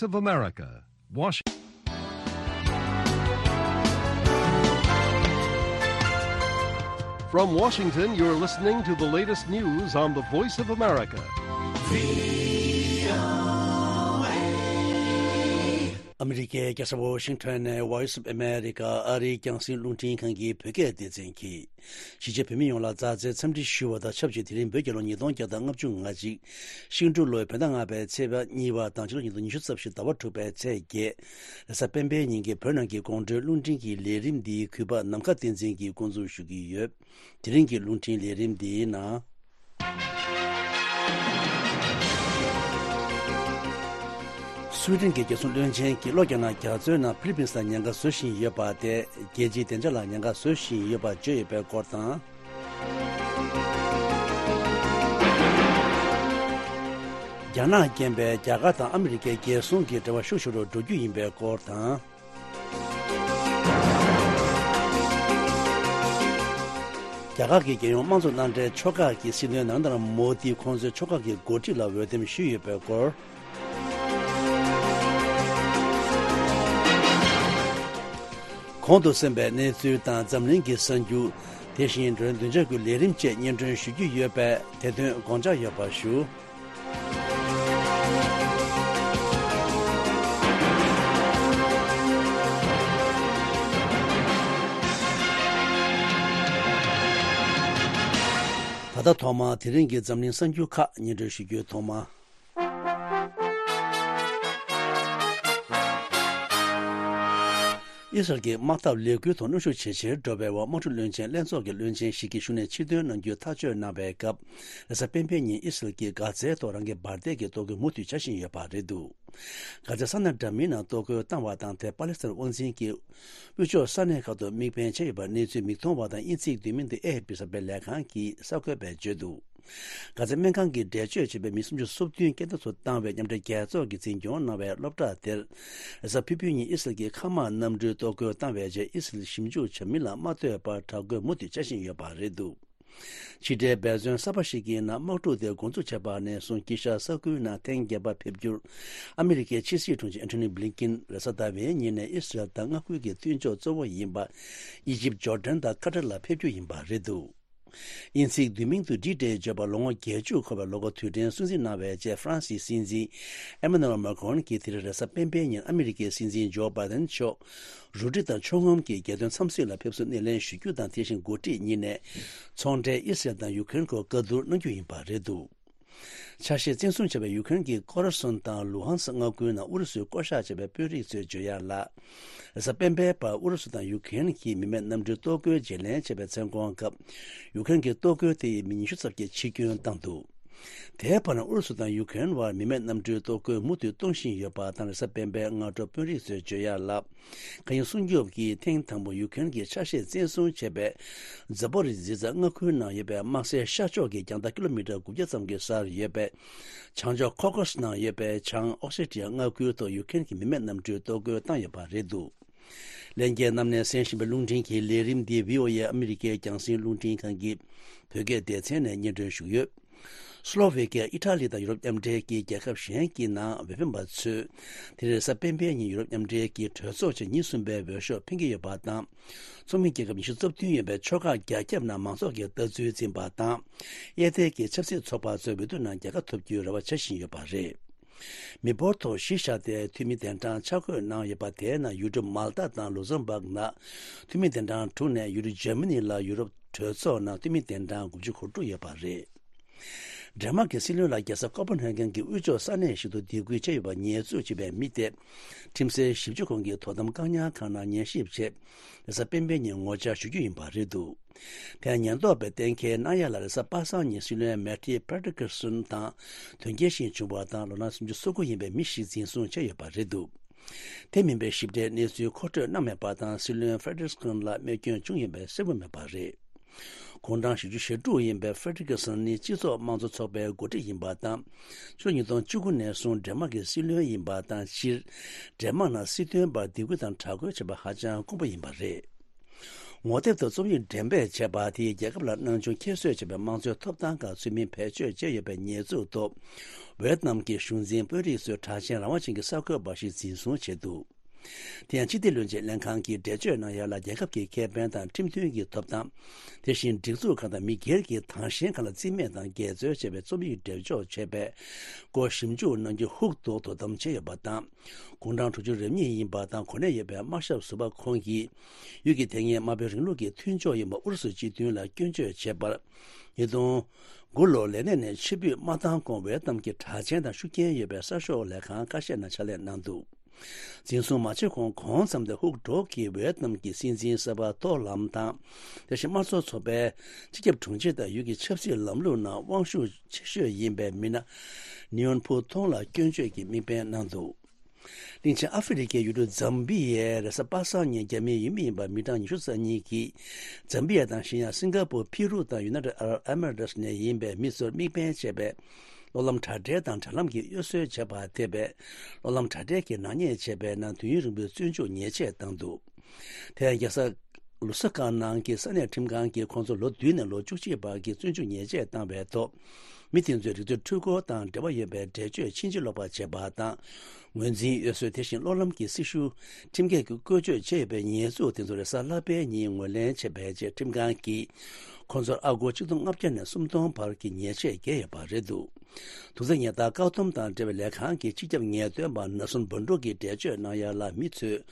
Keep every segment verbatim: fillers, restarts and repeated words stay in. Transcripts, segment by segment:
of America, Washington. From Washington, you're listening to the latest news on the Voice of America. ཨ་མི་རི་ཀའི་རྒྱལ་ས་ཝ་ཤིང་ཊོན་ནས་Voice of America ཨ་རིའི་རྒྱང་སྲིང་རླུང་འཕྲིན་ཁང་གི་བོད་སྐད་སྡེ་ཚན་གྱིས། གཞིས་བྱེས་བོད་མི་ཡོངས་ལ་མཛའ་བརྩེའི་འཚམས་འདྲི་ཞུ་བ་དང་ཆབས་ཅིག་དེ་རིང་བོད་རྒྱལ་ལོ་ཉིས་སྟོང་བརྒྱ་དང་ལྔ་བཅུ་ང་གཅིག་ཤིང་འབྲུག་ལོའི་བོད་ཟླ་ལྔ་པའི་ཚེས་པ་གཉིས་པ་དང་ཕྱི་ལོ་ཉིས་སྟོང་ཉི་ཤུ་རྩ་བཞི་ཟླ་བ་དྲུག་པའི་ཚེས་བརྒྱད། རེས་གཟའ་སྤེན་པའི་ཉིན་གྱི་བོད་ནང་གི་དགོང་དྲོའི་རླུང་འཕྲིན་གྱི་ལས་རིམ་འདིའི་གུས་པ་ནམ་མཁའ་བསྟན་འཛིན་གྱིས་འགོ་འཛུགས་ཞུ་གི་ཡོད། དེ་རིང་གི་རླུང་འཕྲིན་ལས་རིམ་འདིའི་ནང་། སུའེ་ཏེན་གྱི་རྒྱལ་སྲུང་བློན་ཆེན་གྱིས་ལྷོ་རྒྱ་ནག་རྒྱ་མཚོའི་ནང་ཧྥི་ལི་པིན་ལ་ཉེན་ཁ་བཟོ་བཞིན་ཡོད་པ་དེ་རྒྱལ་སྤྱིའི་བདེ་འཇགས་ལ་ཉེན་ཁ་བཟོ་བཞིན་ཡོད་པ་བརྗོད་ཡོད་པའི་སྐོར་དང་། རྒྱ་ནག་རྐྱེན་པས་རྒྱ་གར་དང་ཨ་མི་རི་ཀའི་རྒྱལ་སྲུང་གི་འབྲེལ་བ་ཤུགས་ཆེ་རུ་འགྲོ་རྒྱུ་ཡིན་པའི་སྐོར་དང་། རྒྱ་གར་གྱི་རྒྱལ་ཡོངས་དམངས་གཙོ་མནའ་འབྲེལ་ཕྱོགས་ཁག་གི་སྲིད་བློན་ནཱ་རེན་དྲ་མོ་དི་ཁོང་ཚོའི་ཕྱོགས་ཁག་གི་འགོ་ཁྲིད་ལ་འོས་འདེམས་ཞུས་ཡོད་པའི་སྐོར། གོང་དུ་གསན་པའི་གནས་ཚུལ་དང་འཛམ་གླིང་གི་གསར་འགྱུར། དེ་བཞིན་བདུན་ཕྲག་གི་ལས་རིམ་བཅས་སྙན་སྒྲོན་ཞུ་རྒྱུ་ཡོད་པས་དེ་དོན་དགོངས་འཇགས་ཡོད་པ་ཞུ། ད་ལྟ་ཐོག་མར་དེ་རིང་གི་འཛམ་གླིང་གསར་འགྱུར་ཁག་སྙན་སྒྲོན་ཞུ་རྒྱུའི་ཐོག་མ། ཨི་སི་རལ་གྱི་དམག་འཐབ་ལས་འགུལ་ཐོག་གནོན་ཤུགས་ཇེ་ཆེར་འགྲོ་བའི་འོག་དམག་འཁྲུག་བློན་ཆེན་ལྷན་ཚོགས་ཀྱི་བློན་ཆེན་ཞིག་གིས་བཞུགས་གནས་ཕྱིར་འདོན་གནང་རྒྱུའི་ཐག་གཅོད་གནང་བའི་སྐབས། རེས་གཟའ་སྤེན་པའི་ཉིན་ཨི་སི་རལ་གྱིས་གྷ་ཛའི་ཐོག་རང་གི་འབར་མདེལ་གྱི་གཏོར་རྒོལ་མུ་མཐུད་བྱ་བཞིན་ཡོད་པ་རེད་འདུག་གྷ་ཛའི་ས་གནས་འདྲ་མིན་ནང་གཏོར་རྒོལ་བཏང་བ་དང་དེར་པ་ལེ་སི་ཐན་དབང་འཛིན་གྱི་དབུས་ཕྱོགས་ས་གནས་ཁག་ཏུ་དམིགས་འབེན་བྱས་ཡོད་པ་གནས་ཚུལ་མིག་མཐོང་བ་དང་དབྱིན་ཚིག་བསྡུས་མིང་དུ་ཨེ་ཨེཕ་པི་གསར་སྤེལ་ལས་ཁང་གིས་གསར་འགོད་པས་བརྗོད་འདུག་གྷ་ཛའི་སྨན་ཁང་གི་འགྲེལ་བརྗོད་བྱས་པའི་མི་སུམ་ཅུ་སོ་བདུན་རྐྱེན་འདས་སུ་བཏང་བའི་མཉམ་འབྲེལ་རྒྱལ་ཚོགས་ཀྱིས་འཛིན་སྐྱོང་གནང་བའི་སློབ་གྲྭ་དེར། རེས་གཟའ་ཕུར་བུའི་ཉིན་ཨི་སི་རལ་གྱི་མཁའ་དམག་གནམ་གྲུས་གཏོར་རྒོལ་བཏང་བའི་རྗེས་ཨི་སི་རལ་ཞིབ་འཇུག་བྱ་མི་ལ་མ་ལྟོས་པར་དྲག་རྒོལ་མུ་མཐུད་བྱ་བཞིན་ཡོད་པ་རེད་འདུག་ཕྱི་འབྲེལ་འབད་བརྩོན་གསར་པ་ཞིག་གི་ནང་དམག་འཁྲུག་དེ་འགོ་འཛུགས་བྱས་པ་ནས་བཟུང་དཀྱིལ་ཤར་ས་ཁུལ་ནང་ཐེངས་བརྒྱད་པ་ཕེབས་རྒྱུར་ཨ་མི་རི་ཀའི་ཕྱི་སྲིད་དྲུང་ཆེ་ཨན་ཐོ་ནི་བྷི་ལིན་ཀིན་རེས་གཟའ་ཟླ་བའི་ཉིན་ནས་ཨི་སི་རལ་དང་མངའ་ཁུལ་གྱི་མཐུན་ཕྱོགས་གཙོ་བོ་ཡིན་པ་ཨི་ཇིབ། ཇོར་ཌན་དང་ཁ་ཏར་ལ་ཕེབས་རྒྱུ་ཡིན་པ་རེད་འདུག་དབྱིན་ཚིག་བསྡུས་མིང་དུ་ཌི་ཌེ་བརྗོད་པ་ལོ་ངོ་བརྒྱད་ཅུ་འཁོར་བའི་ལོ་འཁོར་དུས་དྲན་སྲུང་བརྩི་གནང་བའི་རྗེས་ཧྥ་རན་སིའི་སྲིད་འཛིན་ཨེ་མ་ནུ་ཨེལ་མཱ་ཀྲོན་གྱིས་དེ་རིང་རེས་གཟའ་སྤེན་པའི་ཉིན་ཨ་མི་རི་ཀའི་སྲིད་འཛིན་ཇོ་བྷའི་ཌེན་མཆོག་རུ་སྒྲིག་དང་ཕྱོགས་ངོམ་གྱི་རྒྱལ་དོན་འཚམས་གཟིགས་ལ་ཕེབས་བསུ་སྣེ་ལེན་ཞུ་རྒྱུ་དང་། དེ་བཞིན་འགོ་ཁྲིད་གཉིས་ནས་ཚོང་འབྲེལ་ཨི་སི་རལ་དང་ཡུ་ཀེ་རེན་སྐོར་བཀའ་བསྡུར་གནང་རྒྱུ་ཡིན་པ་རེད་འདུག་ཆ་ཤས་བཙན་བཟུང་བྱས་པའི་ཡུ་ཀེ་རེན་གྱི་ཁོ་ར་སོན་དང་ལུ་ཧན་སི་མངའ་ཁུལ་ནང་ཨུ་རུ་སུས་བསྐོ་བཞག་བྱས་པའི་དཔོན་རིགས་ཚོས་བརྗོད་ཡག་ལ། རེས་གཟའ་སྤེན་པའི་བར་ཨུ་རུ་སུ་དང་ཡུ་ཀེ་རེན་གྱིས་མི་མེད་གནམ་གྲུའི་གཏོར་རྒོལ་བརྗེ་ལེན་བྱས་པའི་མཚན་གུང་སྐབས། ཡུ་ཀེ་རེན་གྱི་གཏོར་རྒོལ་དེ་ཡིས་མི་ཉི་ཤུ་ཙམ་གྱི་འཆི་སྐྱོན་བཏང་འདུག་དེའི་བར་ན་ཨུ་རུ་སུ་དང་ཡུ་ཀེ་རེན་བར་མི་མེད་གནམ་གྲུའི་གཏོར་རྒོལ་མུ་མཐུད་གཏོང་བཞིན་ཡོད་པ་དང་། རེས་གཟའ་སྤེན་པའི་སྔ་དྲོ་དཔོན་རིགས་ཚོས་བརྗོད་ཡག་ལ། མཁའ་དབྱིངས་སྲུང་སྐྱོབ་ཀྱིས་ཐེངས་དང་པོ་ཡུ་ཀེ་རེན་གྱིས་ཆ་ཤས་བཙན་བཟུང་བྱས་པའི་ཛ་པོ་རི་ཛི་ཛ་མངའ་ཁུལ་ནང་ཡོད་པའི་དམག་སའི་ཤར་ཕྱོགས་ཀྱི་རྒྱང་ཐག་ཀི་ལོ་མི་ཊར་དགུ་བརྒྱ་ཙམ་གྱི་སར་ཡོད་པའི་བྱང་ཕྱོགས་ཁོ་ཀོ་སི་ནང་ཡོད་པའི་བྱང་ཨོ་སེ་ཊི་ཡ་མངའ་ཁུལ་དུ་ཡུ་ཀེ་རེན་གྱི་མི་མེད་གནམ་གྲུའི་གཏོར་རྒོལ་བཏང་ཡོད་པ་རེད་འདུག་ལྷན་རྒྱས་རྣམས་ནས་གསན་བཞིན་པའི་རླུང་འཕྲིན་གྱི་ལས་རིམ་འདི་བྷི་ཨོ་ཨེ་ཨ་མི་རི་ཀའི་རྒྱང་སྲིང་རླུང་འཕྲིན་ཁང་གི་བོད་སྐད་སྡེ་ཚན་ནས་སྙན་སྒྲོན་ཞུས་ཡོད། སི་ལོ་ཝེ་ཀི་ཡ། ཨི་ཊ་ལི་དང་ཡུ་རོབ་མཉམ་འབྲེལ་གྱི་རྒྱལ་ཁབ་གཞན་གྱི་ནང་འོས་འཕེན་པ་ཚོས་དེ་རིང་རེས་གཟའ་སྤེན་པའི་ཉིན་ཡུ་རོབ་མཉམ་འབྲེལ་གྱི་གྲོས་ཚོགས་ཆེན་ཉིན་གསུམ་པའི་འོས་ཤོག་འཕེན་གྱི་ཡོད་པ་དང་། ཚོགས་མི་རྒྱལ་ཁབ་ཉི་ཤུ་རྩ་བདུན་ཡོད་པའི་ཕྱོགས་ཁག་རྒྱ་ཁྱབ་ནང་མང་ཚོགས་ཀྱིས་ལྟ་ཚུལ་འཛིན་པ་དང་། གཡས་ཐལ་གྱི་ཆབ་སྲིད་ཚོགས་པ་ཚོས་འོས་བསྡུ་ནང་རྒྱལ་ཁ་ཐོབ་རྒྱུའི་རེ་བ་བྱ་བཞིན་ཡོད་པ་རེད། མི་འབོར་ཐོག་གཞི་བཞག་སྟེ་འཐུས་མི་གདན་གྲངས་ཆ་བགོས་གནང་ཡོད་པ། དེའི་ནང་ཡུལ་གྲུ་མལ་ཏཱ་དང་ལུག་སེམ་བྷག་ནང་འཐུས་མི་གདན་གྲངས་དྲུག་ནས། ཡུལ་གྲུ་འཇར་མ་ནི་ལ་ཡུ་རོབ་གྲོས་ཚོགས་ནང་འཐུས་མི་གདན་གྲངས་དགུ་བཅུ་གོ་དྲུག་ཡོད་པ་རེད། ཌེན་མཱག་གི་སྲིད་བློན་ལ་རྒྱལ་ས་ཀོ་པན་ཧེ་གན་གྱི་དབུས་ཕྱོགས་ས་གནས་ཤིག་ཏུ་སྡིགས་སྐུལ་བྱས་ཡོད་པར་ཉེས་འཛུགས་བྱས་པའི་མི་དེ། ཁྲིམས་སའི་ཞིབ་འཇུག་ཁང་གི་དོ་དམ་བཀག་ཉར་ཁང་ནང་ཉན་ཞིབ་ཆེད། རེས་གཟའ་སྤེན་པའི་ཉིན་ངོ་བཅར་ཞུ་རྒྱུ་ཡིན་པ་རེད་འདུག་དེར་ཉེན་རྟོག་པས་གཏན་འཁེལ་གནང་ཡ་ལ། རེས་གཟའ་པ་སངས་ཉིན་སྲིད་བློན་མེ་ཊི་ཕེ་ཌི་ཀེར་སོན་དང་དོན་རྐྱེན་ཞིག་བྱུང་བ་དང་། ལོ་ན་སུམ་ཅུ་སོ་དགུ་ཡིན་པའི་མི་ཞིག་འཛིན་བཟུང་བྱས་ཡོད་པ་རེད་འདུག་དེ་མིན་པའི་ཞིབ་ཕྲའི་གནས་ཚུལ་མཁོ་སྤྲོད་གནང་མེད་པ་དང་། སྲིད་བློན་ཕེ་ཌི་ཀེར་སོན་ལ་རྨས་སྐྱོན་བྱུང་ཡོད་པའི་གསལ་པོ་མེད་པ་རེད། དགུང་གྲངས་བཞི་བཅུ་ཞེ་དྲུག་ཡིན་པའི་ཕེ་ཌི་ཀེར་སོན་ནི་སྤྱི་ཚོགས་དམངས་གཙོ་ཚོགས་པའི་འགོ་ཁྲིད་ཡིན་པ་དང་། ཕྱི་ལོ་ཉིས་སྟོང་བཅུ་དགུ་ནས་བཟུང་ཌེན་མཱག་གི་སྲིད་བློན་ཡིན་པ་དང་། སྤྱིར་ཌེན་མཱག་ནང་སྲིད་དོན་པར་སྡིགས་སྐུལ་དང་དྲག་རྒོལ་བྱས་པ་ཧ་ཅང་དཀོན་པོ་ཡིན་པ་རེད། ངོ་དེབ་ཏུ་རྩོམ་ཡིག་འགྲེམས་སྤེལ་བྱས་པ་དེས། རྒྱལ་ཁབ་ལ་སྣང་ཆུང་ཁྱད་གསོད་བྱས་པའི་དམངས་གཙོའི་ཐོབ་ཐང་ཁག་ཚུལ་མིན་བེད་སྤྱོད་བྱས་ཡོད་པའི་ཉེས་འཛུགས་ཐོག་ཝེ་ཏི་ནམ་གྱི་གཞུང་འཛིན་དཔོན་རིགས་ཚོས་གྲགས་ཅན་རང་དབང་ཅན་གྱི་གསར་འགོད་པ་ཞིག་འཛིན་བཟུང་བྱས་འདུག་དེ་ཡང་སྤྱི་བདེ་བློན་ཆེན་ལྷན་ཁང་གིས་འགྲེལ་བརྗོད་གནང་ཡ་ལ། རྒྱལ་ཁབ་ཀྱི་ཁེ་ཕན་དང་ཁྲིམས་མཐུན་གྱི་ཐོབ་ཐང་། དེ་བཞིན་སྒྲིག་འཛུགས་ཁག་དང་མི་སྒེར་གྱི་དྭངས་ཤེལ་ཁག་ལ་རྩིས་མེད་དང་འགལ་འཛོལ་བྱས་པའི་རྩོམ་ཡིག་འགྲེལ་འཇོག་བྱས་པའི་སྐོར་ཞིབ་འཇུག་གནང་རྒྱུ་ཧུག་ཐུག་དོ་དམ་བྱས་ཡོད་པ་དང་། དགུང་གྲངས་དྲུག་ཅུ་རེ་གཉིས་ཡིན་པ་དང་གོ་གནས་ཡོད་པའི་དམར་ཞབས་ཟུར་པ་ཁོང་གིས། ཡུལ་གྱི་དེ་སྔའི་དམར་པོའི་རིང་ལུགས་ཀྱི་མཐུན་ཕྱོགས་ཡིན་པ་ཨུ་རུ་སུ་སྤྱི་མཐུན་ལ་སྐྱོན་བརྗོད་བྱས་པར། ཉིས་སྟོང་དགུ་ལོར་ལས་གནས་ནས་ཕྱིར་འབུད་མ་བཏང་གོང་ཝེ་ཏི་ནམ་གྱི་གྲགས་ཅན་དང་ཤུགས་རྐྱེན་ཡོད་པའི་གསར་ཤོག་ལས་ཁང་ཁ་ཤས་ནང་ཕྱག་ལས་གནང་འདུག་འཛིན་བཟུང་མ་བྱས་གོང་གོང་ཙམ་དུ་ཧུག་སྒྲོག་གིས་ཝེ་ཏི་ནམ་གྱི་སྲིད་འཛིན་གསར་པ་ཐོ་ལམ་དང་། དེ་བཞིན་དམངས་གཙོ་ཚོགས་པའི་སྤྱི་ཁྱབ་དྲུང་ཆེ་དང་ཡུལ་གྱི་ཆབ་སྲིད་ལམ་ལུགས་ནང་དབང་ཤུགས་ཆེ་ཤོས་ཡིན་པའི་མི་སྣ་ནིའོན་ཕུ་ཐོང་ལ་སྐྱོན་བརྗོད་ཀྱི་དམིགས་འབེན་གནང་འདུག་གླིང་ཆེན་ཨ་ཧྥེ་རི་ཁའི་ཡུལ་གྲུ་ཛམ་བི་ཡའི་རེས་གཟའ་པ་སངས་ཉིན་རྒྱ་མིའི་ཡུལ་མི་ཡིན་པ་མི་གྲངས་ཉི་ཤུ་རྩ་གཉིས་ཀྱིས། ཛམ་བི་ཡ་དང་གཞན་ཡང་སིང་ག་པུར། ཕི་རུ་དང་ཡུ་ནའི་ཊེཌ་ཨ་རབ་ཨེ་མི་རེ་ཊི་ནས་ཡིན་པའི་མི་ཚོར་དམིགས་འབེན་བྱས་པའི་གློག་ལམ་དྲ་སྦྲེལ་དང་དྲ་ལམ་གྱི་གཡོ་ཟོལ་བྱས་པ་ཐེ་བའི་གློག་ལམ་དྲ་སྦྲེལ་གྱི་ནག་ཉེས་བྱས་པའི་ནང་དུས་ཡུན་རིང་པོའི་བཙོན་འཇུག་ཉེས་ཆད་བཏང་འདུག་དེ་ཡང་རྒྱལ་ས་ལུ་སི་ཀ་ནང་གི་ས་གནས་ཁྲིམས་ཁང་གིས་ཁོང་ཚོ་ལོ་བདུན་ནས་ལོ་བཅུ་གཅིག་བར་གྱི་བཙོན་འཇུག་ཉེས་ཆད་བཏང་བའི་ཐོག་མི་དེ་ཚོའི་རིག་རྩལ་འཕྲུལ་འཁོར་དང་འབྲེལ་བ་ཡོད་པའི་འགྲེལ་བརྗོད་ཕྱིན་ཅི་ལོག་པ་བྱས་པ་དང་། ངོས་འཛིན་གཡོ་ཟོལ། དེ་བཞིན་གློག་ལམ་གྱི་སྲི་ཞུ་ཁྲིམས་འགལ་གྱི་བཀོལ་སྤྱོད་བྱས་ཡོད་པའི་ཉེས་འཛུགས་དེ་ཚོ་རེས་གཟའ་ལྷག་པའི་ཉིན་ངོས་ལེན་བྱས་པའི་རྗེས་ཁྲིམས་ཁང་གིས་ཁོང་ཚོར་ཨ་སྒོར་ཆིག་སྟོང་ལྔ་བརྒྱ་ནས་སུམ་སྟོང་བར་གྱི་ཉེས་ཆད་བཀལ་ཡོད་པ་རེད་འདུག་དུག་རྫས་ཉེན་བརྡ་བཀག་སྡོམ་དང་འབྲེལ་བའི་ལས་ཁང་གི་སྤྱི་ཁྱབ་ངེས་སྟོན་པ་ནར་སོན་བོན་ཀྲུག་གིས་འགྲེལ་བརྗོད་གནང་ཡ་ལ། མི་ཚོས་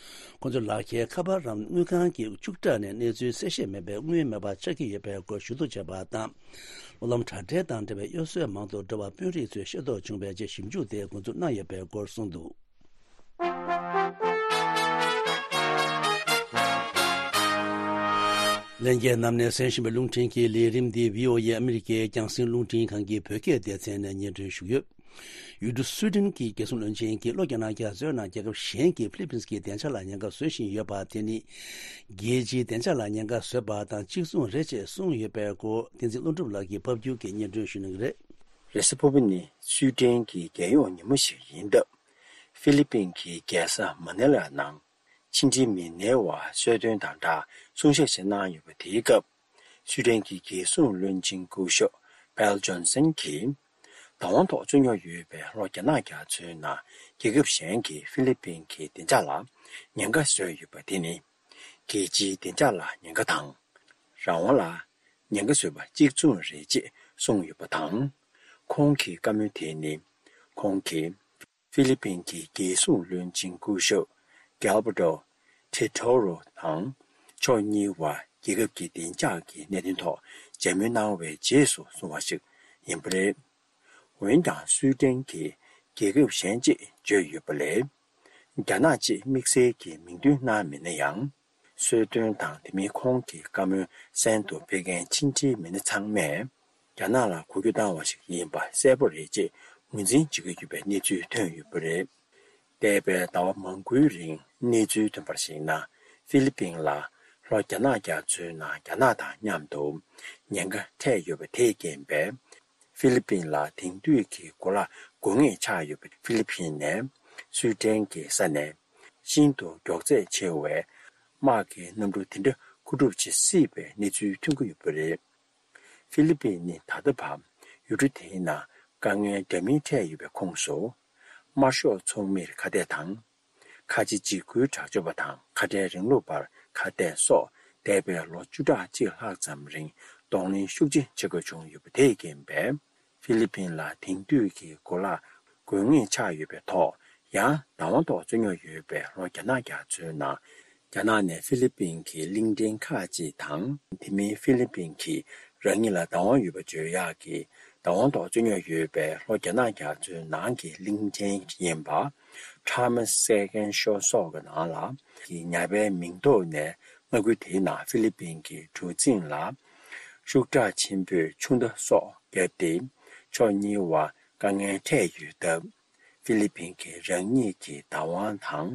ཁོང་ཚོའི་ལག་ཁྱེར་ཁ་པར་རམ་དངུལ་ཁང་གི་ཕྱུག་དྲ་ནས་གནས་ཚུལ་གསལ་བཤད་མེད་པའི་དངུལ་མེད་པ་ཆགས་ཀྱི་ཡོད་པའི་སྐོར་ཞུ་གཏུག་བྱས་པ་དང་། གློག་ལམ་དྲ་སྦྲེལ་དང་འབྲེལ་བའི་གཡོ་ཟོལ་མང་དུ་འགྲོ་བ་དཔོན་རིགས་ཚོས་ཤེས་རྟོགས་བྱུང་བའི་རྗེས་ཞིབ་འཇུག་དེ་འགོ་འཛུགས་གནང་ཡོད་པའི་སྐོར་གསུངས་འདུག་ལྷན་རྒྱས་རྣམས་ནས་གསན་བཞིན་པའི་རླུང་འཕྲིན་གྱི་ལས་རིམ་འདི་བྷི་ཨོ་ཨེ་ཨ་མི་རི་ཀའི་རྒྱང་སྲིང་རླུང་འཕྲིན་ཁང་གི་བོད་སྐད་སྡེ་ཚན་ནས་སྙན་སྒྲོན་ཞུས་ཡོད། ཡུལ་གྲུ་སུའི་ཏན་གྱི་རྒྱལ་སྲུང་བློན་ཆེན་གྱིས་ལྷོ་རྒྱ་ནག་རྒྱ་མཚོའི་ནང་རྒྱལ་ཁབ་གཞན་གྱི་ཧྥི་ལི་པིན་གྱི་བདེ་འཇགས་ལ་ཉེན་ཁ་བཟོ་བཞིན་ཡོད་པ་དེ་ནི། རྒྱལ་སྤྱིའི་བདེ་འཇགས་ལ་ཉེན་ཁ་བཟོས་པ་དང་གཅིག་མཚུངས་རེད་ཅེས་གསུངས་ཡོད་པའི་སྐོར། བསྟན་འཛིན་ཀླུ་སྒྲུབ་ལགས་ཀྱིས་ཕབ་སྒྱུར་གྱིས་སྙན་སྒྲོན་ཞུ་གནང་གི་རེད། རེས་གཟའ་ཕུར་བུ་ནི་སུའི་ཏན་གྱི་རྒྱལ་ཡོངས་ཉིན་མོ་ཞིག་ཡིན་སྟབས། ཧྥི་ལི་པིན་གྱི་རྒྱལ་ས་མ་ནེ་ལ་ནང་ཕྱི་འབྲེལ་མི་སྣའི་དབར་གསོལ་སྟོན་དང་སྦྲགས་གསུང་བཤད་ཞིག་གནང་ཡོད་པ། དེའི་སྐབས་སུའི་ཏན་གྱི་རྒྱལ་སྲུང་བློན་ཆེན་སྐུ་ཞབས་པེལ་ཇོན་སན་གྱིས། བདག་དབང་ཐོག་རྩོད་རྙོག་ཡོད་པའི་ལྷོ་རྒྱ་ནག་རྒྱ་མཚོའི་ནང་རྒྱལ་ཁབ་གཞན་གྱིས་ཧྥི་ལི་པིན་གྱི་བདེ་འཇགས་ལ་ཉེན་ཁ་བཟོས་ཡོད་པ་དེ་ནི། རྒྱལ་སྤྱིའི་བདེ་འཇགས་ལ་ཉེན་ཁ་དང་། རང་དབང་ལ་ཉེན་ཁ་བཟོས་པ་གཅིག་མཚུངས་རེད་ཅེས་གསུངས་ཡོད་པ་དང་། ཁོང་གི་བཀའ་མོལ་དེ་ནི། ཁོང་གིས་ཧྥི་ལི་པིན་གྱི་རྒྱལ་སྲུང་བློན་ཆེན་སྐུ་ཞབས་གེལ་བྷར་ཏོ་ཐེ་ཐོ་རོ་དང་། ཕྱོགས་གཉིས་དབར་རྒྱལ་ཁབ་ཀྱི་བདེ་འཇགས་ཀྱི་གནད་དོན་ཐོག་མཇལ་མོལ་གནང་བའི་རྗེས་སུ་གསུངས་པ་ཞིག་ཡིན་པ་རེད། འོན་ཀྱང་སུའི་ཏན་གྱིས་རྒྱལ་ཁབ་གཞན་ཅེས་བརྗོད་ཡོད་པ་ལས། རྒྱ་ནག་ཅེས་དམིགས་བསལ་གྱི་མིང་འདོན་གནང་མེད་ན་ཡང་། གསོལ་སྟོན་དང་དེ་མིན་ཁོང་གི་བཀའ་མོལ་གསན་དུ་ཕེབས་མཁན་ཕྱི་འབྲེལ་མི་སྣ་ཚང་མས། རྒྱ་ནག་ལ་འགུལ་སྐྱོད་བཏང་བ་ཞིག་ཡིན་པ་གསལ་པོ་རེད་ཅེས་ངོས་འཛིན་བྱེད་ཀྱི་ཡོད་པའི་གནས་ཚུལ་ཐོན་ཡོད་པ་རེད། འདས་པའི་ཟླ་བ་མང་པོའི་རིང་གནས་ཚུལ་ཐོན་པར་གཞིགས་ན། ཧྥི་ལི་པིན་ལ་ལྷོ་རྒྱ་ནག་རྒྱ་མཚོའི་ནང་རྒྱ་ནག་དང་མཉམ་དུ་ཉེན་ཁ་འཕྲད་ཡོད་པ་དེས་རྐྱེན་པས། ཧྥི་ལི་པིན་ལ་དེང་དུས་ཀྱི་གོ་ལ་དགོས་ངེས་ཆགས་ཡོད་པའི་ཧྥི་ལི་པིན་ནས་སུའི་ཏན་གྱི་ས་ནས་ཤིན་ཏུ་མགྱོགས་ཚད་ཆེ་བའི་དམག་གི་གནམ་གྲུ་དེ་འདྲ་མཁོ་སྒྲུབ་བྱེད་སྲིད་པའི་གནས་ཚུལ་ཐོན་གྱི་ཡོད་པ་རེད། ཧྥི་ལི་པིན་ནི་ད་ལྟ་བར་ཡུལ་གྲུ་དེའི་ནང་དཀའ་ངལ་འདྲ་མིན་འཕྲད་ཡོད་པའི་ཁོངས་སུ། དམར་ཤོག་ཚོགས་མིར་ཁ་གཏད་དང་། ཁ་ཆེ་འཇིགས་སྐུལ་དྲག་སྤྱོད་པ་དང་ཁ་བྲལ་རིང་ལུགས་པར་ཁ་གཏད་སོགས་འདས་པའི་ལོ་བཅུ་ཕྲག་གཅིག་ལྷག་ཙམ་རིང་གདོང་ལེན་ཤུགས་ཆེ་བྱེད་དགོས་བྱུང་ཡོད་པ་དེས་རྐྱེན་པས། ཧྥི་ལི་པིན་ལ་དེང་དུས་ཀྱི་གོ་ལ་དགོས་ངེས་ཆགས་ཡོད་པའི་ཐོག་ཡང་བདག་དབང་ཐོག་རྩོད་རྙོག་ཡོད་པའི་ལྷོ་རྒྱ་ནག་རྒྱ་མཚོའི་ནང་། རྒྱ་ནག་ནས་ཧྥི་ལི་པིན་གྱི་གླིང་ཕྲན་ཁག་ཅིག་དང་། དེ་མིན་ཧྥི་ལི་པིན་གྱིས་རང་ཉིད་ལ་བདག་དབང་ཡོད་པ་བརྗོད་ཡག་གི་བདག་དབང་ཐོག་རྩོད་རྙོག་ཡོད་པའི་ལྷོ་རྒྱ་ནག་རྒྱ་མཚོའི་ནང་གི་གླིང་ཕྲན་ཡིན་པ། Thomas Second Shore སོགས་ཀྱི་ནང་ལ་གི་ཉ་པའི་མིང་ཐོག་ནས་མངའ་ཁུལ་དེའི་ནང་ཧྥི་ལི་པིན་གྱི་གྲུ་གཟིངས་ལ་ཤུགས་དྲག་ཆེན་པོས་ཆུ་མདའ་སོགས་བརྒྱབ་སྟེ་ཕྱོགས་གཉིས་དབར་དཀའ་ངལ་འཕྲད་ཡོད་སྟབས། ཧྥི་ལི་པིན་གྱིས་རང་ཉིད་ཀྱི་བདག་དབང་དང་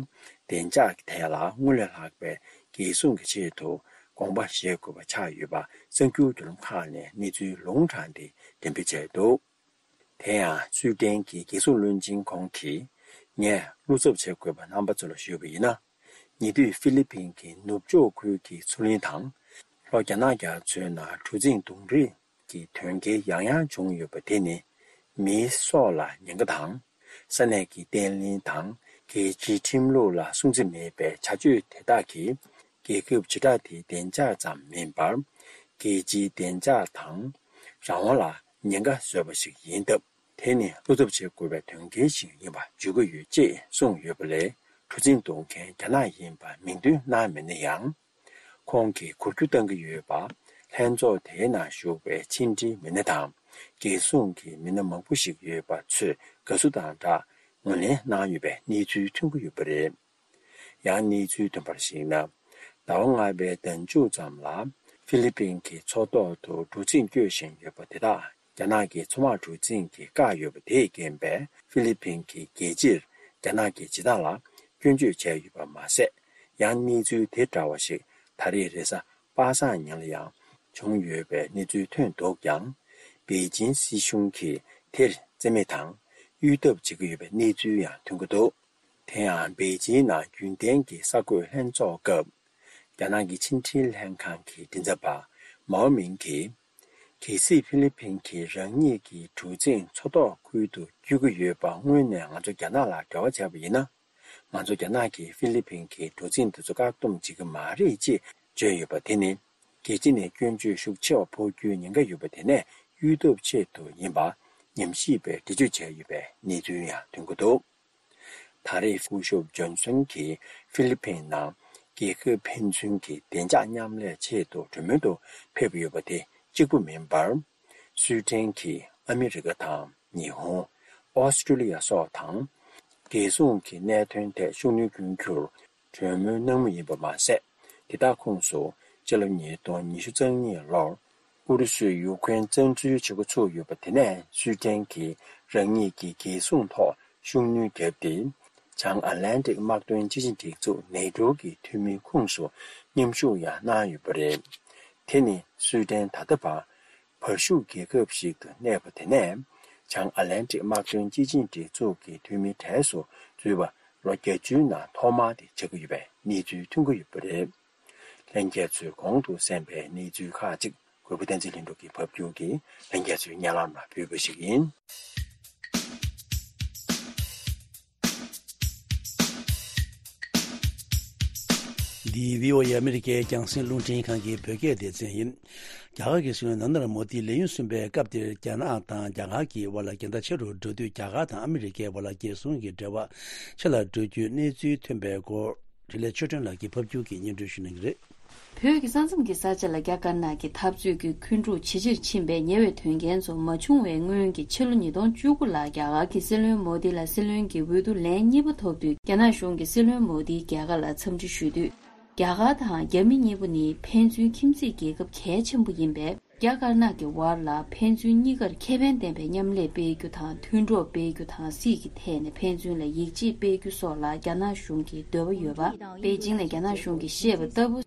བདེ་འཇགས་ཀྱི་ཐད་ལ་སྔར་ལས་ལྷག་པའི་འགན་སྲུང་གི་ཆེད་དུ་དགོངས་པ་བཞེས་དགོས་པ་ཆགས་ཡོད་པ་གསར་འགྱུར་བརྒྱུད་ལམ་ཁག་ནས་གནས་ཚུལ་ལུང་དྲངས་ཏེ་འགྲེམས་སྤེལ་བྱས་འདུག་དེ་ཡང་སུའི་ཏན་གྱི་རྒྱལ་སྲུང་བློན་ཆེན་ཁོང་གིས་ངས་བློ་འཚབ་བྱེད་དགོས་པ་རྣམ་པ་ཚོ་ལ་ཞུས་པ་ཡིན་ན། ཉེ་དུས་ཧྥི་ལི་པིན་གྱི་ནུབ་ཕྱོགས་ཁུལ་གྱི་མཚོ་གླིང་དང་ ལྷོ་རྒྱ་ནག་རྒྱ་མཚོའི་ནང་གྲུ་གཟིངས་རྡུང་རེས་ཀྱི་དོན་རྐྱེན་ཡང་ཡང་བྱུང་ཡོད་པ་དེ་ནི་མིའི་སྲོག་ལ་ཉེན་ཁ་དང་། ས་གནས་ཀྱི་བརྟན་ལྷིང་དང་རྒྱལ་སྤྱིའི་ཁྲིམས་ལུགས་ལ་སྲུང་བརྩི་མེད་པའི་བྱ་སྤྱོད་དེ་དག་གིས་རྒྱལ་ཁབ་བྱེ་བྲག་དེའི་བདེ་འཇགས་ཙམ་མིན་པར། རྒྱལ་སྤྱིའི་བདེ་འཇགས་དང་རང་དབང་ལ་ཉེན་ཁ་བཟོས་པ་ཞིག་ཡིན་སྟབས། དེ་ནི་བློ་འཚབ་བྱེད་དགོས་པའི་དོན་རྐྱེན་ཞིག་ཡིན་པ་བརྗོད་ཀྱི་ཡོད་ཅེས་གསུངས་ཡོད་པ་ལས། གྲུ་གཟིངས་རྡུང་མཁན་རྒྱ་ནག་ཡིན་པ་མིང་འདོན་གནང་མེད་ན་ཡང་། ཁོང་གིས་འགུལ་སྐྱོད་གཏང་གི་ཡོད་པ། ལྷན་ཚོགས་དེའི་ནང་ཞུགས་པའི་ཕྱི་འབྲེལ་མི་སྣ་དང་། རྒྱལ་སྲུང་གི་མི་སྣ་མང་པོ་ཞིག་ཡོད་པ་ཚོས་དགའ་བསུ་དང་སྦྲགས་ངོས་ལེན་གནང་ཡོད་པའི་གནས་ཚུལ་ཐོན་གྱི་ཡོད་པ་རེད། ཡང་གནས་ཚུལ་ཐོན་པར་གཞིགས་ན། ཟླ་བ་ལྔ་པའི་ཟླ་མཇུག་ཙམ་ལ་ཧྥི་ལི་ཕིན་གྱི་མཚོ་ཐོག་ཏུ་གྲུ་གཟིངས་སྐྱོད་བཞིན་ཡོད་པ་དེ་དག་རྒྱ་ནག་གི་མཚོ་དམག་གྲུ་གཟིངས་ཀྱིས་བཀག་ཡོད་པ་དེས་རྐྱེན་པས། ཧྥི་ལི་ཕིན་གྱི་རྒྱལ་སྤྱིར་རྒྱ་ནག་གི་བྱེད་སྟངས་ལ་སྐྱོན་བརྗོད་བྱས་ཡོད་པ་མ་ཟད། ཡང་གནས་ཚུལ་དེ་འདྲ་བ་ཞིག་ད་རེས་རེས་གཟའ་པ་སངས་ཉིན་ལ་ཡང་བྱུང་ཡོད་པའི་གནས་ཚུལ་ཐོན་འདུག་ཀྱང་། པེ་ཅིན་སྲིད་གཞུང་གིས་དེར་བརྩི་མེད་དང་གཡོལ་ཐབས་བྱེད་ཀྱི་ཡོད་པའི་གནས་ཚུལ་ཡང་ཐོན་གྱི་འདུག་དེ་ཡང་པེ་ཅིན་ནང་རྒྱུན་ལྡན་གྱི་གསར་འགོད་ལྷན་ཚོགས་སྐབས། རྒྱ་ནག་གི་ཕྱི་འབྲེལ་ལྷན་ཁང་གི་མགྲིན་ཚབ་པ་མའོ་མིང་གིས། གལ་སྲིད་ཧྥི་ལི་ཕིན་གྱིས་རང་ཉིད་ཀྱི་གྲུ་གཟིངས་མཚོ་ཐོག་ཁུལ་དུ་སྐྱོད་ཀྱི་ཡོད་པ་སྔོན་ནས་ང་ཚོ་རྒྱ་ནག་ལ་འབྲེལ་བ་བྱས་པ་ཡིན་ན། ང་ཚོ་རྒྱ་ནག་གིས་ཧྥི་ལི་ཕིན་གྱི་གྲུ་གཟིངས་དེ་ཚོ་བཀག་སྡོམ་བྱེད་ཀྱི་མ་རེད་ཅེས་བརྗོད་ཡོད་པ་དེ་ནི། རྒྱལ་སྤྱི་ནས་སྐྱོན་བརྗོད་ཤུགས་ཆེ་བ་ཕོག་རྒྱུའི་ཉེན་ཁ་ཡོད་པ་དེ་ནས་གཡོལ་ཐབས་ཆེད་དུ་ཡིན་པ་ཉམས་ཞིབ་པས་འགྲེལ་བརྗོད་བྱས་ཡོད་པའི་གནས་ཚུལ་ཡང་ཐོན་གྱི་འདུག་ད་རེས་སྐུ་ཞབས་ཇོན་སོན་གྱིས་ཧྥི་ལི་ཕིན་ནང་རྒྱལ་ཁབ་ཕན་ཚུན་གྱི་བདེ་འཇགས་མཉམ་ལས་ཆེད་དུ་གྲོས་མོལ་དུ་ཕེབས་ཡོད་པ་དེ་གཅིག་པུ་མིན་པར། སུའེ་ཏེན་གྱིས་ཨ་མི་རི་ཀ་དང་ཉི་ཧོང་། ཨོ་སི་ཀྲུ་ལི་ཡ་སོགས་དང་། རྒྱལ་སྲུང་གི་གནད་དོན་ཐད་ཤུགས་སྣོན་སྐྱོན་རྒྱུར་གྲོས་མོལ་གནང་མུས་ཡིན་པ་མ་ཟད། དེ་དག་ཁོངས་སུ་སྤྱི་ལོ་ཉིས་སྟོང་ཉི་ཤུ་རྩ་གཉིས་ལོར་ཨུ་རུ་སུས་ཡུ་ཁུ་རེན་བཙན་འཛུལ་བྱེད་འགོ་ཚུགས་ཡོད་པ་དེ་ནས་སུའེ་ཏེན་གྱིས་རང་ཉིད་ཀྱི་རྒྱལ་སྲུང་ཐོག་ཤུགས་སྣོན་བརྒྱབ་སྟེ། བྱང་ཨ་ལན་ཏིག་དམག་དོན་སྤྱི་ཆིངས་སྒྲིག་འཛུགས་ནེ་ཏོ་གི་འཐུས་མིའི་ཁོངས་སུ་མཉམ་ཞུགས་ཡང་གནང་ཡོད་པ་རེད། དེ་ནི་སུའེ་ཏེན་ད་ལྟ་བར་བར་ཤུགས་རྒྱལ་ཁབ་ཞིག་ཏུ་གནས་པ་དེ་ནས་བྱང་ཨ་ལན་ཏིག་དམག་དོན་སྤྱི་ཆིངས་སྒྲིག་འཛུགས་ཀྱི་འཐུས་མིའི་གྲས་སུ་འཛུལ་བ་ལོ་བརྒྱད་ཅུའི་ནང་ཐོག་མ་དེ་ཆགས་ཀྱི་ཡོད་པའི་གནས་ཚུལ་ཐོན་གྱི་ཡོད་པ་རེད། ལྷན་རྒྱས་ཚོས་གོང་དུ་གསན་པའི་གནས་ཚུལ་ཁག་ཅིག་གུས་པ་བསྟན་འཛིན་ལྷུན་གྲུབ་ཀྱིས་ཕབ་སྒྱུར་གྱིས་ལྷན་རྒྱས་ཚོའི་སྙན་ལམ་ལ་ཕུལ་བ་ཞིག་ཡིན། འདི་བྷི་ཨོ་ཨེ་ཨ་མི་རི་ཀའི་རྒྱང་སྲིང་རླུང་འཕྲིན་ཁང་གི་བོད་སྐད་སྡེ་ཚན་ཡིན། རྒྱ་གར་གྱི་སྲིད་བློན་ནན་ན་ར་མོ་དིས་ལས་ཡུན་གསུམ་པའི་སྐབས་དེར་རྒྱ་ནག་དང་རྒྱ་གར་གྱི་དབར་ལ་འགལ་ཟླ་ཆེ་རུ་འགྲོ་དུས། རྒྱ་གར་དང་ཨ་མི་རི་ཀའི་དབར་ལ་རྒྱལ་སྲུང་གི་འབྲེལ་བ་ཆེ་ལ་འགྲོ་རྒྱུའི་གནས་ཚུལ་ཐོན་པའི་སྐོར། འཕྲིན་ལས་ཆོས་སྒྲོན་ལགས་ཀྱིས་ཕབ་སྒྱུར་གྱིས་སྙན་སྒྲོན་ཞུ་གནང་གི་རེད། བོད་ཀྱི་ས་མཚམས་ཀྱི་ས་ཆ་ལ་རྒྱ་དཀར་ནག་གི་འཐབ་རྩོད་ཀྱི་འཁོན་འཁྲུག་ཇེ་ཆེར་ཕྱིན་པའི་ཉེ་བའི་དོན་རྐྱེན་ཚོ་མ་བྱུང་བའི་སྔོན་གྱི་ཕྱི་ལོ་ཉིས་སྟོང་བཅུ་དགུ་ལ་རྒྱ་གར་གྱི་སྲིད་བློན་མོ་དི་ལ་སྲིད་བློན་གྱི་འོས་བསྡུ་ལན་གཉིས་པ་ཐོབ་དུས། རྒྱ་ནག་གཞུང་གིས་སྲིད་བློན་མོ་དིའི་རྒྱལ་ཁ་ལ་འཚམས་འདྲི་ཞུས་དུས། རྒྱ་གར་དང་རྒྱ་མི་གཉིས་པོ་ནི་ཕན་ཚུན་ཁྱིམ་མཚེས་རྒྱལ་ཁབ་གལ་ཆེན་པོ་ཡིན་པས། རྒྱ་དཀར་ནག་གི་དབར་ལ་ཕན་ཚུན་གཉིས་ཀར་ཁེ་ཕན་ལྡན་པའི་མཉམ་ལས་སྤེལ་རྒྱུ་དང་། མཐུན་གྲོགས་སྤེལ་རྒྱུ་དང་། སྲིད་ཀྱི་ཐད་ནས་ཕན་ཚུན་ལ་ཡིད་ཆེས་སྤེལ་རྒྱུ་སོགས་ལ་རྒྱ་ནག་གཞུང་གི་འདོད་པ་ཡོད་པ། པེ་ཅིང་ནས་རྒྱ་ནག་གཞུང་གིས་བཤད་པ་ལྟ་བུ།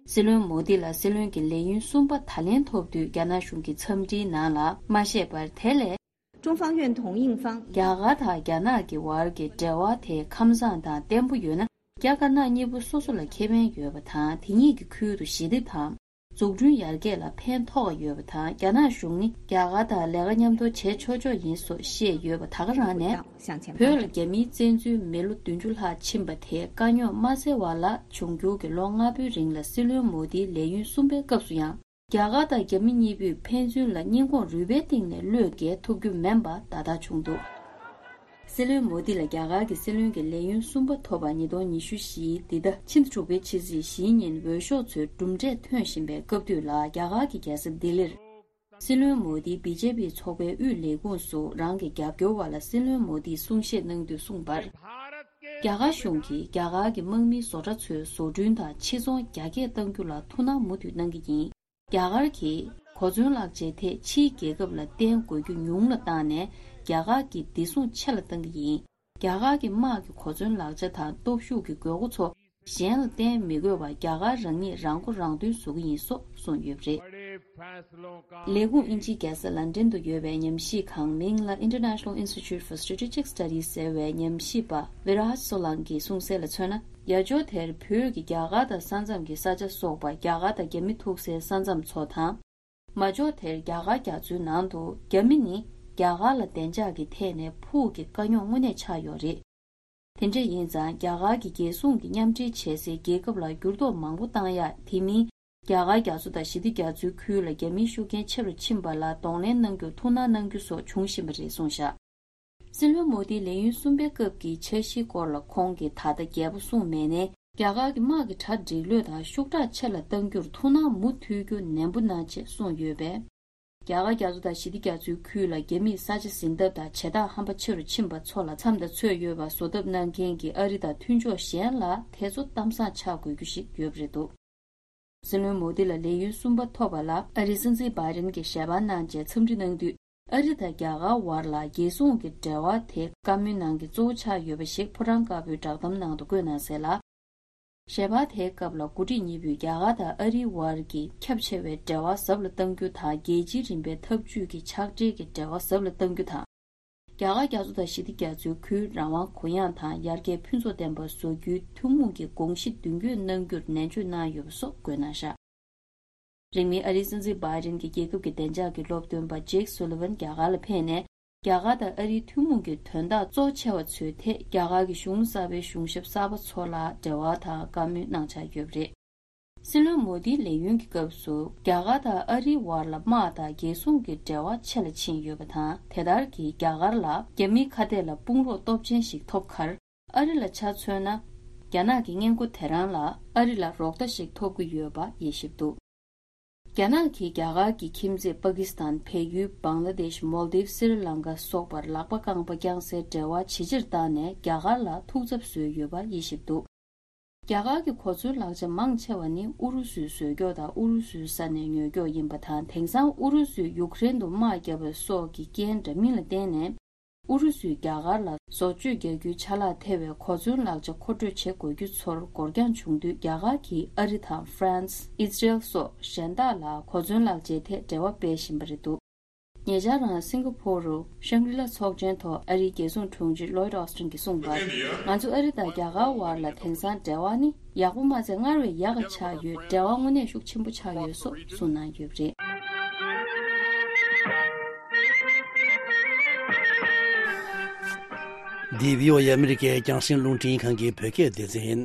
སྲིད་བློན་མོ་དི་ལ་སྲིད་བློན་གྱི་ལས་ཡུན་གསུམ་པ་ད་ལན་ཐོབ་དུས། རྒྱ་ནག་གཞུང་གི་འཚམས་འདྲིའི་ནང་ལ་མ་བཤད་པར། དེ་ལས། 中方愿同印方 རྒྱ་གར་དང་རྒྱ་ནག་གི་བར་གྱི་འབྲེལ་བ་དེ་ཁམས་བཟང་དང་བརྟན་པོ་ཡོད་ན། རྒྱ་དཀར་ནག་གཉིས་པོ་སོ་སོ་ལ་ཁེ་ཕན་ཡོད་པ་དང་། དེ་གཉིས་ཀྱི་ཁུལ་དུ་ཞི་བདེ་དང་། འཛུགས་སྐྲུན་ཡར་རྒྱས་ལ་ཕན་ཐོགས་ཡོད་པ་དང་། རྒྱ་ནག་གཞུང་ནི་རྒྱ་གར་དང་ལས་ཀ་མཉམ་དུ་བྱེད་ཆོག་ཆོག་ཡིན་སོགས་བཤད་ཡོད་པ། ད་ག་རང་ནས་བོད་ལ་རྒྱ་མིའི་བཙན་འཛུལ་མི་ལོ་བདུན་ཅུ་ལྷག་ཕྱིན་པ་དེ་དཀའ་རྙོག་མ་སེལ་བ་ལ། འབྱུང་འགྱུར་གྱི་ལོ་ལྔ་པོའི་རིང་ལ་སྲིད་བློན་མོ་དིའི་ལས་ཡུན་གསུམ་པའི་སྐབས་སུ་ཡང་། རྒྱ་གར་དང་རྒྱ་མི་གཉིས་པོས་ཕན་ཚུན་ལ་སྙིང་ཁོང་རུས་པའི་གཏིང་ནས་བློས་འགེལ་ཐུབ་རྒྱུ་མིན་པ་ད་ལྟ་བྱུང་འདུག་སྲིད་བློན་མོ་དི་ལ་རྒྱ་གར་གྱི་སྲིད་བློན་གྱི་ལས་ཡུན་གསུམ་པ་ཐོབ་པ་ཉིས་སྟོང་ཉི་ཤུ་བཞིའི་འདི་ཟླ་ཕྱི་ཟླ་དྲུག་པའི་ཕྱི་ཚེས་བཞིའི་ཉིན་འོས་ཤོག་ཚོའི་གྲུབ་འབྲས་ཐོན་བཞིན་པའི་སྐབས་དུས་ལ། རྒྱ་གར་གྱི་རྒྱལ་ས་ལྡི་ལིར་སྲིད་བློན་མོ་དིས་བི་ཇེ་པི་ཚོགས་པའི་དབུས་ལས་ཁུངས་སུ་རང་གི་རྒྱབ་སྐྱོར་བ་ལ་སྲིད་བློན་མོ་དིས་གསུང་བཤད་གནང་དུས་གསུངས་པར། རྒྱ་གར་གཞུང་གིས་རྒྱ་གར་གྱི་དམག་མིའི་བཟོ་གྲྭ་ཚོའི་བཟོ་སྐྲུན་དང་ཕྱིར་ཚོང་རྒྱ་སྐྱེད་གཏང་རྒྱུ་ལ་ཐུགས་སྣང་མུ་མཐུད་གནང་གི་ཡིན། རྒྱ་གར་གྱིས་གོ་མཚོན་ལག་ཆའི་ཐད་ཕྱིའི་རྒྱལ་ཁབ་ལ་བརྟེན་དགོས་རྒྱུ་ཉུང་ལ་བཏང་ནས། རྒྱ་གར་གྱི་བདེ་སྲུང་ཆེ་ལ་གཏང་གི་ཡིན། རྒྱ་གར་གྱི་དམག་གི་གོ་མཚོན་ལག་ཆ་དང་སྟོབས་ཤུགས་ཀྱི་དགོས་མཁོ་ཚོ་གཞན་ལ་བརྟེན་མི་དགོས་པར། རྒྱ་གར་རང་ཉིད་རང་མགོ་རང་ཐོན་བཟོ་གི་ཡིན་སོགས་གསུངས་ཡོད་པ་རེད། ལས་ཁུངས་དབྱིན་ཇིའི་རྒྱལ་ས་ལན་ཀྲན་དུ་ཡོད་པའི་ཉམས་ཞིབ་ཁང་མིང་ལ་International Institute for Strategic Studies ཟེར་བའི་ཉམས་ཞིབ་པ་ཝི་རཱཇ་སོ་ལང་གིས་གསུངས་གསལ་ལ་མཚོན་ན། ཡ་ཇོ་དེར་བོད་ཀྱི་རྒྱ་གར་དང་ས་མཚམས་ཀྱི་ས་ཆ་སོགས་པ་རྒྱ་གར་དང་རྒྱ་མི་ཐུག་སའི་ས་མཚམས་ཚོ་དང་། མ་ཇོ་དེར་རྒྱ་གར་རྒྱ་མཚོའི་ནང་དུ་རྒྱ་མི་ནི་རྒྱ་གར་ལ་བདེ་འཇགས་ཀྱི་ཐད་ནས་ཕུགས་ཀྱི་དཀའ་རྙོག་དངོས་གནས་ཆགས་ཡོད་རེད། དེ་འདྲ་ཡིན་ཙང་རྒྱ་གར་གྱི་རྒྱལ་སྲུང་གི་མཉམ་འབྲེལ་བྱེད་སའི་རྒྱལ་ཁབ་ལ་འགྱུར་ལྡོག་མང་པོ་བཏང་ཡ། དེ་མིན་རྒྱ་གར་རྒྱ་མཚོ་དང་ཞི་བདེ་རྒྱ་མཚོའི་ཁུལ་ལ་རྒྱ་མིའི་ཤུགས་རྐྱེན་ཆེ་རུ་ཕྱིན་པ་ལ་གདོང་ལེན་གནང་རྒྱུར་ཐུགས་སྣང་གནང་རྒྱུ་སོགས་འབྱུང་བཞིན་པ་རེད་གསུངས་བཞག་སྲིད་བློན་མོ་དིའི་ལས་ཡུན་གསུམ་པའི་སྐབས་ཀྱི་འཆར་གཞིའི་སྐོར་ལ་ཁོང་གིས་ད་ལྟ་རྒྱས་པོ་གསུངས་མེད་ནའི། རྒྱ་གར་གྱི་དམག་གི་དྲ་སྒྲིག་ལོས་དང་ཤུགས་དྲག་ཆེ་ལ་གཏང་རྒྱུར་ཐུགས་སྣང་མུ་མཐུད་རྒྱུ་ནན་པོ་གནང་ཆེད་གསུངས་ཡོད་པས། རྒྱ་གར་རྒྱ་མཚོ་དང་ཞི་བདེ་རྒྱ་མཚོའི་ཁུལ་ལ་རྒྱ་མིས་ས་ཆ་ཟིན་ཐབས་དང་བྱེ་ཐག་ཧམ་པ་ཆེ་རུ་ཕྱིན་པ་ཚོ་ལ་མཚམས་དང་ཚོད་ཡོད་པ་བཟོ་ཐབས་གནང་མཁན་གྱི་ཨ་རི་དང་མཐུན་ཕྱོགས་གཞན་ལ་དེ་ཚོ་གཏམ་བཟང་ཆགས་དགོས་རྒྱུ་ཞིག་ཡོད་པ་རེད་འདུག་སྲིད་བློན་མོ་དི་ལ་ལས་ཡུན་གསུམ་པ་ཐོབ་པ་ལ་ཨ་རིའི་སྲིད་འཛིན་བྷའི་ཌེན་གྱིས་ཞལ་པར་གནང་རྗེས་འཚམས་འདྲི་གནང་དུས། ཨ་རི་དང་རྒྱ་གར་བར་ལ་རྒྱལ་སྲུང་གི་འབྲེལ་བ་དེ་བཀའ་མོལ་ནང་གི་གཙོ་བོ་ཆགས་ཡོད་པ་ཞིག་ཕོ་བྲང་དཀར་པོའི་བསྒྲགས་གཏམ་ནང་དུ་བཀོད་གནང་གསལ་ལ། ཞལ་པར་དེའི་སྐབས་ལ་འགོ་ཁྲིད་གཉིས་པོས་རྒྱ་གར་དང་ཨ་རིའི་བར་གྱི་ཁྱབ་ཆེ་བའི་འབྲེལ་བ་ཟབ་ལ་གཏང་རྒྱུ་དང་། རྒྱལ་སྤྱིའི་རིམ་པའི་འཐབ་ཇུས་ཀྱི་ཕྱག་སྦྲེལ་གྱི་འབྲེལ་བ་ཟབ་ལ་གཏང་རྒྱུ་དང་། རྒྱ་གར་རྒྱ་མཚོ་དང་ཞི་བདེ་རྒྱ་མཚོའི་ཁུལ་རང་དབང་གུ་ཡངས་དང་ཡར་རྒྱས་ཕུན་ཚོགས་ལྡན་པ་བཟོ་རྒྱུའི་ཐུན་མོང་གི་དགོངས་གཞི་མདུན་སྐྱོད་གནང་རྒྱུར་ནན་བརྗོད་གནང་ཡོད་པ་སོགས་བཀོད་གནང་བཞག་རིང་མིན་ཨ་རིའི་སྲིད་འཛིན་བྷའི་ཌེན་གྱིས་རྒྱལ་ཁབ་ཀྱི་བདེ་འཇགས་ཀྱི་སློབ་སྟོན་པ་ཇེག་སུ་ལི་ཝན་རྒྱ་གར་ལ་ཕེབས་ནས། རྒྱ་གར་དང་ཨ་རིའི་ཐུན་མོང་གི་དོན་དག་གཙོ་ཆེ་བ་ཚོའི་ཐད་རྒྱ་གར་གྱི་གཞུང་གསར་པའི་གཞུང་ཞབས་གསར་པ་ཚོ་ལ་འབྲེལ་བ་དང་བཀའ་མོལ་གནང་འཆར་ཡོད་པ་རེད། སྲིད་བློན་མོ་དིའི་ལས་ཡུན་གྱི་སྐབས་སུ་རྒྱ་གར་དང་ཨ་རིའི་བར་ལ་དམག་དང་རྒྱལ་སྲུང་གི་འབྲེལ་བ་ཆེ་ལ་ཕྱིན་ཡོད་པ་དང་། དེ་ལྟར་གྱིས་རྒྱ་གར་ལ་རྒྱ་མིའི་ཁ་གཏད་ལ་དཔུང་རོགས་སྟོབས་ཆེན་ཞིག་ཐོབ་ཁར། ཨ་རི་ལ་ཆ་མཚོན་ན། རྒྱ་ནག་གི་སྔས་མགོ་དེ་རང་ལ་ཨ་རི་ལ་རོགས་ཟླ་ཞིག་ཐོབ་ཀྱི་ཡོད་པ་དབྱེ་ཞིབ་འདུག་རྒྱ་ནག་གིས་རྒྱ་གར་གྱི་ཁྱིམ་མཚེས་པ་ཀི་སི་ཐན། བལ་ཡུལ། བང་ལ་དེཤ། མོལ་དིབ། སི་རི་ལང་ཀ་སོགས་པར་ལག་པ་རྐང་པ་བརྐྱངས་སའི་འབྲེལ་བ་ཇེ་ཆེར་བཏང་ནས་རྒྱ་གར་ལ་ཐུགས་འཚབ་བཟོས་ཡོད་པ་དབྱེ་ཞིབ་འདུག་རྒྱ་གར་གྱི་གོ་མཚོན་ལག་ཆ་མང་ཆེ་བ་ནི་ཨུ་རུ་སུས་བཟོས་ཀྱོག་དང་ཨུ་རུ་སུའི་ས་ནས་ཉོས་ཀྱོག་ཡིན་པ་དང་། དེང་སང་ཨུ་རུ་སུས་ཡུཀ་རེན་དུ་དམག་བརྒྱབ་པ་སོགས་ཀྱི་རྐྱེན་འདྲ་མིན་ལ་བརྟེན་ནས། ཨུ་རུ་སུས་རྒྱ་གར་ལ་བཟོ་བཅོས་རྒྱག་རྒྱུའི་ཆ་ལག་ཐེ་བའི་གོ་མཚོན་ལག་ཆ་མཁོ་སྤྲོད་བྱེད་དགོས་རྒྱུ་ཚོར་འགོར་འགྱངས་བྱུང་དུས། རྒྱ་གར་གྱིས་ཨ་རི་དང་ཧྥ་རན་སི། ཨི་ཟི་རེལ་སོགས་གཞན་དག་ལ་གོ་མཚོན་ལག་ཆའི་ཐད་འབྲེལ་བ་སྤེལ་བཞིན་པ་རེད་འདུག་ཉེ་ཆར་རང་སིང་ག་ཕོར་རུ་ཤང་རི་ལ་ཚོགས་ཆེན་ཐོག་ཨ་རིའི་རྒྱལ་སྲུང་དྲུང་ཆེ་ལོའིད་ཨོ་སི་ཊིན་གྱིས་གསུངས་པར། ང་ཚོ་ཨ་རི་དང་རྒྱ་གར་བར་ལ་དེང་སང་འབྲེལ་བ་ནི་ཡག་པོ་མ་ཚད་སྔར་བས་ཡག་ག་ཆགས་ཡོད། འབྲེལ་བ་དངོས་གནས་ཤུགས་ཆེན་པོ་ཆགས་ཡོད་སོགས་གསུངས་གནང་ཡོད་པ་རེད། འདི་བྷི་ཨོ་ཨེ་ཨ་མི་རི་ཀའི་རྒྱང་སྲིང་རླུང་འཕྲིན་ཁང་གི་བོད་སྐད་སྡེ་ཚན་ཡིན།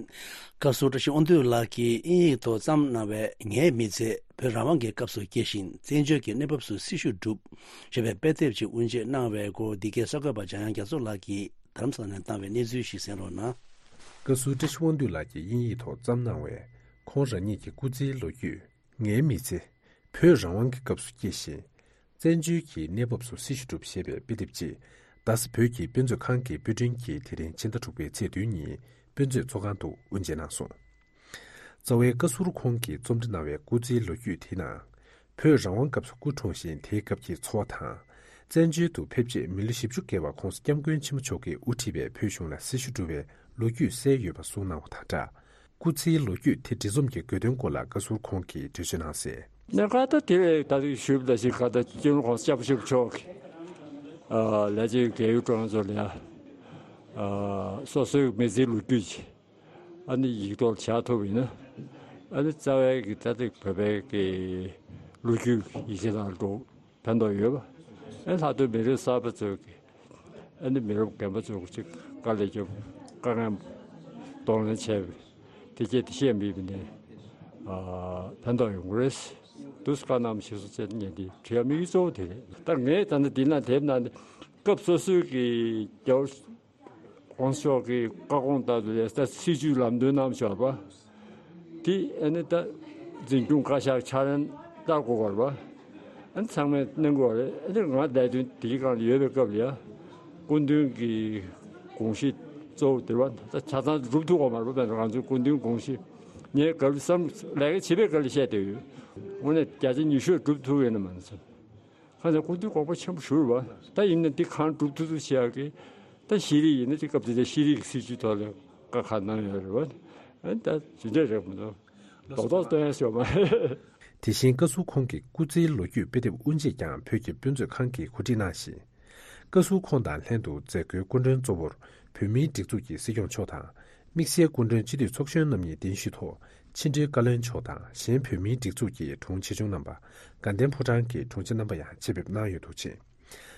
བཀའ་ཟུར་བཀྲ་ཤིས་དབང་འདུས་ལགས་ཀྱིས་དབྱིན་ཡིག་ཐོག་བརྩམས་གནང་བའི་ངའི་མི་ཚེ། བོད་རང་དབང་གི་སྐབས་སུ་སྐྱེས་ཤིང་། བཙན་བྱོལ་གྱི་གནས་བབ་སུ་སྲི་ཞུ་བསྒྲུབས། ཞེས་པའི་དཔེ་དེབ་ཅིག་དབུ་འབྱེད་གནང་བའི་སྐོར། འདི་གའི་གསར་འགོད་པ་འཇམ་དབྱངས་རྒྱ་མཚོ་ལགས་ཀྱིས་རྡ་རམ་ས་ལ་ནས་བཏང་བའི་གནས་ཚུལ་ཞིག་གསན་རོགས་གནང་། བཀའ་ཟུར་བཀྲ་ཤིས་དབང་འདུས་ལགས་ཀྱིས་དབྱིན་ཡིག་ཐོག་བརྩམས་གནང་བའི་ཁོང་རང་ཉིད་ཀྱི་སྐུ་ཚེའི་ལོ་རྒྱུས། ངའི་མི་ཚེ། བོད་རང་དབང་གི་སྐབས་སུ་སྐྱེས་ཤིང་། བཙན་བྱོལ་གྱི་གནས་བབ་སུ་སྲི་ཞུ་བསྒྲུབས། ཞེས་པའི་དཔེ་དེབ་ཅིག་རྡ་ས་བོད་ཀྱི་དཔེ་མཛོད་ཁང་གི་དཔེ་སྐྲུན་གྱིས་དེ་རིང་ཕྱི་ཟླ་དྲུག་པའི་ཚེས་བདུན་ཉིན་དཔེ་མཛོད་ཚོགས་ཁང་དུ་དབུ་འབྱེད་གནང་སོང་། རྩ་བའི་བཀའ་ཟུར་ཁོང་གིས་རྩོམ་འབྲི་གནང་བའི་སྐུ་ཚེའི་ལོ་རྒྱུས་དེའི་ནང་། བོད་རང་དབང་སྐབས་སུ་སྐུ་འཁྲུངས་ཤིང་། དེའི་སྐབས་ཀྱི་འཚོ་བ་དང་། བཙན་བྱོལ་དུ་ཕེབས་རྗེས་མི་ལོ་བཞི་བཅུ་བརྒལ་བར་༸གོང་ས་༸སྐྱབས་མགོན་ཆེན་པོ་མཆོག་གིས་དབུ་ཁྲིད་པའི་བོད་གཞུང་ལ་སྲི་ཞུ་བསྒྲུབས་པའི་ལོ་རྒྱུས་གསལ་ཡོད་པ་གསུངས་གནང་བ་དང་སྦྲགས། སྐུ་ཚེའི་ལོ་རྒྱུས་དེ་འབྲི་རྩོམ་གྱི་དགོས་དོན་སྐོར་ལ་བཀའ་ཟུར་ཁོང་གིས་འགྲེལ་བརྗོད་གནང་གསལ། གནད་འགག་ད་དེ་བས་ད་དུང་ཞུས་པ་ལ་ཞིག་ག་ད་སྤྱི་ནོར་༸གོང་ས་༸སྐྱབས་མགོན་ཆེན་པོ་མཆོག་གིས་ལས་བྱེད་རྒས་ཡོལ་ཀྲུང་དབྱང་ཚོ་ལ་ཡ་སོ་སོའི་མི་ཚེའི་ལོ་རྒྱུས་ཅིག་ཨ་ནི་ཡིག་ཐོག་བཞག་ཐུབ་ཡིན་ན། ཨ་ནི་རྩ་བའི་གི་ད་ལྟ་བོད་པའི་གི་ལོ་རྒྱུས་ཡིག་ཆ་ནང་འགྲོ་ཕན་ཐོགས་ཡོད་པ། ཨ་ནི་ལྷག་དོན་མི་རབས་གསར་པ་ཚོས་གི་ཨ་ནི་མི་རབས་རྒན་པ་ཚོས་ཅིག་དཀའ་ལས་རྒྱབ། དཀའ་ངལ་གདོང་ལེན་བྱས་པའི་དེ་སྐད་དེ་བཤད་མི་བི་ནས་ཕན་ཐོགས་ཡོང་གི་རེད། དུས་བཀའ་གནང་ཞིག་སོང་ཚེ་ངས་འདི་བྲིས་ཡ་དམིགས་ཡུལ་གཙོ་བོ་དེ་རེད། ད་ངས་ད་ནི་འདི་ན་དེབ་ནང་ནས་སྐབས་སོ་སོའི་གི་རྒྱལ་བ་༸གོང་ས་མཆོག་གི་བཀའ་དགོངས་ལྟར་དུ་ལས་ད་སྲིད་བྱུས་ལམ་སྟོན་གནང་ཞོར་བ། དེ་ཨ་ནི་ད་འཛིན་སྐྱོང་བཀའ་ཤག་ཕྱག་ལེན་བསྟར་དགོས་པ་རེད་བ། ཨ་ནི་ཚང་མས་གནང་དགོས་པ་རེད། ཨ་ནི་ང་ལས་དོན་དེའི་སྒང་ལ་ཡོད་པའི་སྐབས་ལ་ཡ། སྐུ་མདུན་གྱི་དགོངས་གཞི་གཙོ་བོ་དེ་བ་ད་ཆ་ཚང་སྒྲུབ་ཐུབ་དགོས་མ་རེད་བ། ང་ཚོའི་སྐུ་མདུན་དགོངས་གཞི་ངས་ག་ལ་བསམ་ལས་ཀ་བྱེད་པའི་སྐབས་ལ་བཤད་བསྡད་ཡོད། དངོས་གནས་བརྒྱ་ཆ་ཉི་ཤུ་སྒྲུབ་ཐུབ་ཡོད་ན་མ་ནི་བསམ། ཁ་སང་སྐུ་མདུན་དགོངས་པ་ཆེན་པོ་ཞུ་རེད་བ། ད་ཡིན་ན་འདི་གང་སྒྲུབ་ཐུབ་ཐུབ་བྱེད་ཡག་གི། ད་ཤེས་རིག་ཡིན་ན་དེ་སྐབས་དེ་ཚོ་ཤེས་རིག་གི་སྲིད་བྱུས་ཐོག་ལ་བཀའ་ཁག་གནང་ཡོད་རེད་བ། ཨ་ནི་ད་ཇི་འདྲ་རེད་མི་འདུག་རྡོག་རྡོག་སྟོན་ཡ་ཞོག་མ་རེད། དེ་བཞིན་བཀའ་ཟུར་ཁོང་གི་སྐུ་ཚེའི་ལོ་རྒྱུས་དཔེ་དེབ་དབུ་འབྱེད་ཀྱང་བོད་ཀྱི་དཔེ་མཛོད་ཁང་གིས་གོ་སྒྲིག་གནང་ཞིང་། བཀའ་ཟུར་ཁོང་དང་ལྷན་དུ་མཛད་སྒོའི་སྐུ་མགྲོན་གཙོ་བོར་བོད་མིའི་སྒྲིག་འཛུགས་ཀྱི་སྲིད་སྐྱོང་མཆོག་དང་ དམིགས་བསལ་སྐུ་མགྲོན་སྤྱི་འཐུས་ཚོགས་གཞོན་རྣམ་གཉིས་གདན་ཞུས་ཐོག་ཕྱི་དྲིལ་བཀའ་བློན་མཆོག་དང་གཞན་བོད་མིའི་སྒྲིག་འཛུགས་ཀྱི་དྲུང་ཆེ་ཆུང་རྣམ་པ། དགའ་ལྡན་ཕོ་བྲང་གི་དྲུང་ཆེ་རྣམ་པ་ཡང་ཆེད་ཕེབས་གནང་ཡོད་འདུག་ཅིང་།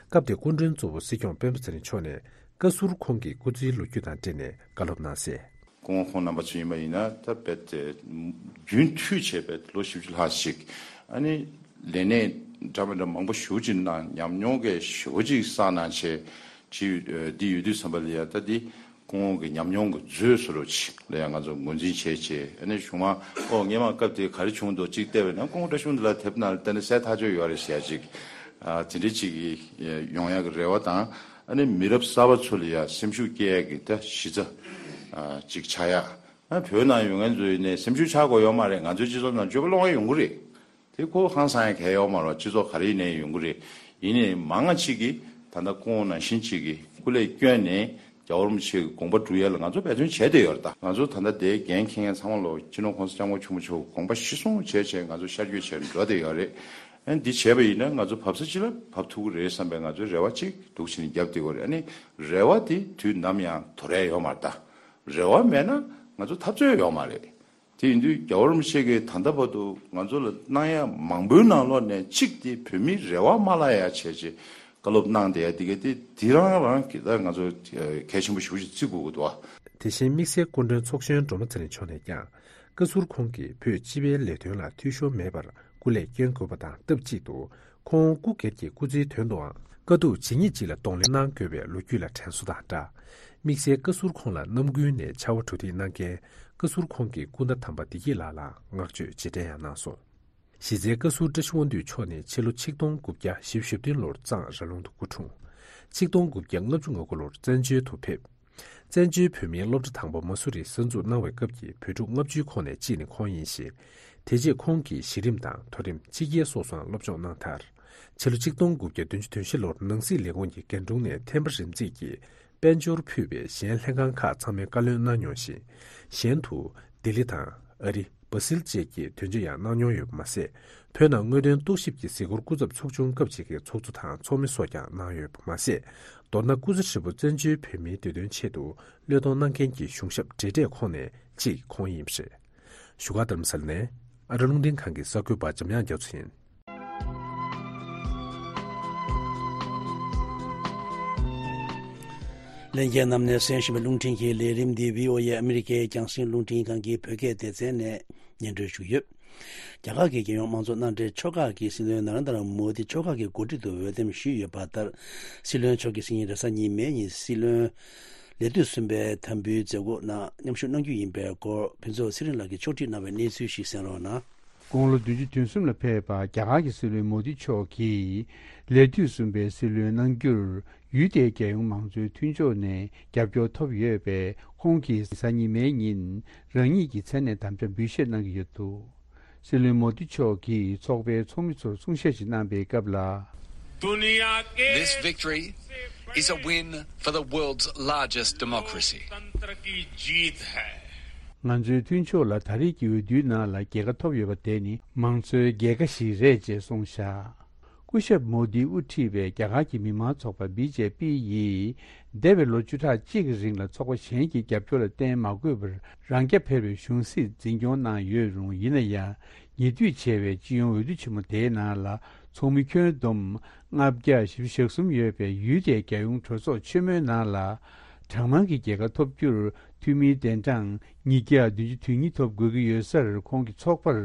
སྐབས་དེར་སྐུ་མགྲོན་གཙོ་བོ་སྲིད་སྐྱོང་སྤེན་པ་ཚེ་རིང་མཆོག་ནས་བཀའ་ཟུར་ཁོང་གི་སྐུ་ཚེའི་ལོ་རྒྱུས་དང་འབྲེལ་ནས་བཀའ་སློབ་གནང་གསལ། སྐུ་ངོ་ཁོང་རྣམ་པ་ཚོ་ཡིན་པ་ཡིན་ན་ད་རྦད་དེ་རྒྱུན་མཐུད་བྱས་རྦད་དེ་ལོ་བཞི་བཅུ་ལྷག་ཅིག་ཨ་ནི་ལས་གནས་འདྲ་མི་འདྲ་མང་པོ་ཞེ་པོ་ཅིག་གནང་། ཉམས་མྱོང་གི་ཞེ་པོ་ཅིག་བསགས་གནང་བྱས་ཅིག་འདི་ཡོད་དུས་ཙམ་པ་ལ་ཡ་ད་འདི་སྐུ་ངོ་གི་ཉམས་མྱོང་གི་མཛོད་བཟོ་འདྲ་ཅིག་ལ་ཡང་ང་ཚོ་ངོས་འཛིན་བྱས་བྱས། ཨ་ནི་གཞུག་མ་ཨོ་སྔས་མ་སྐབས་དེ་ག་རེ་བྱུང་འདུག་ཅིག་བལྟས་པ་ན་སྐུ་ངོ་བཀྲ་ཤིས་ལགས་ཕེབས་ན་ལྟ་ན་གསལ་ཐག་ཆོད་ཡོད་རེད་ཟེར་ཡ་ཅིག་ཨ་དེ་འདྲ་ཅིག་ཡོང་ཡ་གི་རེ་བ་དང་། ཨ་ནི་མི་རབས་གསར་པ་ཚོ་ལ་ཡ་སེམས་ཤུགས་སྐྱེད་ཡ་གི་ད་གཞི་རྩ་ཨ་ཅིག་ཆགས་ཡ། ཨ་བོད་ནང་ཡོད་མཁན་ཚོ་ཡིན་ནའི་སེམས་ཤུགས་ཆག་དགོས་ཡོད་མ་རེད། ང་ཚོའི་སྤྱི་ཚོགས་ནང་སྤྱོད་པ་སློང་ཡ་ཡོང་གི་རེད། དེ་ཁོ་ཧང་སང་ཡ་གལ་ཡོད་མ་རེད། སྤྱི་ཚོགས་ག་རེ་ཡིན་ནའི་ཡོང་གི་རེད། ཡིན་ནའི་མང་ང་ཅིག་གིས་ད་ལྟ་སྐུ་ངོ་ནང་བཞིན་ཅིག་གིས་སྐུ་ལས་བསྐྱོན་ནས་རྒྱལ་བ་རིན་པོ་ཆེ་གི་དགོངས་པ་སྒྲུབ་ཡ་ལ་ང་ཚོ་འབད་བརྩོན་བྱས་བསྡད་ཡོད་རེད། ད་ང་ཚོ་ད་ལྟ་དེའི་འགན་འཁྱེར་མཁན་ཚང་མ་ལོ་སྤྱི་ནོར་༸གོང་ས་༸སྐྱབས་མགོན་ཆེན་པོ་མཆོག་གི་དགོངས་པ་གཞིར་བཟུང་བྱས་བྱས་ང་ཚོ་ཤར་བསྐྱོད་བྱས་འགྲོ་བསྡད་ཡོད་རེད། ཨ་འདི་བྱས་པ་ཡིན་ན་ང་ཚོ་བབས་ས་ཅི་ལ་བབས་ཐུབ་ཀྱི་རེད་བསམ་པའི་ང་ཚོའི་རེ་བ་གཅིག་འདུག་བྱས་ནས་བརྒྱབ་བསྡད་ཡོད་རེད། ཨ་ནི་རེ་བ་དེ་དུས་ནམ་ཡང་དོར་ཡ་ཡོད་མ་རེད། ད་རེ་བ་མེད་ན་ང་ཚོ་འཐབ་རྩོད་ཡོད་མ་རེད། དེ་ཡིན་དུས་རྒྱལ་བ་རིན་པོ་ཆེ་གིས་ད་ལྟ་བར་དུ་ང་ཚོ་ལ་གནང་ཡ་མང་པོའི་ནང་ལོགས་ནས་གཅིག་དེ་བོད་མིའི་རེ་བ་མ་བརླག་ཡ་བྱས་བྱས་བཀའ་སློབ་གནང་བསྡད་ཡ་དེ་ག་དེ་དེ་རང་རང་གི་ད་ང་ཚོ་གལ་ཆེན་པོ་ཞེ་པོ་ཅིག་བརྩི་དགོས་ཀྱི་འདུག་ཨ། དེ་བཞིན་དམིགས་བསལ་སྐུ་མགྲོན་ཚོགས་གཞོན་སྒྲོལ་མ་ཚེ་རིང་མཆོག་ནས་ཀྱང་བཀའ་ཟུར་ཁོང་གིས་བོད་སྤྱི་པའི་ལས་དོན་ལ་འཐུས་ཤོར་མེད་པར་སྐུ་ལས་བསྐྱོན་དགོས་པ་དང་སྟབས་གཅིག་ཏུ་ཁོང་སྐུ་སྒེར་གྱི་སྐུ་ཚེའི་དོན་དུའང་དཀའ་སྡུག་ཇི་སྙེད་ཅིག་ལ་གདོང་ལེན་གནང་དགོས་པའི་ལོ་རྒྱུས་ལ་དྲན་གསོ་དང་སྦྲགས། དམིགས་བསལ་བཀའ་ཟུར་ཁོང་ལ་རྣམ་ཀུན་ནས་ཕྱར་བ་གྲུ་འདེགས་གནང་མཁན་བཀའ་ཟུར་ཁོང་གི་སྐུ་ཟླ་དམ་པ་བདེ་སྐྱིད་ལགས་ལ་བསྔགས་བརྗོད་རྗེས་དྲན་ཡང་གནང་སོང་། གཞི་རྩའི་བཀའ་ཟུར་བཀྲ་ཤིས་དབང་འདུས་མཆོག་ནས་ཕྱི་ལོ་ཆིག་སྟོང་དགུ་བརྒྱ་བཞི་བཅུ་ཞེ་བདུན་ལོར་གཙང་ར་ལུང་དུ་སྐུ་འཁྲུངས། ཆིག་སྟོང་དགུ་བརྒྱ་ལྔ་བཅུ་ང་དགུ་ལོར་བཙན་བྱོལ་དུ་ཕེབས། བཙན་བྱོལ་བོད་མིའི་སློབ་གྲྭ་དང་པོ་མ་སུ་རིར་གསར་འཛུགས་གནང་བའི་སྐབས་ཀྱི་བོད་ཕྲུག་ལྔ་བཅུའི་ཁོངས་ནས་གཅིག་ནི་ཁོང་ཡིན་ཞིང་། དེ་རྗེས་ཁོང་གིས་གཞི་རིམ་དང་མཐོ་རིམ་ཕྱི་རྒྱལ་སོགས་སུའང་སློབ་སྦྱོང་གནང་མཐར། ཕྱི་ལོ་ཆིག་སྟོང་དགུ་བརྒྱ་བདུན་ཅུ་དོན་བཞི་ལོར་ནང་སྲིད་ལས་ཁུངས་ཀྱི་རྒན་དྲུང་ནས་ཐེམ་པ་རིམ་འཛེགས་ཀྱིས་དཔལ་འབྱོར་ཕུད་པའི་གཞན་ལྷན་ཁང་ཁག་ཚང་མའི་བཀའ་བློན་གནང་མྱོང་ཞིང་། གཞན་དུ་ལྡི་ལི་དང་ཨ་རི། སྦ་སིལ་བཅས་ཀྱི་དོན་གཅོད་ཡང་གནང་མྱོང་ཡོད་པ་མ་ཟད། བོད་ནང་དངོས་དོན་རྟོག་ཞིབ་ཀྱི་གཟིགས་སྐོར་སྐུ་ཚབ་ཚོགས་ཆུང་སྐབས་གཅིག་གི་ཚོགས་གཙོ་དང་ཚོགས་མི་སོགས་ཀྱང་གནང་ཡོད་པ་མ་ཟད། མདོར་ན་སྐུ་ཚེ་ཧྲིལ་པོ་བཙན་བྱོལ་བོད་མིའི་བདེ་དོན་ཆེད་དུ་བློས་གཏོང་གནང་མཁན་གྱི་གཞུང་ཞབས་བགྲེས་གྲས་ཁོངས་ནས་གཅིག་ཁོང་ཡིན་པ་རེད། བཞུགས་སྒར་རྡ་རམ་ས་ལ་ནས་ཨ་རི་རླུང་འཕྲིན་ཁང་གི་གསར་འགོད་པ་འཇམ་དབྱངས་རྒྱ་མཚོ་ཡིན། ལྷན་རྒྱས་རྣམས་ནས་གསན་བཞིན་པའི་རླུང་འཕྲིན་གྱི་ལས་རིམ་འདི་བྷི་ཨོ་ཨེ་ཨ་མི་རི་ཀའི་རྒྱང་སྲིང་རླུང་འཕྲིན་ཁང་གི་བོད་སྐད་སྡེ་ཚན་ནས་སྙན་སྒྲོན་ཞུ་གི་ཡོད། རྒྱ་གར་གྱི་རྒྱལ་ཡོངས་དམངས་གཙོ་མནའ་འབྲེལ་ཕྱོགས་ཁག་གིས་སྲིད་བློན་ན་རེན་དྲ་མོ་དི་ཕྱོགས་ཁག་གི་འགོ་ཁྲིད་དུ་འོས་འདེམས་ཞུས་ཡོད་པ་ལྟར། སྲིད་བློན་མཆོག་གིས་སང་ཉིན་རེས་གཟའ་ཉི་མའི་ཉིན་སྲིད་བློན་ལས་དུས་གསུམ་པའི་དམ་འབུལ་མཛད་སྒོ་ནང་མཉམ་ཞུགས་གནང་རྒྱུ་ཡིན་པའི་སྐོར་ཕུན་ཚོགས་ཚེ་རིང་ལགས་ཀྱིས་ཕྱོགས་སྒྲིག་གནང་བའི་གནས་ཚུལ་ཞིག་གསན་རོགས་གནང་། དགུང་ལོ་བདུན་ཅུ་དོན་གསུམ་ལ་ཕེབས་པ་རྒྱ་གར་གྱི་སྲིད་བློན་མོ་དི་མཆོག་གིས་ལས་དུས་གསུམ་པའི་སྲིད་བློན་གནང་རྒྱུར་ཡུལ་དེའི་རྒྱལ་ཡོངས་མང་གཙོའི་མཐུན་ཕྱོགས་ནས་རྒྱབ་སྐྱོར་ཐོབ་ཡོད་པས། ཁོང་གིས་གཟའ་ཉི་མའི་ཉིན་རང་ཉིད་ཀྱི་མཚན་ནས་དམ་བཅའ་འབུལ་བཞེས་གནང་གི་ཡོད་འདུག། སྲིད་བློན་མོ་དི་མཆོག་གིས་ཚོགས་པའི་ཚོགས་མི་ཚོར་གསུང་བཤད་ཞིག་གནང་པའི་སྐབས་ལ། दुनिया के This victory is a win for the world's largest democracy. लोकतंत्र की जीत है। ང་ཚོའི་མཐུན་ཕྱོགས་ལ་ད་རེས་ཀྱི་འོས་བསྡུའི་ནང་ལ་རྒྱལ་ཁ་ཐོབ་ཡོད་པ་དེ་ནི་མང་གཙོའི་རྒྱལ་ཁ་ཞིག་རེད་ཅེས་གསུངས་བཞག། སྐུ་ཞབས་མོ་དིས་དབུ་ཁྲིད་པའི་རྒྱ་གར་གྱི་མི་དམངས་ཚོགས་པ་བི་ཇེ་པི་ཡིས་འདས་པའི་ལོ་བཅུ་ཕྲག་གཅིག་གི་རིང་ལ་ཚོགས་པ་གཞན་གྱི་རྒྱབ་སྐྱོར་ལ་བརྟེན་མ་དགོས་པར་རང་རྐྱ་འཕེར་བའི་གཞུང་སྲིད་འཛིན་སྐྱོང་གནང་ཡོད་རུང་། ཡིན་ན་ཡང་ཉེ་དུས་བྱས་པའི་སྤྱི་ཡོངས་འོས་བསྡུ་ཆེན་མོ་དེའི་ནང་ལ་ཚོགས་མི་ཁྱོན་བསྡོམས་ལྔ་བརྒྱ་བཞི་བཅུ་ཞེ་གསུམ་ཡོད་པའི་ཡུལ་དེའི་རྒྱལ་ཡོངས་གྲོས་ཚོགས་ཆེན་མོའི་ནང་ལ་གྲངས་མང་གི་རྒྱལ་ཁ་ཐོབ་རྒྱུར་འཐུས་མིའི་གདན་གྲངས་ཉིས་བརྒྱ་བདུན་ཅུ་དོན་གཉིས་ཐོབ་དགོས་ཀྱི་ཡོད་སར། ཁོང་གི་ཚོགས་པར་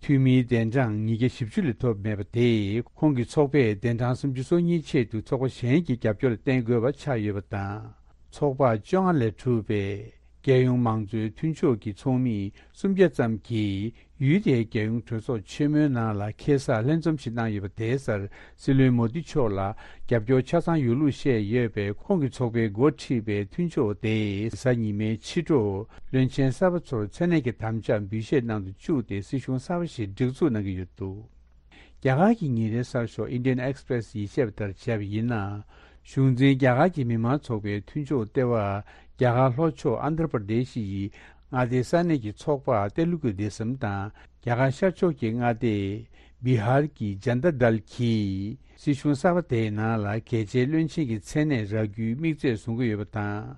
འཐུས་མིའི་གདན་གྲངས་ཉིས་བརྒྱ་བཞི་བཅུ་ལས་ཐོབ་མེད་པ་དེས་ཁོང་གི་ཚོགས་པས་གདན་གྲངས་སུམ་ཅུ་སོ་གཉིས་ཆེད་དུ་ཚོགས་པ་གཞན་གྱི་རྒྱབ་སྐྱོར་ལ་བརྟེན་དགོས་པ་ཆགས་ཡོད་པ་དང་། ཚོགས་པ་བཅོ་ལྔ་ལས་གྲུབ་པའི་རྒྱལ་ཡོངས་མང་གཙོའི་མཐུན་ཕྱོགས་ཀྱི་ཚོགས་མི་སུམ་བརྒྱ་ཙམ་གྱིས་ཡུལ་དེའི་རྒྱལ་ཡོངས་གྲོས་ཚོགས་ཆེན་མོའི་ནང་ལ་ཁ་སང་ལྷན་འཛོམས་ཤིག་གནང་ཡོད་པ་དེའི་སར། སྲིད་བློན་མོ་དི་མཆོག་ལ་རྒྱབ་སྐྱོར་ཆ་ཚང་ཡོད་ལུགས་བཤད་ཡོད་པས། ཁོང་གི་ཚོགས་པས་འགོ་ཁྲིད་པའི་མཐུན་ཕྱོགས་དེས་གཟའ་ཉི་མའི་ཕྱི་དྲོ་བློན་ཆེན་གསར་པ་ཚོར་མཚན་གནས་ཀྱི་དམ་བཅའ་འབུལ་བཞེས་གནང་དུ་བཅུག་སྟེ་སྲིད་གཞུང་གསར་པ་ཞིག་སྒྲིག་འཛུགས་གནང་གི་ཡོད་འདུག། རྒྱ་གར་གྱི་ཉིན་རེའི་གསར་ཤོག་Indian Express་ཡིས་བཤད་པ་ལྟར་བྱས་པ་ཡིན་ན། གཞུང་འཛིན་རྒྱ་གར་གྱི་མི་དམངས་ཚོགས་པའི་མཐུན་ཕྱོགས་ལྟེ་བ་རྒྱ་གར་ལྷོ་ཕྱོགས་ཨན་དྷྲ་པར་དེ་ཤི་ཡི་མངའ་སྡེའི་ས་གནས་ཀྱི་ཚོགས་པ་ཏེ་ལུ་གུ་དེ་སམ་དང་། རྒྱ་གར་ཤར་ཕྱོགས་ཀྱི་མངའ་སྡེ་བི་ཧར་གྱི་ཇན་ད་དལ་གྱིས་སྲིད་གཞུང་གསར་པ་དེའི་ནང་ལ་གལ་ཆེའི་བློན་ཆེན་གྱི་མཚན་གནས་རག་རྒྱུའི་དམིགས་ཚད་བཟུང་གི་ཡོད་པ་དང་།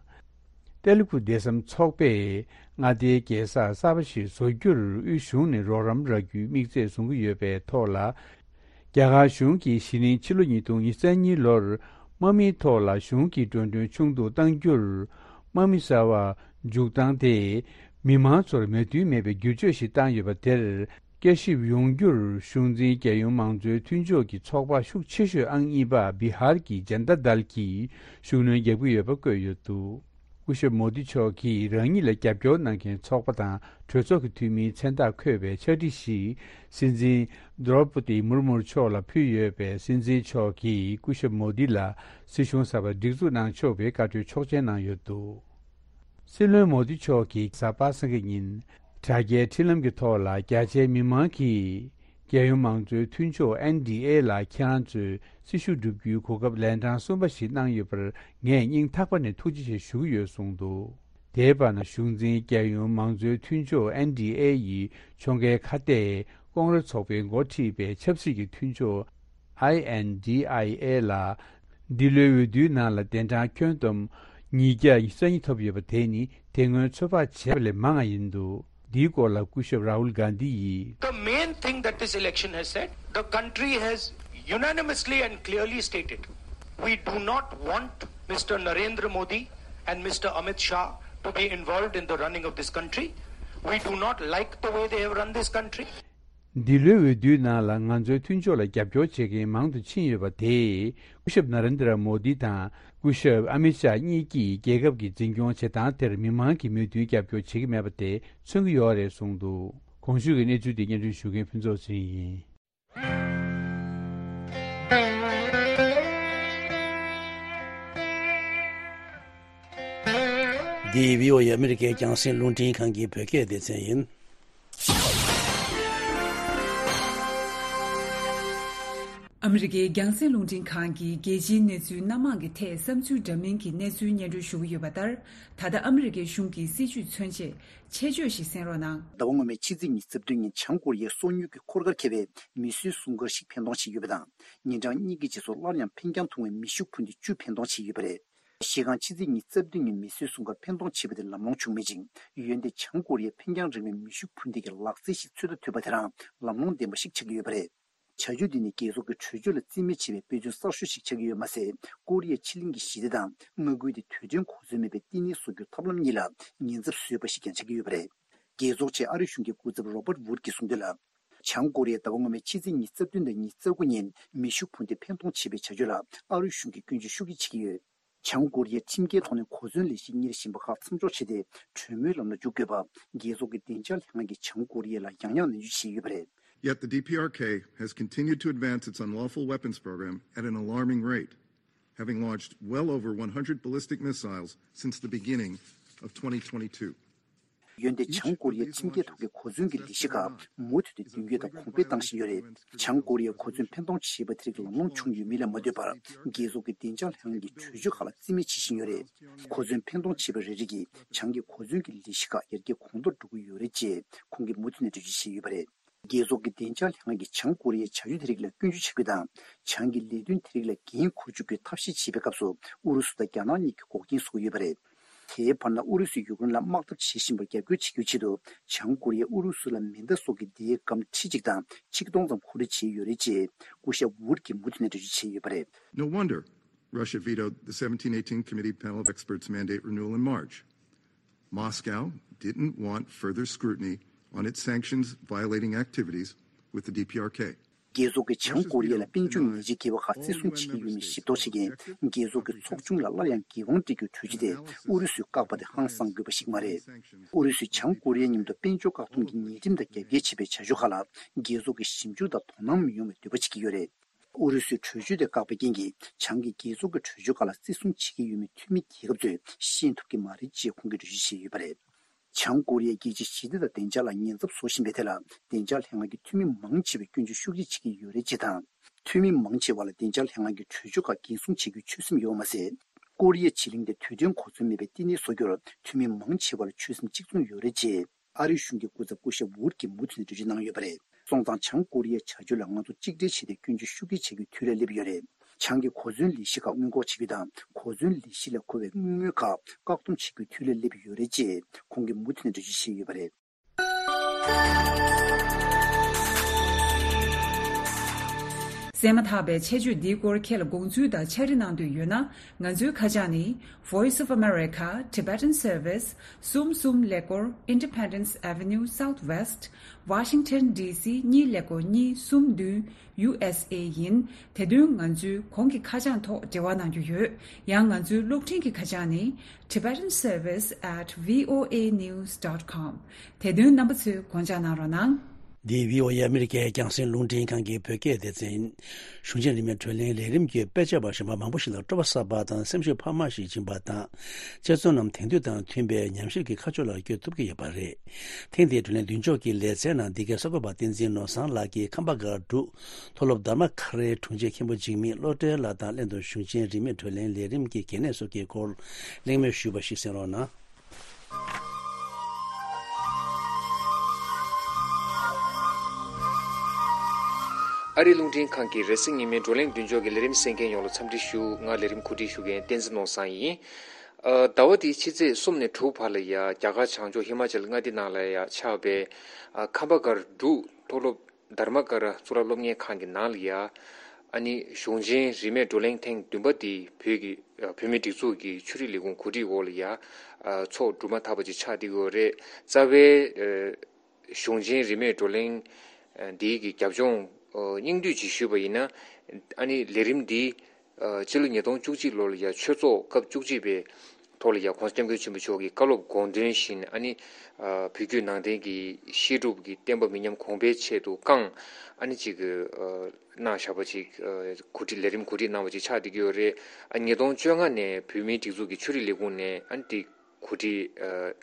ཏེ་ལུ་གུ་དེ་སམ་ཚོགས་པས་མངའ་སྡེའི་རྒྱལ་ས་གསར་པ་ཞིག་བཟོ་རྒྱུར་དབུས་གཞུང་ནས་རོགས་རམ་རག་རྒྱུའི་དམིགས་ཚད་བཟུང་གི་ཡོད་པའི་ཐོག་ལ། རྒྱ་གར་གཞུང་གིས་གཞེས་ནིང་ཕྱི་ལོ་ཉིས་སྟོང་ཉི་ཤུ་རྩ་གཉིས་ལོར་དམག་མིའི་ཐོག་ལ་གཞུང་གིས་འགྲོ་གྲོན་ཆུང་དུ་གཏང་རྒྱུར། དམག་མི་གསར་པ་འཇུག་སྟངས་དེས་མི་མང་ཚོར་མོས་མཐུན་མེད་པའི་བསྒྱུར་བཅོས་ཤིག་བཏང་ཡོད་པ་དེར། བསྐྱར་ཞིབ་ཡོང་རྒྱུར་གཞུང་འཛིན་རྒྱལ་ཡོངས་མང་གཙོའི་མཐུན་ཕྱོགས་ཀྱི་ཚོགས་པ་ཤུགས་ཆེ་ཤོས་ཨང་གཉིས་པ་བི་ཧར་གྱི་ཇན་ད་དལ་གྱིས་ཤུགས་སྣོན་རྒྱག་གི་ཡོད་པ་བཀོད་ཡོད་འདུག་སྐུ་ཞབས་མོ་དི་མཆོག་གིས་རང་ཉིད་ལ་རྒྱབ་སྐྱོར་གནང་མཁན་ཚོགས་པ་དང་གྲོས་ཚོགས་ཀྱི་འཐུས་མིའི་མཚན་རྟགས་འཁོད་པའི་ཕྱག་བྲིས་ཤིག་སྲིད་འཛིན་དྲོ་པོ་ཏི་མུར་མུར་མཆོག་ལ་ཕུལ་ཡོད་པས། སྲིད་འཛིན་མཆོག་གིས་སྐུ་ཞབས་མོ་དི་ལ་སྲིད་གཞུང་གསར་པ་སྒྲིག་འཛུགས་གནང་ཆོག་པའི་བཀའ་འཁྲོལ་ཆོག་མཆན་གནང་ཡོད་འདུག་སྲིད་བློན་མོ་དི་མཆོག་གིས་གཟའ་པ་སངས་ཀྱི་ཉིན་དྲ་རྒྱའི་འཕྲིན་ལམ་གྱི་ཐོག་ལ། རྒྱ་ཆེའི་མི་མང་གིས་རྒྱལ་ཡོངས་མང་གཙོའི་མཐུན་ཕྱོགས་ཨེན་ཌི་ཨེ་ལ་ཁྱེད་རང་ཚོས་སྲི་ཞུ་བསྒྲུབ་རྒྱུའི་གོ་སྐབས་ལན་གྲངས་གསུམ་པ་ཞིག་གནང་ཡོད་པར་ངས་སྙིང་ཐག་པ་ནས་ཐུགས་རྗེ་ཆེ་ཞུ་གི་ཡོད་གསུངས་འདུག་དེའི་བར་ན་གཞུང་འཛིན་རྒྱལ་ཡོངས་མང་གཙོའི་མཐུན་ཕྱོགས་ཨེན་ཌི་ཨེ་ཡི་ཕྱོགས་འགལ་ཁ་གཏད་ཀོང་རེ་ཚོགས་པས་འགོ་ཁྲིད་པའི་ཆབ་སྲིད་ཀྱི་མཐུན་ཕྱོགས་ཨའི་ཨེན་ཌི་ཨའི་ཨེ་ལ་འདི་ལོའི་འོས་བསྡུའི་ནང་ལ་གདན་གྲངས་ཁྱོན་བསྡོམས་ཉིས་བརྒྱ་ཉི་ཤུ་རྩ་གཉིས་ཐོབ་ཡོད་པ་དེ་ནི་དེ་སྔོན་ཚོད་དཔག་བྱས་པ་ལས་མང་བ་ཡིན་འདུག་འདིའི་སྐོར་ལ་སྐུ་ཞབས་རཱ་ཧུལ་གྷན་དྷི་ཡིས། The main thing that this election has said, the country has unanimously and clearly stated, we do not want Mister Narendra Modi and Mister Amit Shah to be involved in the running of this country. We do not like the way they have run this country. འདི་ལོའི་འོས་བསྡུའི་ནང་ལ་ང་ཚོའི་མཐུན་ཕྱོགས་ལ་རྒྱབ་སྐྱོར་བྱེད་མཁན་མང་དུ་ཕྱིན་ཡོད་པ་དེས། སྐུ་ཞབས་ན་རེན་དྲ་མོ་དི་དང་སྐུ་ཞབས་ཨ་མི་ཤཱ་གཉིས་ཀྱིས་རྒྱལ་ཁབ་ཀྱི་འཛིན་སྐྱོང་བྱེད་སྟངས་དེར་མི་མང་གིས་མོས་མཐུན་རྒྱབ་སྐྱོར་བྱེད་ཀྱི་མེད་པ་དེ་མཚོན་གྱི་ཡོད་རེད་གསུངས་འདུག་གོང་ཞུས་ཀྱི་གནས་ཚུལ་དེ་སྙན་སྒྲོན་ཞུ་མཁན་ཕུན་ཚོགས་ཚེ་རིང་ཡིན། འདི་བྷི་ཨོ་ཨེ་ཨ་མི་རི་ཀའི་རྒྱང་སྲིང་རླུང་འཕྲིན་ཁང་གི་བོད་སྐད་སྡེ་ཚན་ཡིན། ཨ་མི་རི་ཀའི་རྒྱང་སྲིང་རླུང་འཕྲིན་ཁང་གིས་རྒྱལ་སྤྱིའི་གནས་ཚུལ་སྣ་མང་གི་ཐད་བསམ་ཚུལ་འདྲ་མིན་གྱི་གནས་ཚུལ་སྙན་སྒྲོན་ཞུ་གི་ཡོད་པ་ལྟར། ད་ལྟ་ཨ་མི་རི་ཀའི་གཞུང་གི་སྲིད་བྱུས་མཚོན་ཆེད་ཆེད་བརྗོད་ཞིག་གསན་རོགས་གནང་། ཟླ་བ་སྔོན་མའི་ཕྱི་ཚེས་ཉི་ཤུ་རྩ་བདུན་ཉིན་བྱང་ཀོ་རི་ཡའི་སོག་ཉུལ་གྱི་འཁོར་སྐར་འཁེལ་བའི་མི་བཟོས་སྲུང་སྐར་ཞིག་འཕེན་གཏོང་བྱས་ཡོད་པ་དང་། ཉིན་གྲངས་གཉིས་ཀྱི་རྗེས་སུ་སླར་ཡང་འཕེན་རྐྱང་ཐུང་བའི་མེ་ཤུགས་འཕུར་མདེལ་བཅུ་འཕེན་གཏོང་བྱས་ཡོད་པ་རེད། གཞི་རྐང་ཕྱི་ཚེས་ཉི་ཤུ་རྩ་བདུན་ཉིན་མི་བཟོས་སྲུང་སྐར་འཕེན་གཏོང་བྱས་པ་དེ་ལམ་ལྷོང་བྱུང་མེད་ཅིང་། འོན་ཏེ་བྱང་ཀོ་རི་ཡས་འཕེན་རྐྱང་རིང་བའི་མེ་ཤུགས་འཕུར་མདེལ་གྱི་ལག་རྩལ་ཞིག་ཚོད་ལྟ་ཐུབ་པ་དེ་རང་ལམ་ལྷོང་ལྡན་པ་ཞིག་ཆགས་ཀྱི་ཡོད་པ་རེད། བྱ་སྤྱོད་འདི་ནི་རྒྱལ་ཚོགས་ཀྱི་གྲོས་ཆོད་ལ་རྩིས་མེད་བྱས་པའི་དཔེ་མཚོན་གསར་ཤོས་ཤིག་ཆགས་ཀྱི་ཡོད་མ་ཟད། ཀོ་རི་ཡ་ཕྱེད་གླིང་གི་ཞི་བདེ་དང་མངའ་ཁུལ་དེ་དུས་མཐུན་གོ་མཚོན་མེད་པའི་བསྟི་གནས་བཟོ་རྒྱུའི་ཐབས་ལམ་གཉིས་ལ་ཉེན་ཚབས་བཟོས་པ་ཞིག་ཀྱང་ཆགས་ཀྱི་ཡོད་པ་རེད། རྒྱལ་ཚོགས་ཆེད་ཨ་རིའི་གཞུང་གི་སྐུ་ཚབ་རོ་པར་ཝུཌ་ཀྱིས་གསུངས་དོན་ལ། བྱང་ཀོ་རི་ཡས་ཟླ་བ་སྔོན་མའི་ཕྱི་ཚེས་ཉི་ཤུ་རྩ་བདུན་དང་ཉི་ཤུ་རྩ་དགུ་ཉིན་མེ་ཤུགས་འཕུར་མདེལ་འཕེན་གཏོང་བྱས་པའི་བྱ་སྤྱོད་ལ་ཨ་རིའི་གཞུང་གིས་སྐྱོན་བརྗོད་ཤུགས་ཆེ་བྱེད་ཀྱི་ཡོད། བྱང་ཀོ་རི་ཡས་ཁྲིམས་འགལ་ཐོག་ནས་གོ་མཚོན་ལས་གཞི་གཉེར་བཞིན་པ་ཁག་མཚམས་འཇོག་བྱས་ཏེ། གྲོས་མོལ་ལམ་ལ་འཇུག་དགོས་པ། རྒྱལ་ཚོགས་ཀྱི་བདེ་འཇགས་ལྷན་ཁང་གིས་བྱང་ཀོ་རི་ཡ་ལ་ཡང་ཡང་ནན་བརྗོད་བྱས་ཡོད་པ་རེད། Yet the D P R K has continued to advance its unlawful weapons program at an alarming rate, having launched well over one hundred ballistic missiles since the beginning of twenty twenty-two. འོན་ཏེ་བྱང་ཀོ་རི་ཡས་ཁྲིམས་འགལ་ཐོག་གི་གོ་མཚོན་གྱི་ལས་གཞི་ཁག་མུ་མཐུད་དུ་རྒྱུན་སྐྱོང་དང་གོང་འཕེལ་བཏང་བཞིན་ཡོད་རེད། བྱང་ཀོ་རི་ཡས་གོ་མཚོན་འཕེན་གཏོང་བྱས་པ་དེ་རིགས་ལམ་ལྷོང་བྱུང་ཡོད་མིན་ལ་མ་ལྟོས་པར། རྒྱལ་ཚོགས་ཀྱི་བདེ་འཇགས་ལྷན་ཁང་གི་གྲོས་ཆོད་ཁག་ལ་རྩིས་མེད་བྱེད་བཞིན་ཡོད་རེད། གོ་མཚོན་འཕེན་གཏོང་བྱས་པ་རེ་རེ་གིས་བྱང་གི་གོ་མཚོན་གྱི་ལས་གཞི་ཁག་ཡར་རྒྱས་གོང་མཐོར་འགྲོ་གི་ཡོད་རེད་ཅེས་ཁོང་གིས་མུ་མཐུད་ནས་འགྲེལ་བརྗོད་བྱས་ཡོད་པ་རེད། རྒྱལ་ཚོགས་ཀྱི་བདེ་འཇགས་ལྷན་ཁང་གིས་བྱང་ཀོ་རི་ཡའི་བྱ་སྤྱོད་དེ་རིགས་ལ་སྐྱོན་བརྗོད་བྱེད་རྒྱུ་དང་། བྱང་གི་ལས་དོན་དེ་རིགས་ལ་འགན་འཁུར་བཅུག་རྒྱུའི་ཐབས་ཤེས་བྱེད་པའི་སྐབས་སུ། ཨུ་རུ་སུ་དང་རྒྱ་ནག་གཉིས་ཀྱིས་འགོག་རྐྱེན་བཟོ་གི་ཡོད་པ་རེད། དེའི་བར་ན་ཨུ་རུ་སུས་ཡུཀ་རེན་ལ་དམག་འཐབ་བྱེད་བཞིན་པར་རྒྱབ་སྐྱོར་བྱེད་རྒྱུའི་ཆེད་དུ། བྱང་ཀོ་རི་ཡས་ཨུ་རུ་སུ་ལ་མེ་མདའ་སོགས་ཀྱི་མདའི་སྒམ་ཁྲི་གཅིག་དང་ཆིག་སྟོང་ཙམ་གོ་སྒྲིག་བྱས་ཡོད་རེད་ཅེས་སྐུ་ཞབས་ཝུཌ་ཀྱིས་མུ་མཐུད་ནས་འགྲེལ་བརྗོད་བྱས་ཡོད་པ་རེད། No wonder Russia vetoed the seventeen eighteen Committee Panel of Experts mandate renewal in March. Moscow didn't want further scrutiny on its sanctions violating activities with the D P R K. རྒྱལ་ཚོགས་ཀྱིས་བྱང་ཀོ་རི་ཡ་ལ་དཔལ་འབྱོར་ཉེས་ཆད་འགེལ་བ་ཁག་བརྩི་སྲུང་བྱེད་ཀྱི་ཡོད་མེད་ཞིབ་རྟོག་བྱེད་མཁན་རྒྱལ་ཚོགས་ཀྱི་ཚོགས་ཆུང་ལ་སླར་ཡང་འགན་དབང་སྤྲད་རྒྱུའི་གྲོས་གཞི་དེ་ཨུ་རུ་སུས་བཀག་པ་དེ་ཧང་སང་དགོས་པ་ཞིག་མ་རེད། ཨུ་རུ་སུས་བྱང་ཀོ་རི་ཡའི་མཉམ་དུ་དཔལ་འབྱོར་བཀག་སྡོམ་གྱི་ཉེས་ཁྲིམས་དང་རྒྱབ་འགལ་བྱས་པའི་བྱ་སྤྱོད་ཁག་ལ་རྒྱལ་ཚོགས་ཀྱིས་ཞིབ་འཇུག་དང་དོ་སྣང་མི་ཡོང་བའི་འདོད་པ་བྱེད་ཀྱི་ཡོད་རེད། ཨུ་རུ་སུས་གྲོས་ཆོད་དེ་བཀག་པའི་རྐྱེན་གྱིས་བྱང་གི་རྒྱལ་ཚོགས་ཀྱི་གྲོས་ཆོད་ཁག་ལ་བརྩི་སྲུང་བྱེད་ཀྱི་ཡོད་མེད་འཐུས་མི་རྒྱལ་ཁབ་ཚོས་ཤེས་ཐུབ་ཀྱི་མ་རེད་ཅེས་ཁོང་གིས་འགྲེལ་བརྗོད་བྱས་ཡོད་པ་རེད། བྱང་ཀོ་རི་ཡས་རྒྱལ་སྤྱིའི་ཞི་བདེ་དང་བདེ་འཇགས་ལ་ཉེན་ཚབས་བཟོ་བཞིན་པའི་ཐད་ལ་བདེ་འཇགས་ལྷན་ཁང་གི་འཐུས་མི་མང་ཆེ་བས་སྐྱོན་བརྗོད་ཤུགས་ཆེ་བྱེད་ཀྱི་ཡོད་རེད་ཅེས་དང་། འཐུས་མི་མང་ཆེ་བ་ལ་བདེ་འཇགས་ལྷན་ཁང་གི་གྲོས་ཆོད་ཁག་འགན་སྲུང་བྱེད་རྒྱུའི་ཆོད་སེམས་ཡོད་པ་མ་ཟད། ཀོ་རི་ཡ་བྱེད་གླིང་དེ་དུས་མཐུན་གོ་མཚོན་མེད་པའི་བསྟི་གནས་བཟོ་རྒྱུར་འཐུས་མི་མང་ཆེ་བ་ལ་ཆོད་སེམས་གཅིག་མཚུངས་ཡོད་རེད་ཅེས། ཨ་རིའི་གཞུང་གི་སྐུ་ཚབ་སྐུ་ཞབས་ཝུཌ་ཀྱིས་མུ་མཐུད་ནས་འགྲེལ་བརྗོད་གནང་ཡོད་པ་རེད། སོང་ཙང་བྱང་ཀོ་རི་ཡའི་བྱ་སྤྱོད་ལ་ང་ཚོ་གཅིག་སྒྲིལ་བྱས་ཏེ་སྐྱོན་བརྗོད་ཤུགས་ཆེ་བྱེད་རྒྱུའི་དུས་ལ་སླེབས་ཡོད་རེད། བྱང་གི་གོ་མཚོན་ལས་གཞི་ཁག་སྔོན་འགོག་བྱེད་རྒྱུ་དང་། གོ་མཚོན་ལས་གཞི་ལ་མཁོ་བའི་དངུལ་དངོས་ཁག་བཀག་སྡོམ་བྱེད་རྒྱུའི་དུས་ལ་སླེབས་ཡོད་རེད་ཅེས་ཁོང་གིས་མུ་མཐུད་ནས་འགྲེལ་བརྗོད་བྱས་ཡོད་པ་རེད། གསན་མ་ཐག་པའི་ཆེད་བརྗོད་འདིའི་སྐོར་ཁྱེད་ལ་དགོངས་ཚུལ་དང་ཕྱག་བྲིས་གནང་འདོད་ཡོད་ན། ང་ཚོའི་ཁ་བྱང་ནི། Voice of America, Tibetan Service, གསུམ་གསུམ་ཀླད་ཀོར། Independence Avenue Southwest, Washington D C གཉིས་ཀླད་ཀོར་གཉིས་གསུམ་བདུན། U S A ཡིན། དེ་དོན་ང་ཚོའི་གོང་གི་ཁ་བྱང་ཐོག་འབྲེལ་བ་གནང་རྒྱུ་ཡོད། ཡང་ང་ཚོའི་གློག་འཕྲིན་གྱི་ཁ་བྱང་ནི། Tibetan Service at V O A news dot com། དེ་དོན་རྣམ་པ་ཚོས་དགོངས་འཇགས་གནང་རོགས་གནང་། འདི་V O A ཨ་མི་རི་ཀའི་རྒྱང་སྲིང་རླུང་འཕྲིན་ཁང་གི་བོད་སྐད་སྡེ་ཚན་ཡིན། གཞུང་ཆེན་རིས་མེད་བགྲོ་གླེང་ལས་རིམ་གྱི་དཔེ་ཆ་བ་གཞན་པ་མང་པོ་ཞིག་ལ་སྤྲོ་བ་གསར་པ་དང་སེམས་ཤུགས་འཕར་མ་ཞིག་སྦྱིན་པ་དང་། དཔྱད་རྩོམ་རྣམས་དེང་དུས་དང་མཐུན་པའི་ཉམས་ཞིབ་ཀྱི་ཁ་ཕྱོགས་ལ་བསྐྱོད་ཐུབ་ཀྱི་ཡོད་པ་རེད། ཐེངས་འདིའི་བགྲོ་གླེང་མདུན་ཅོག་གི་ལེ་ཚན་ནང་འདི་གའི་གསར་འགོད་པ་བསྟན་འཛིན་ནོར་བཟང་ལགས་ཀྱིས་ཁམས་པ་སྒར་འབྲུག་མཐོ་སློབ་དྷརྨ་ཀ་རའི་དྲུང་ཆེ་མཁན་པོ་འཇིགས་མེད་བློ་གྲོས་ལགས་དང་ལྷན་དུ་གཞུང་ཆེན་རིས་མེད་བགྲོ་གླེང་ལས་རིམ་གྱི་གལ་གནད་སོགས་ཀྱི་སྐོར་གླེང་མོལ་ཞུས་པ་ཞིག་གསན་རོགས་གནང་། ཨ་རིའི་རླུང་འཕྲིན་ཁང་གི་རེས་གཟའ་ཉི་མའི་བགྲོ་གླེང་མདུན་ཅོག་གི་ལས་རིམ་གསན་མཁན་ཡོངས་ལ་འཚམས་འདྲི་ཞུ། ང་ལས་རིམ་གོ་སྒྲིག་ཞུ་མཁན་བསྟན་འཛིན་ནོར་བཟང་ཡིན། ཨ། ཟླ་བ་འདིའི་ཕྱི་ཚེས་གསུམ་ནས་དྲུག་བར་ལ་ཡ་རྒྱ་གར་བྱང་ཕྱོགས་ཧི་མ་ཅལ་མངའ་སྡེ་ནང་ལ་ཡ་ཆགས་པའི། ཨ། ཁམས་པ་སྒར་འབྲུག་མཐོ་སློབ་དྷརྨ་ཀ་ར་གཙུག་ལག་སློབ་གཉེར་ཁང་གི་ནང་ལ་ཡ། ཨ་ནི་གཞུང་ཆེན་རིས་མེད་བགྲོ་གླེང་ཐེངས་བདུན་པ་འདི་བོད་ཀྱི། ཨ། བོད་མིའི་སྒྲིག་འཛུགས་ཀྱི་ཆོས་རིག་ལས་ཁུངས་གོ་སྒྲིག་འོག་ལ་ཡ། ཨ། ཚོགས་གྲུབ་མ་ཐག་པ་ཅིག་ཆགས་བསྡད་ཡོད་རེད། རྩ་བའི། ཨ། གཞུང་ཆེན་རིས་མེད་བགྲོ་གླེང་འདིའི་གི་རྒྱབ་ལྗོངས་སྙིང་བསྡུས་ཅིག་ཞུས་པ་ཡིན་ན། ཨ་ནི་ལས་རིམ་འདི་སྤྱི་ལོ་ཉིས་སྟོང་བཅུ་གཅིག་ལོ་ལ་ཡ་ཆོས་ཚོགས་སྐབས་བཅུ་གཅིག་པའི་ཐོག་ལ་ཡ་༸གོང་ས་༸སྐྱབས་མགོན་ཆེན་པོ་མཆོག་གི་བཀའ་སློབ་དགོངས་དོན་བཞིན། ཨ་ནི་བོད་བརྒྱུད་ནང་བསྟན་གྱི་བཤད་སྒྲུབ་ཀྱི་བསྟན་པ་མི་ཉམས་གོང་འཕེལ་ཆེད་དུ་བསྐངས། ཨ་ནི་ཅིག་གནང་བཞག་པ་ཅིག་གོ་སྒྲིག་ལས་རིམ་གོ་སྒྲིག་གནང་བ་ཅིག་ཆགས་བསྡད་ཀྱི་ཡོད་རེད། ཨ། ཉིས་སྟོང་བཅོ་ལྔ་ནས་བོད་མིའི་སྒྲིག་འཛུགས་ཀྱི་ཆོས་རིག་ལས་ཁུངས་ནས། ཨ་ནི་དེ་གོ་སྒྲིག་ཨ།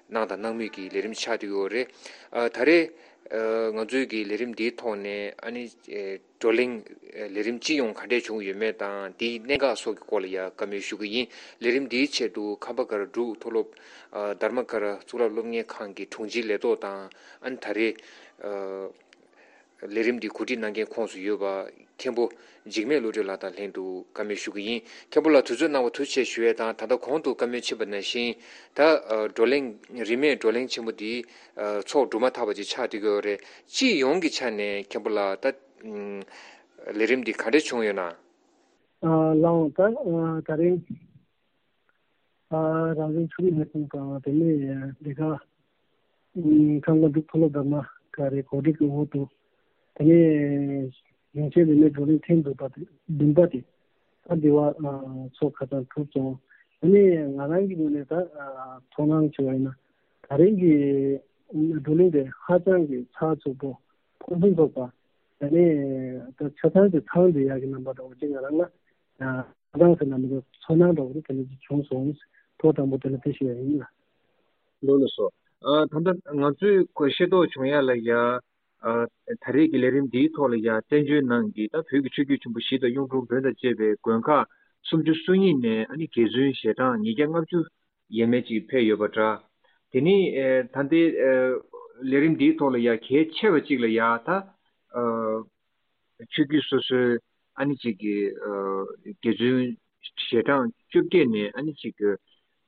གནང་དང་གནང་མུས་ཀྱི་ལས་རིམ་ཆགས་བསྡད་ཡོད་རེད། ཨ། ད་རེས། ཨ། ང་ཚོའི་གི་ལས་རིམ་འདིའི་ཐོག་ནས། ཨ་ནི། ཨེ། བགྲོ་གླེང་། ཨེ། ལས་རིམ་སྤྱི་ཡོངས་ག་འདྲས་བྱུང་ཡོད་མེད་དང་། དེའི་གནད་འགག་སོགས་ཀྱི་སྐོར་ལ་ཡ་བཀའ་མོལ་ཞུ་གི་ཡིན། ལས་རིམ་འདིའི་ཆེད་དུ་ཁམས་པ་སྒར་འབྲུག་མཐོ་སློབ། ཨ། དྷརྨ་ཀ་ར་གཙུག་ལག་སློབ་གཉེར་ཁང་གི་དྲུང་ཆེའི་ལས་ཐོག་དང་། ཨ་ནི་ད་རེས། ཨ། ལས་རིམ་འདི་གོ་སྒྲིག་གནང་མཁན་ཁོངས་སུ་ཡོད་པ་མཁན་པོ་འཇིགས་མེད་བློ་གྲོས་ལགས་དང་ལྷན་དུ་བཀའ་མོལ་ཞུ་གི་ཡིན། མཁན་པོ་ལགས་དུས་ཚོད་གནང་བ་ཐུགས་རྗེ་ཆེ་ཞུ་ཡས་དང་། ད་ལྟ་གོང་དུ་བཀའ་མོལ་ཕྱིན་པ་ནང་བཞིན། ད། ཨ། བགྲོ་གླེང་། རིས་མེད་བགྲོ་གླེང་ཆེན་མོ་འདི། ཨ། ཚོགས་གྲུབ་མ་ཐག་པ་ཅིག་ཆགས་བསྡད་ཀྱི་ཡོད་རེད། སྤྱི་ཡོངས་ཀྱི་ཆ་ནས་མཁན་པོ་ལགས་ད། ཨ། ལས་རིམ་འདི་ག་འདྲས་བྱུང་ཡོད་ན། ཨ། ལགས་འོང་། ད། ཨ། ད་རིང་། ཨ། རང་བཙན་ཆོས་རིག་ལས་ཁུངས་དང་། དེ་ནས་འདི་ག་ཨུམ། ཁམས་ལ་འབྲུག་མཐོ་སློབ་དྷརྨ་ཀ་རའི་གོ་སྒྲིག་གི་འོག་ཏུ། དེ་ནས་གཞུང་ཆེན་རིས་མེད་བགྲོ་གླེང་ཐེངས་བདུན་པ་དེ། བདུན་པ་དེ། ད་འདི་བ། ཨ། ཚོགས་ཁ་སང་གྲུབ་སོང་། དེ་ནས་ང་རང་གི་ངོས་ནས་ད། ཨ། ཚོར་སྣང་བྱས་པ་ཡིན་ན། ད་རིང་གི་བགྲོ་གླེང་དེ་ཧ་ཅང་གི་ཚགས་ཚུད་པོ། ཕུན་སུམ་ཚོགས་པ། དེ་ནས་ད་ཆ་ཚང་གི་ཚང་བསྡད་ཡག་གི་རྣམ་པ་འདྲ་བོ་ཅིག་ང་རང་ལ། ཨ། ཧ་ཅང་ཟེར་ན་མི་འདུག་ཚོར་སྣང་འདྲ་བོ་དེ་འདྲ་ཅིག་བྱུང་སོང་། ཐོག་དང་པོ་དེ་ལ་དེ་ཞུ་ཡ་ཡིན་ལ། ལགས་ལགས་སོ། ཨ། ད་ལྟ་ང་ཚོས་ཤེས་རྟོགས་བྱུང་ཡ་ལ་ཡ། ཨ། ད་རེས་ཀྱི་ལས་རིམ་འདིའི་ཐོག་ལ་ཡ་བཙན་བྱོལ་ནང་གི་ད་བོད་ཀྱི་ཆོས་བརྒྱུད་ཆེན་པོ་བཞི་དང་གཡུང་དྲུང་བོན་དང་བཅས་པའི་དགོན་ཁག་སུམ་ཅུ་སོ་གཉིས་ནས། ཨ་ནི་དགེ་བཙུན་ཞལ་གྲངས་ཉིས་བརྒྱ་ལྔ་བཅུ་ཡས་མས་ཅིག་ཕེབས་ཡོད་པ་འདྲ། དེ་ནི། ཨེ། ད་ལྟའི། ཨེ། ལས་རིམ་འདིའི་ཐོག་ལ་ཡ་གལ་ཆེ་བ་ཅིག་ལ་ཡ་ད། ཨ། ཆོས་བརྒྱུད་སོ་སོའི། ཨ་ནི་ཅིག་གི། ཨ། དགེ་བཙུན་ཞལ་གྲངས་བཅོ་བརྒྱད་ནས། ཨ་ནི་ཅིག་གི།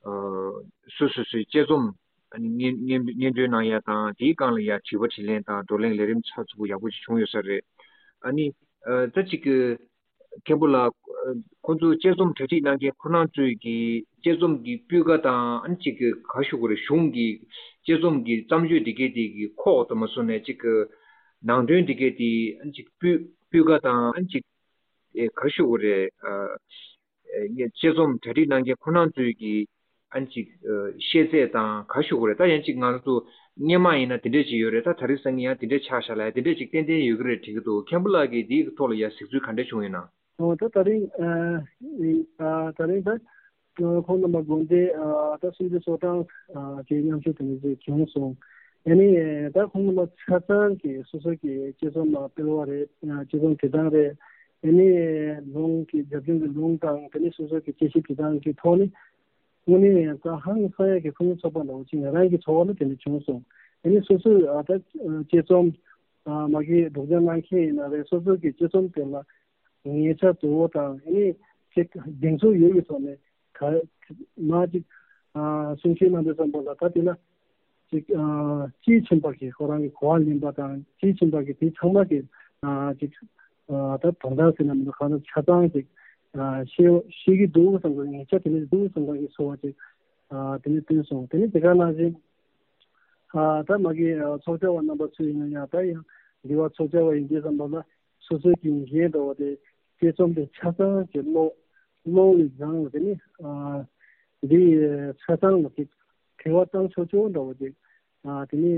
ཨ། སོ་སོ་སོའི་དཔྱད་རྩོམ། ཨ་ནི་སྙན་སྙན་སྙན་སྒྲོན་གནང་ཡ་དང་། དེའི་སྒང་ལ་ཡ་དྲི་བ་དྲིས་ལན་དང་བགྲོ་གླེང་ལས་རིམ་ཚགས་ཚུད་པོ་ཡག་པོ་ཅིག་བྱུང་ཡོད་ས་རེད། ཨ་ནི། ཨ། ད་ཅིག་གི། མཁན་པོ་ལགས། ཁོང་ཚོ་དཔྱད་རྩོམ་གྲ་སྒྲིག་གནང་མཁན་ཁོ་རང་ཚོས་ཀྱི་དཔྱད་རྩོམ་གྱི་སྤུས་ཀ་དང་། ཨ་ནི་ཅིག་གི་ག་ཞུ་དགོས་རེད། གཞུང་གི་དཔྱད་རྩོམ་གྱི་བརྩམས་ཆོས་འདི་གའི་དེ་གི་ཁོག་དུ་མ་སོང་ནས། ཅིག་གི་ནང་དོན་འདི་གའི་དེ། ཨ་ནི་ཅིག་སྤུས་སྤུས་ཀ་དང་། ཨ་ནི་ཅིག་ཨེ། ག་ཞུ་དགོས་རེད། ཨ། ཨེ། དཔྱད་རྩོམ་གྲ་སྒྲིག་གནང་མཁན་ཁོ་རང་ཚོས་ཀྱི། ཨ་ནི་ཅིག་ཨ། ཤེས་ཚད་དང་ག་ཞུ་དགོས་རེད། ད་ཡང་ཅིག་ང་རང་ཚོ་སྔོན་མ་ཡིན་ན་དེ་འདྲས་ཅིག་ཡོད་རེད། ད་ད་རེས་སང་ཉིན་ཡང་དེ་འདྲས་ཆགས་བཞག་ལ་ཡ་དེ་འདྲས་ཅིག་ཏན་ཏན་ཡོད་ཀྱི་རེད་དྲན་གྱི་འདུག་མཁན་པོ་ལགས་ཀྱིས་འདིའི་ཐོག་ལ་ཡ་གཟིགས་ཚུལ་ག་འདྲས་བྱུང་ཡོད་ན། ཨོ། ད་ད་རིང་། ཨ། ཨ། ད་རིང་ད། ཨ། ཁོང་རྣམ་པ་དགོན་སྡེ། ཨ། ད་སུམ་ཅུ་སོ་གྲངས། ཨ། ཅིག་མཉམ་ཞུགས་དེ་འདྲ་ཅིག་བྱུང་སོང་། ཡ་ནི་ད་ཁོང་རྣམ་པ་ཆ་ཚང་གིས་སོ་སོ་གི་དཔྱད་རྩོམ་སྤེལ་བ་རེད། ཨ། དཔྱད་རྩོམ་བྲིས་སྟངས་རེད། ཡ་ནི་ལུང་གི་རྒྱབ་ལྗོངས་ཀྱི་ལུང་དང་། དེ་ནས་སོ་སོ་གི་དཔྱད་གཞི་བྲིས་སྟངས་ཀྱི་ཐོག་ནས། དངོས་གནས་ད་ཧང་སང་ཡག་གི་ཕུན་སུམ་ཚོགས་པ་འདྲ་བོ་ཅིག་ང་རང་གི་ཚོར་བ་ལ་དེ་འདྲ་བྱུང་སོང་། ཡ་ནི་སོ་སོས། ཨ། ད་དཔྱད་རྩོམ། ཨ། མ་གི་སྒྲོག་སྦྱང་གནང་མཁན་ཡིན་ན་རེད། སོ་སོ་གི་དཔྱད་རྩོམ་དེ་ལ། ཉེ་ཆར་དུ་དང་ཨ་ནི་ཅིག་གདེང་ཚོད་ཡོད་པའི་ཐོག་ནས་ག་མ་ཅིག་ཨ་གསུང་བཤད་གནང་དུས་ཙམ་པ་ལ་ད་དེ་ལ་ཅིག་ཨ་དཔྱིས་ཕྱིན་པ་གི་ཁོ་རང་གི་གོ་བ་ལེན་པ་དང་དཔྱིས་ཕྱིན་པ་གི་དེ་ཚང་མ་གི་ཨ་ཅིག་ཨ་ད་དོན་དག་ཟེར་ན་མི་འདུག་གང་ལྟར་ཆ་ཚང་ཅིག་ཨ་ཤེས་ཤེས་ཀྱི་འདུག་བསམ་པའི་ཉེ་ཆར་དེ་ནས་འདུག་བསམ་པ་གི་ཚོར་བ་ཅིག་ཨ་དེ་ནས་བསྟན་སོང་། དེ་ནས་དེ་ག་ནང་བཞིན་ཨ་ད་མ་གི་ཨ་ཚོགས་བཅར་བ་རྣམ་པ་ཚོས་ཡིན་ན་ཡང་ད་ཡང་འདི་བ་ཚོགས་བཅར་བ་ཡིན་དུས་ཙམ་པ་ལ་སོ་སོའི་གི་འགན་འདྲ་བ་དེ་དཔྱད་རྩོམ་དེ་ཆ་ཚང་གི་ཀློག་ཀློག་ལས་བཟང་བ་དེ་ནི་ཨ་འདི་ཆ་ཚང་ལ་ཅིག་དྲི་བ་བཏང་ཆོག་ཆོག་འདྲ་བ་ཅིག་ཨ་དེ་ནི་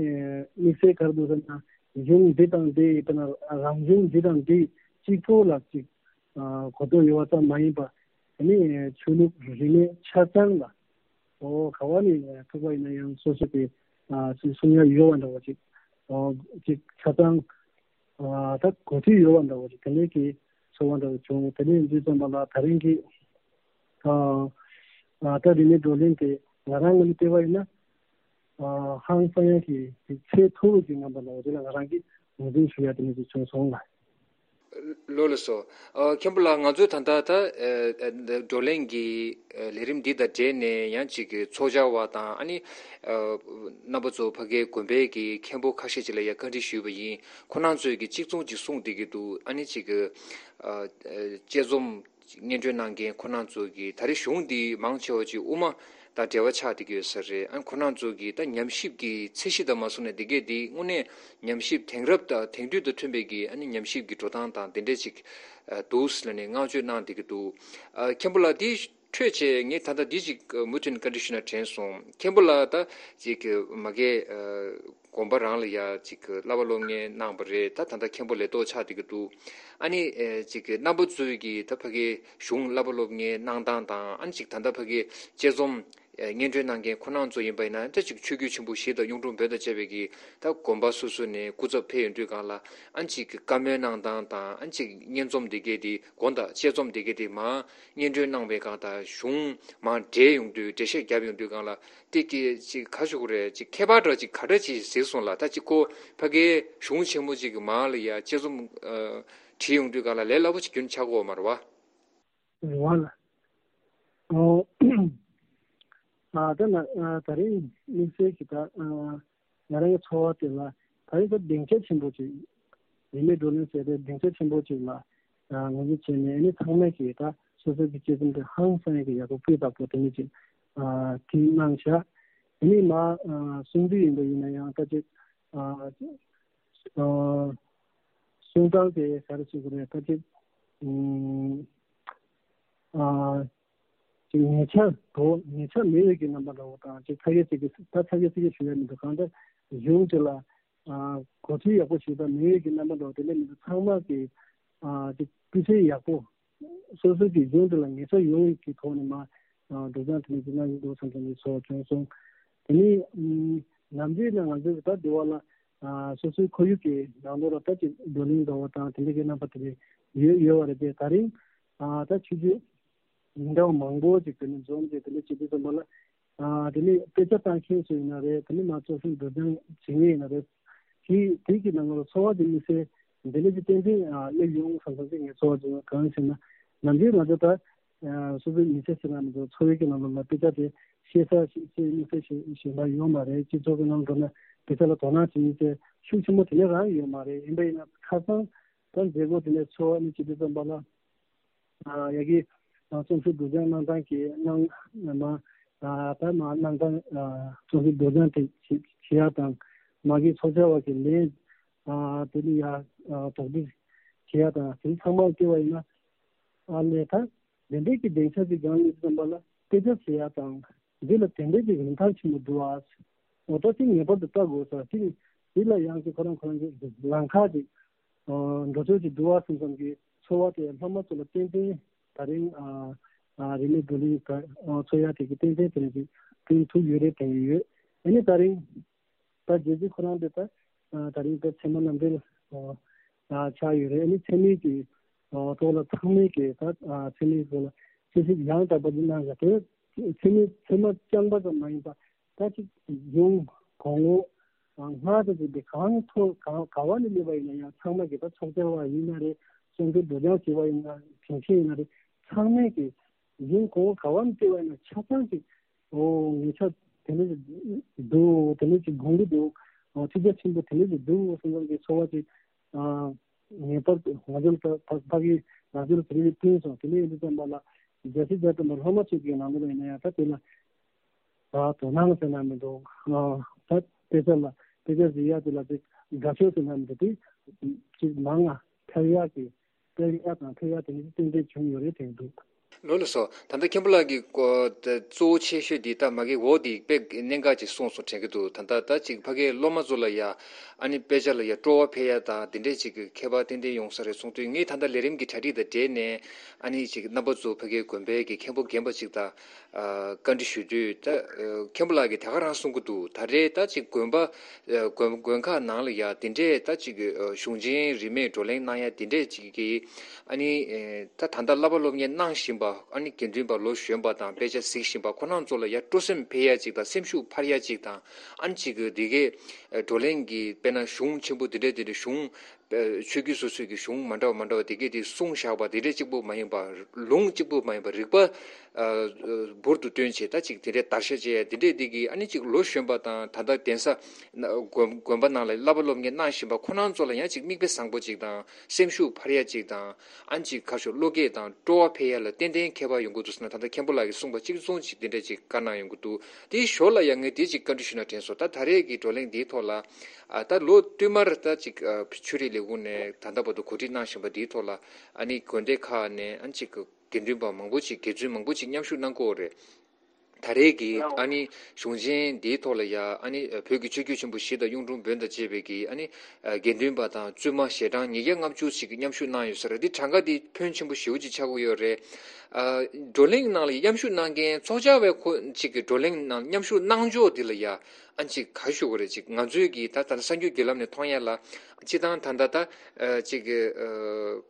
དམིགས་བསལ་ག་རེ་འདུག་ཟེར་ན་གཞུང་འདི་དང་འདི་ཡིན་པ་ན་རང་གཞུང་འདི་དང་འདི་གཅིག་པོ་ལ་ཅིག་ཨ་གོ་རྟོགས་ཡོད་པ་ཙམ་མ་ཡིན་པ་དེ་ནི་ཆོས་ལུགས་རིས་མེད་ཆ་ཚང་ལ། ཨོ་ག་བ་ནས་ཐུག་པ་ཡིན་ན་ཡང་སོ་སོ་གི་ཨ་སུ་གསུང་ཡ་ཡོད་པ་འདྲ་བ་ཅིག་ཨོ་ཅིག་ཆ་ཚང་ཨ་ད་གོ་ཐོས་ཡོད་པ་འདྲ་བ་ཅིག་དེ་འདྲའི་གི་ཚོར་བ་འདྲ་བ་བྱུང་། དེ་ནས་འདི་ཙམ་པ་ལ་ད་རིང་གི་ཨ་ཨ་ད་རིང་གི་བགྲོ་གླེང་དེ་ང་རང་ངོས་ནས་བལྟས་པ་ཡིན་ན་ཨ་ཧང་སང་ཡ་གི་ཚད་མཐོ་བོ་ཅིག་ངང་པ་འདྲ་བ་ཅིག་ལ་ང་རང་གིས་ངོས་འཛིན་ཞུ་ཡ་དེ་འདྲ་ཅིག་བྱུང་སོང་ལ། ལགས་ལགས་སོ། ཨ་མཁན་པོ་ལགས་ང་ཚོས་ད་ལྟ་ད་ཨ་ཨ་བགྲོ་གླེང་གི་ཨ་ལས་རིམ་འདི་དང་འབྲེལ་ནས་ཡང་ཅིག་གི་ཚོགས་བཅར་བ་དང་ཨ་ནི་ཨ་རྣམ་པ་ཚོ་ཕ་གའི་དགོན་པའི་གི་མཁན་པོ་ཁ་ཤས་ཅིག་ལ་ཡང་བཀའ་འདྲི་ཞུས་པ་ཡིན། ཁོ་རང་ཚོས་ཀྱི་གཅིག་མཚུངས་ཅིག་གསུངས་བསྡད་ཀྱི་འདུག་ཨ་ནི་ཅིག་གི་ཨ་ཨ་དཔྱད་རྩོམ་སྙན་སྒྲོན་གནང་མཁན་ཁོ་རང་ཚོ་གི་ད་རེས་གཞུང་འདི་མང་ཆེ་བ་ཅིག་དབུ་མ་དང་འབྲེལ་བ་ཆགས་བསྡད་ཀྱི་ཡོད་ས་རེད། ཨ་ཁོ་རང་ཚོ་གི་ད་ཉམས་ཞིབ་ཀྱི་ཚད་གཞི་དང་མ་སོང་ནས་འདི་གས་འདི་དངོས་གནས་ཉམས་ཞིབ་དེང་རབས་དང་དེང་དུས་དང་མཐུན་པའི་གི་ཨ་ནི་ཉམས་ཞིབ་ཀྱི་འགྲོ་སྟངས་དང་དེ་འདྲས་ཅིག་ཨ་འདུག་ཟེར་ནས་བསྔགས་བརྗོད་གནང་བསྡད་ཀྱི་འདུག་ཨ་མཁན་པོ་ལགས་འདི་འཕྲོས་བྱས་ངས་ད་ལྟ་འདི་ཅིག་མུ་མཐུད་ནས་བཀའ་འདྲི་ཞུ་ན་དྲན་སོང་། མཁན་པོ་ལགས་ད་ཅིག་མ་གི་ཨ་དགོན་པ་རང་ལ་ཡ་ཅིག་བསླབ་པ་སློབ་གཉེར་གནང་བ་རེད། ད་ད་ལྟ་མཁན་པོ་ལས་ཐོག་ཆགས་བསྡད་ཀྱི་འདུག་ཨ་ནི་ཨེ་ཅིག་གི་རྣམ་པ་ཚོས་ཀྱི་ད་ཕ་གི་གཞུང་བསླབ་པ་སློབ་གཉེར་གནང་སྟངས་དང་ཨ་ནི་ཅིག་ད་ལྟ་ཕ་གི་དཔྱད་རྩོམ་ཨེ་སྙན་སྒྲོན་གནང་མཁན་ཁོ་རང་ཚོ་ཡིན་པ་ཡིན་ན་ད་ཅིག་ཆོས་བརྒྱུད་ཆེན་པོ་བཞི་དང་གཡུང་དྲུང་བོན་དང་བཅས་པའི་གི་ད་དགོན་པ་སོ་སོ་ནས་སྐུ་ཚབ་ཕེབས་ཡོང་དུས་སྒང་ལ་ཨ་ནི་ཅིག་གི་བཀའ་མོལ་གནང་སྟངས་དང་ཨ་ནི་ཅིག་སྙན་རྩོམ་འདི་གས་དེ་དགོངས་དག་དཔྱད་རྩོམ་འདི་གས་དེ་མར་སྙན་སྒྲོན་གནང་བའི་སྒང་དང་གཞུང་མར་འབྲེལ་ཡོང་དུས་འགྲེལ་བཤད་བརྒྱབ་ཡོང་དུས་སྒང་ལ་དེ་གི་ཅིག་ག་ཞུ་དགོས་རེད། ཅིག་ཁྱད་པར་འདྲ་ཅིག་ག་འདྲ་ཅིག་གཟིགས་སོང་ལ། ད་ཅིག་ཁོ་ཕ་གིའི་གཞུང་ཆེན་མོ་ཅིག་གི་མར་ལ་ཡ་དཔྱད་རྩོམ་ཨ་བྲིས་ཡོང་དུས་སྒང་ལ་ལས་སླ་པོ་ཅིག་རྒྱུན་ཆགས་ཀྱི་ཡོད་མ་རེད་བ། རེད་བ་ལ། ཨོ། ཨ་ད་ན་ཨ་ད་རིང་དམིགས་བསལ་གྱི་ད་ཨ་ང་རང་གི་ཚོར་བ་དེ་ལ་ད་རིང་ད་སྡིངས་ཆ་ཆེན་པོ་ཅིག་རིས་མེད་བགྲོ་གླེང་ཟེར་ཏེ་སྡིངས་ཆ་ཆེན་པོ་ཅིག་ལ་ཨ་ངོས་འཛིན་བྱས་ནས་ཨ་ནི་ཚང་མས་ཀྱིས་ད་སོ་སོ་གི་དཔྱད་རྩོམ་དེ་ཧང་སང་ཡག་གི་ཡག་པོ་སྤུས་དག་པོ་དེ་ནས་ཅིག་ཨ་བྲིས་གནང་བཞག་ཨ་ནི་མ་ཨ་གསུང་དུས་ཡིན་པ་ཡིན་ན་ཡང་ད་ཅིག་ཨ་ཨ་གསུང་སྟངས་དེ་ག་རེ་ཞུ་དགོས་རེད། ད་ཅིག་ཨ་ཅིག་ཉེ་ཆར་དོ་ཉེ་ཆར་མེད་པའི་གི་རྣམ་པ་འདྲ་བོ་དང་ཅིག་ཚ་གྱ་ཚི་གྱ་ད་ཚ་གྱ་ཚི་གྱ་ཞུ་ཡ་མི་འདུག་གང་ལྟར་གཞུང་དེ་ལ་ཨ་གོ་ཚུལ་ཡག་པོ་ཞིག་དང་མེད་པའི་གི་རྣམ་པ་འདྲ་བོ་དེ་འདྲ་མི་འདུག་ཚང་མ་གི་ཨ་ཅིག་སྤུས་ཚད་ཡག་པོ་སོ་སོ་གི་གཞུང་དེ་ལ་ངེས་ཤེས་ཡོང་བའི་གི་ཐོག་ནས་མ་ཨ་སྒྲོག་སྦྱང་དེ་ནས་ཅིག་གནང་གི་འདུག་བསམ་བསམ་གི་ཚོར་བ་བྱུང་སོང་། དེ་ནས་ཨ་ནམ་རྒྱུན་ན་ང་ཚོའི་ད་འདི་བ་ལ་ཨ་སོ་སོའི་ཁོར་ཡུག་གི་ནང་ལོགས་ལ་ད་ཅིག་བགྲོ་གླེང་འདྲ་བོ་དང་དེ་འདྲ་གི་རྣམ་པ་དེ་འདྲ་ཡོད་ཡོད་པ་རེད་དེ། ད་རིང་ཨ་ད་ཆུ་ཚོད་ཉིན་གྲངས་མང་པོ་ཅིག་དེ་ནས་འཛོམས་ཏེ་དེ་འདྲ་བྱེད་དུས་ཙམ་པ་ལ་ཨ་དེ་ནས་དཔེ་ཆ་ལྟ་མཁན་ཚོ་ཡིན་ན་རེད། དེ་ནས་མ་ཚོགས་ཤིང་སྒྲོག་སྦྱང་བྱེད་མཁན་ཡིན་ན་རེད། དེ་དེ་གི་ནང་ལ་ཚོར་བ་དེ་དམིགས་བསལ་འདི་འདྲ་ཅིག་ཏན་ཏན་ཨ་སླེབས་ཡོང་བསམ་བསམ་ཅིག་ངས་ཚོར་བ་ཅིག་གང་ཡིན་ཟེར་ན་ནམ་རྒྱུན་ང་ཚོ་ད་ཨ་སོ་སོའི་མི་ཚེ་ཟེར་ན་མི་འདུག་འཚོ་བའི་གི་ནང་ལོགས་ལ་དཔེ་ཆ་དེ་ཤེས་ས་ཤེས་ཤེས་དམིགས་བསལ་ཤེས་ཤེས་པ་ཡོད་མ་རེད། སྤྱི་ཚོགས་ཀྱི་ནང་འགྲོ་ན་དཔེ་ཆ་ལ་དོ་སྣང་བྱེད་མཁན་དེ་ཤུགས་ཆེན་པོ་དེ་འདྲ་རང་ཡོད་མ་རེད། ཡིན་པ་ཡིན་ན་ཁ་སང་ད་མཛད་སྒོ་དེ་ནས་ཚོགས་ནས་བྱེད་དུས་ཙམ་པ་ལ་ཨ་ཡ་གི་ཨ་རྩོམ་ཞིབ་སྒྲོག་སྦྱང་གནང་སྟངས་ཀྱི་གནང་མ་ཨ་ད་མ་གནང་སྟངས་ཨ་རྩོམ་ཞིབ་སྒྲོག་སྦྱང་དེ་བྱེད་བྱེད་ཡ་དང་མ་གི་ཚོགས་བཅར་བ་གི་ལན་ཨ་དེ་ནི་ཡ་ཨ་དོགས་འདྲི་བྱེད་ཡ་དང་དེ་ཚང་མ་བལྟས་པ་ཡིན་ན་ཨ་ལས་ད། དེ་འདྲའི་གི་སྡིངས་ཆ་ཅིག་སྒང་ཡིན་ཙམ་པ་ལ་དཔེ་ཆ་བྱེད་ཡ་དང་འདི་ལ་དེ་འདྲའི་གི་རིན་ཐང་ཆེན་པོ་འདུག་ཨ། འོ་ད་ཅིག་ངེས་པར་དུ་ལྟ་དགོས་ས་ཅིག་འདི་ལ་ཡང་ཅིག་ཁོ་རང་ཁོ་རང་གི་ལམ་ཁ་ཅིག་འགྲོ་ཕྱོགས་ཅིག་འདུག་ཨ་བསམ་བསམ་གི་ཚོར་བ་དེ་སློབ་མ་ཚོ་ལ་ཏན་ཏན་ད་རིང་ཨ་ཨ་རིས་མེད་བགྲོ་གླེང་ཚོགས་ཡ་དེ་གི་ཏན་ཏན་དེ་རིང་ཅིག་བསྐྲུན་ཐུབ་ཡོད་རེད་དྲན་གི་ཡོད། ཨ་ནི་ད་རིང་ད་རྗེས་ཅིག་ཁོ་རང་དེ་ད་ད་རིང་ད་ཚད་མ་རྣམ་འགྲེལ་ཆགས་ཡོད་རེད། ཨ་ནི་ཚད་མའི་གི་ཐོག་ལ་ཚང་མས་གི་ད་ཚད་མའི་ཐོག་ལ་དཔྱད་ཞིབ་ཡང་དག་པ་ཅིག་གནང་ཡ་དེ་ཚད་མའི་ཚད་མ་རྐྱང་པ་ཙམ་མ་ཡིན་པ་ད་ཅིག་གཞུང་གོང་འོག་སྔར་དང་ཅིག་དེ་གང་ཐོག་གང་ག་བ་ནས་སླེབས་པ་ཡིན་ན་ཡང་ཚང་མ་གི་ད་ཚོགས་བཅར་བ་ཡིན་ན་རེད། བསམ་ཚུལ་སྒྲོག་སྦྱང་བྱས་པ་ཡིན་ན། དྲན་ཤེས་ཡིན་ན་རེད། ཚང་མས་ཀྱི་གཞན་གོང་བུ་ག་བ་ནས་བལྟས་པ་ཡིན་ན་ཆ་ཚང་ཅིག་ཨོ་ངེད་ཅག་དེ་འདྲ་ཅིག་འདུག་དེ་འདྲ་ཅིག་དགོངས་ཀྱི་འདུག་ཨོ་ཐུགས་རྗེ་ཆེན་པོ་དེ་འདྲ་ཅིག་འདུག་བསམ་བསམ་གྱི་ཚོར་བ་ཅིག་ཨ་ངེས་པར་དུ་ང་ཚོར་ད་ཕ་ཕ་གི་ང་ཚོར་དེ་འདྲ་ཅིག་བསྟན་སོང་། དེ་འདྲ་ཡིན་དུས་ཙམ་པ་ལ་རྒྱལ་སྲས་ཛ་དྲ་མ་སློབ་མ་ཚོས་ཀྱི་ནང་ལོགས་ལ་ཡིན་ན་ཡང་ད་དེ་ལ། ད་དོ་སྣང་ཟེར་ན་མི་འདུག་ཨ་ད་དཔེ་ཆ་ལ་དཔེ་ཆ་གཟིགས་ཡག་དེ་ལ་ཅིག་དགའ་ཤོས་ཟེར་ན་མི་འདུག་དེ་ཅིག་མང་ང་ཕེབས་ཡག་གི་ཕེབས་ཡག་དང་ཕེབས་ཡག་དེ་ནི་ཏན་ཏན་བྱུང་ཡོད་རེད་དྲན་འདུག་ལགས་སོ། ད་ལྟ་མཁན་པོ་ལགས་ཀྱིས་ཀོ་ད་གཙོ་བོ་ཆེ་ཤོས་འདི་ད་མ་གི་འོ་འདི་དཔེ་གནད་འགག་ཅིག་གསུངས་སོང་དྲན་གྱི་འདུག་ད་ལྟ་ད་ཅིག་ཕ་གིའི་སློབ་མ་ཚོ་ལ་ཡ་ཨ་ནི་དཔེ་ཆ་ལ་ཡ་སྤྲོ་བ་འཕེལ་ཡ་དང་དེ་འདྲས་ཅིག་གི་ཁྱད་པར་ཏན་ཏན་ཡོང་ས་རེད་གསུངས་དུས། ངས་ད་ལྟ་ལས་རིམ་གྱི་གྲ་སྒྲིག་དང་འབྲེལ་ནས་ཨ་ནི་ཅིག་རྣམ་པ་ཚོ་ཕ་གིའི་དགོན་པའི་གི་མཁན་པོ་རྒན་པ་ཅིག་དང་། ཨ་བཀའ་འདྲི་ཞུ་དུས་ད་ཨ་མཁན་པོ་ལགས་ཀྱིས་དེ་ག་རང་གསུང་གི་འདུག་ད་རེས་ད་ཅིག་དགོན་པ་ཨ་དགོན་དགོན་ཁག་ནང་ལ་ཡ་དེ་འདྲས་ད་ཅིག་ཨ་གཞུང་ཆེན་རིས་མེད་བགྲོ་གླེང་གནང་ཡ་དེ་འདྲས་ཅིག་གིས་ཨ་ནི་ཨེ་ད་ད་ལྟ་བསླབ་པ་སློབ་གཉེར་གནང་བཞིན་པ་ཨ་ནི་དགེ་འདུན་པ་ལོ་གཞོན་པ་དང་དཔེ་ཆ་གཟིགས་བཞིན་པ་ཁོ་རང་ཚོ་ལ་ཡ་སྤྲོ་སེམས་འཕེལ་ཡ་ཅིག་དང་སེམས་ཤུགས་འཕར་ཡ་ཅིག་དང་། ཨ་ནི་ཅིག་གི་དེ་གའི་ཨ་བགྲོ་གླེང་གི་དཔེར་ན་གཞུང་ཆེན་པོ་དེ་འདྲས་དེ་འདྲས་གཞུང་ཆོས་བརྒྱུད་སོ་སོའི་གི་གཞུང་མ་འདྲ་བ་མ་འདྲ་བ་དེ་གས་དེ་གསུངས་བཞག་པ་དེ་འདྲས་གཅིག་པུ་མ་ཡིན་པ། ལུང་གཅིག་པུ་མ་ཡིན་པ་རིགས་པ་ཨ་འབུར་དུ་བཏོན་བྱས་ད་ཅིག་དེ་འདྲས་བརྡར་ཤ་བཅད་ཡ་དེ་འདྲས་དེ་གིས་ཨ་ནི་ཅིག་ལོ་གཞོན་པ་དང་ད་ལྟ་གདན་ས་དགོན་དགོན་པ་ནང་ལ་བསླབ་པ་སློབ་གཉེར་གནང་བཞིན་པ་ཁོ་རང་ཚོ་ལ་ཡང་ཅིག་མིག་དཔེ་བཟང་པོ་ཅིག་དང་སེམས་ཤུགས་འཕར་ཡ་ཅིག་དང་ཨ་ནི་ཅིག་ཁ་ཤོ་བློ་སྐྱེད་དང་སྤྲོ་བ་འཕེལ་ཡ་ལ་ཏན་ཏན་ཁྱད་པར་ཡོང་གི་འདུག་ཟེར་ན། ད་ལྟ་མཁན་པོ་ལགས་ཀྱིས་གསུངས་པ་གཅིག་མཚུངས་ཅིག་དེ་འདྲས་ཅིག་བཀའ་གནང་ཡོང་གི་འདུག་དེའི་ཞོར་ལ་ཡང་ངས་དེ་ཅིག་བཀའ་འདྲི་ཞུས་ན་དྲན་སོང་། ད་ད་རེས་ཀྱི་བགྲོ་གླེང་འདིའི་ཐོག་ལ། ཨ་ད་ལོ་བསྟུད་མར་ད་ཅིག་ཨ་ཆོས་རིག་ལས་ཁུངས་ནས་ད་ལྟ་བར་དུ་གོ་སྒྲིག་གནང་བཞིན་པ་འདིའི་ཐོག་ལ་ཨ་ནི་དགོན་སྡེ་ཁག་ནས་ཨ་ཅིག་དགེ་འདུན་པ་མང་པོ་ཅིག་དགེ་བཙུན་མང་པོ་ཅིག་མཉམ་ཞུགས་གནང་གི་ཡོད་རེད། ད་རེས་ཀྱི་ཨ་ནི་གཞུང་ཆེན་འདིའི་ཐོག་ལ་ཡ་ཨ་ནི་བོད་ཀྱི་ཆོས་བརྒྱུད་ཆེན་པོ་བཞི་དང་གཡུང་དྲུང་བོན་དང་བཅས་པའི་གི་ཨ་ནི་དགེ་འདུན་པ་དང་བཙུན་མ་ཞལ་གྲངས་ཉིས་བརྒྱ་ལྔ་བཅུ་ཅིག་མཉམ་ཞུགས་གནང་ཡོད་ས་རེད། འདི་གྲངས་ཀ་འདི་ཕོན་ཆེན་པོ་ཞེ་པོ་ཅིག་ཆགས་ཀྱི་ཡོད་རེད། ཨ་བགྲོ་གླེང་ནང་ལ་མཉམ་ཞུགས་གནང་མཁན་ཚོགས་བཅར་བའི་ཁོ་ཅིག་གི་བགྲོ་གླེང་ནང་མཉམ་ཞུགས་གནང་ཕྱོགས་འདི་ལ་ཡ་ཨ་ཅིག་ག་ཞུ་དགོས་རེད། ཅིག་ང་ཚོས་ཀྱི་ད་ད་ལྟ་གསར་འགྱུར་བརྒྱུད་ལམ་ནས་མཐོང་ཡ་ལ་སྤྱི་བཏང་ད་ལྟ་ད་ཨ་ཅིག་གི་ཨ་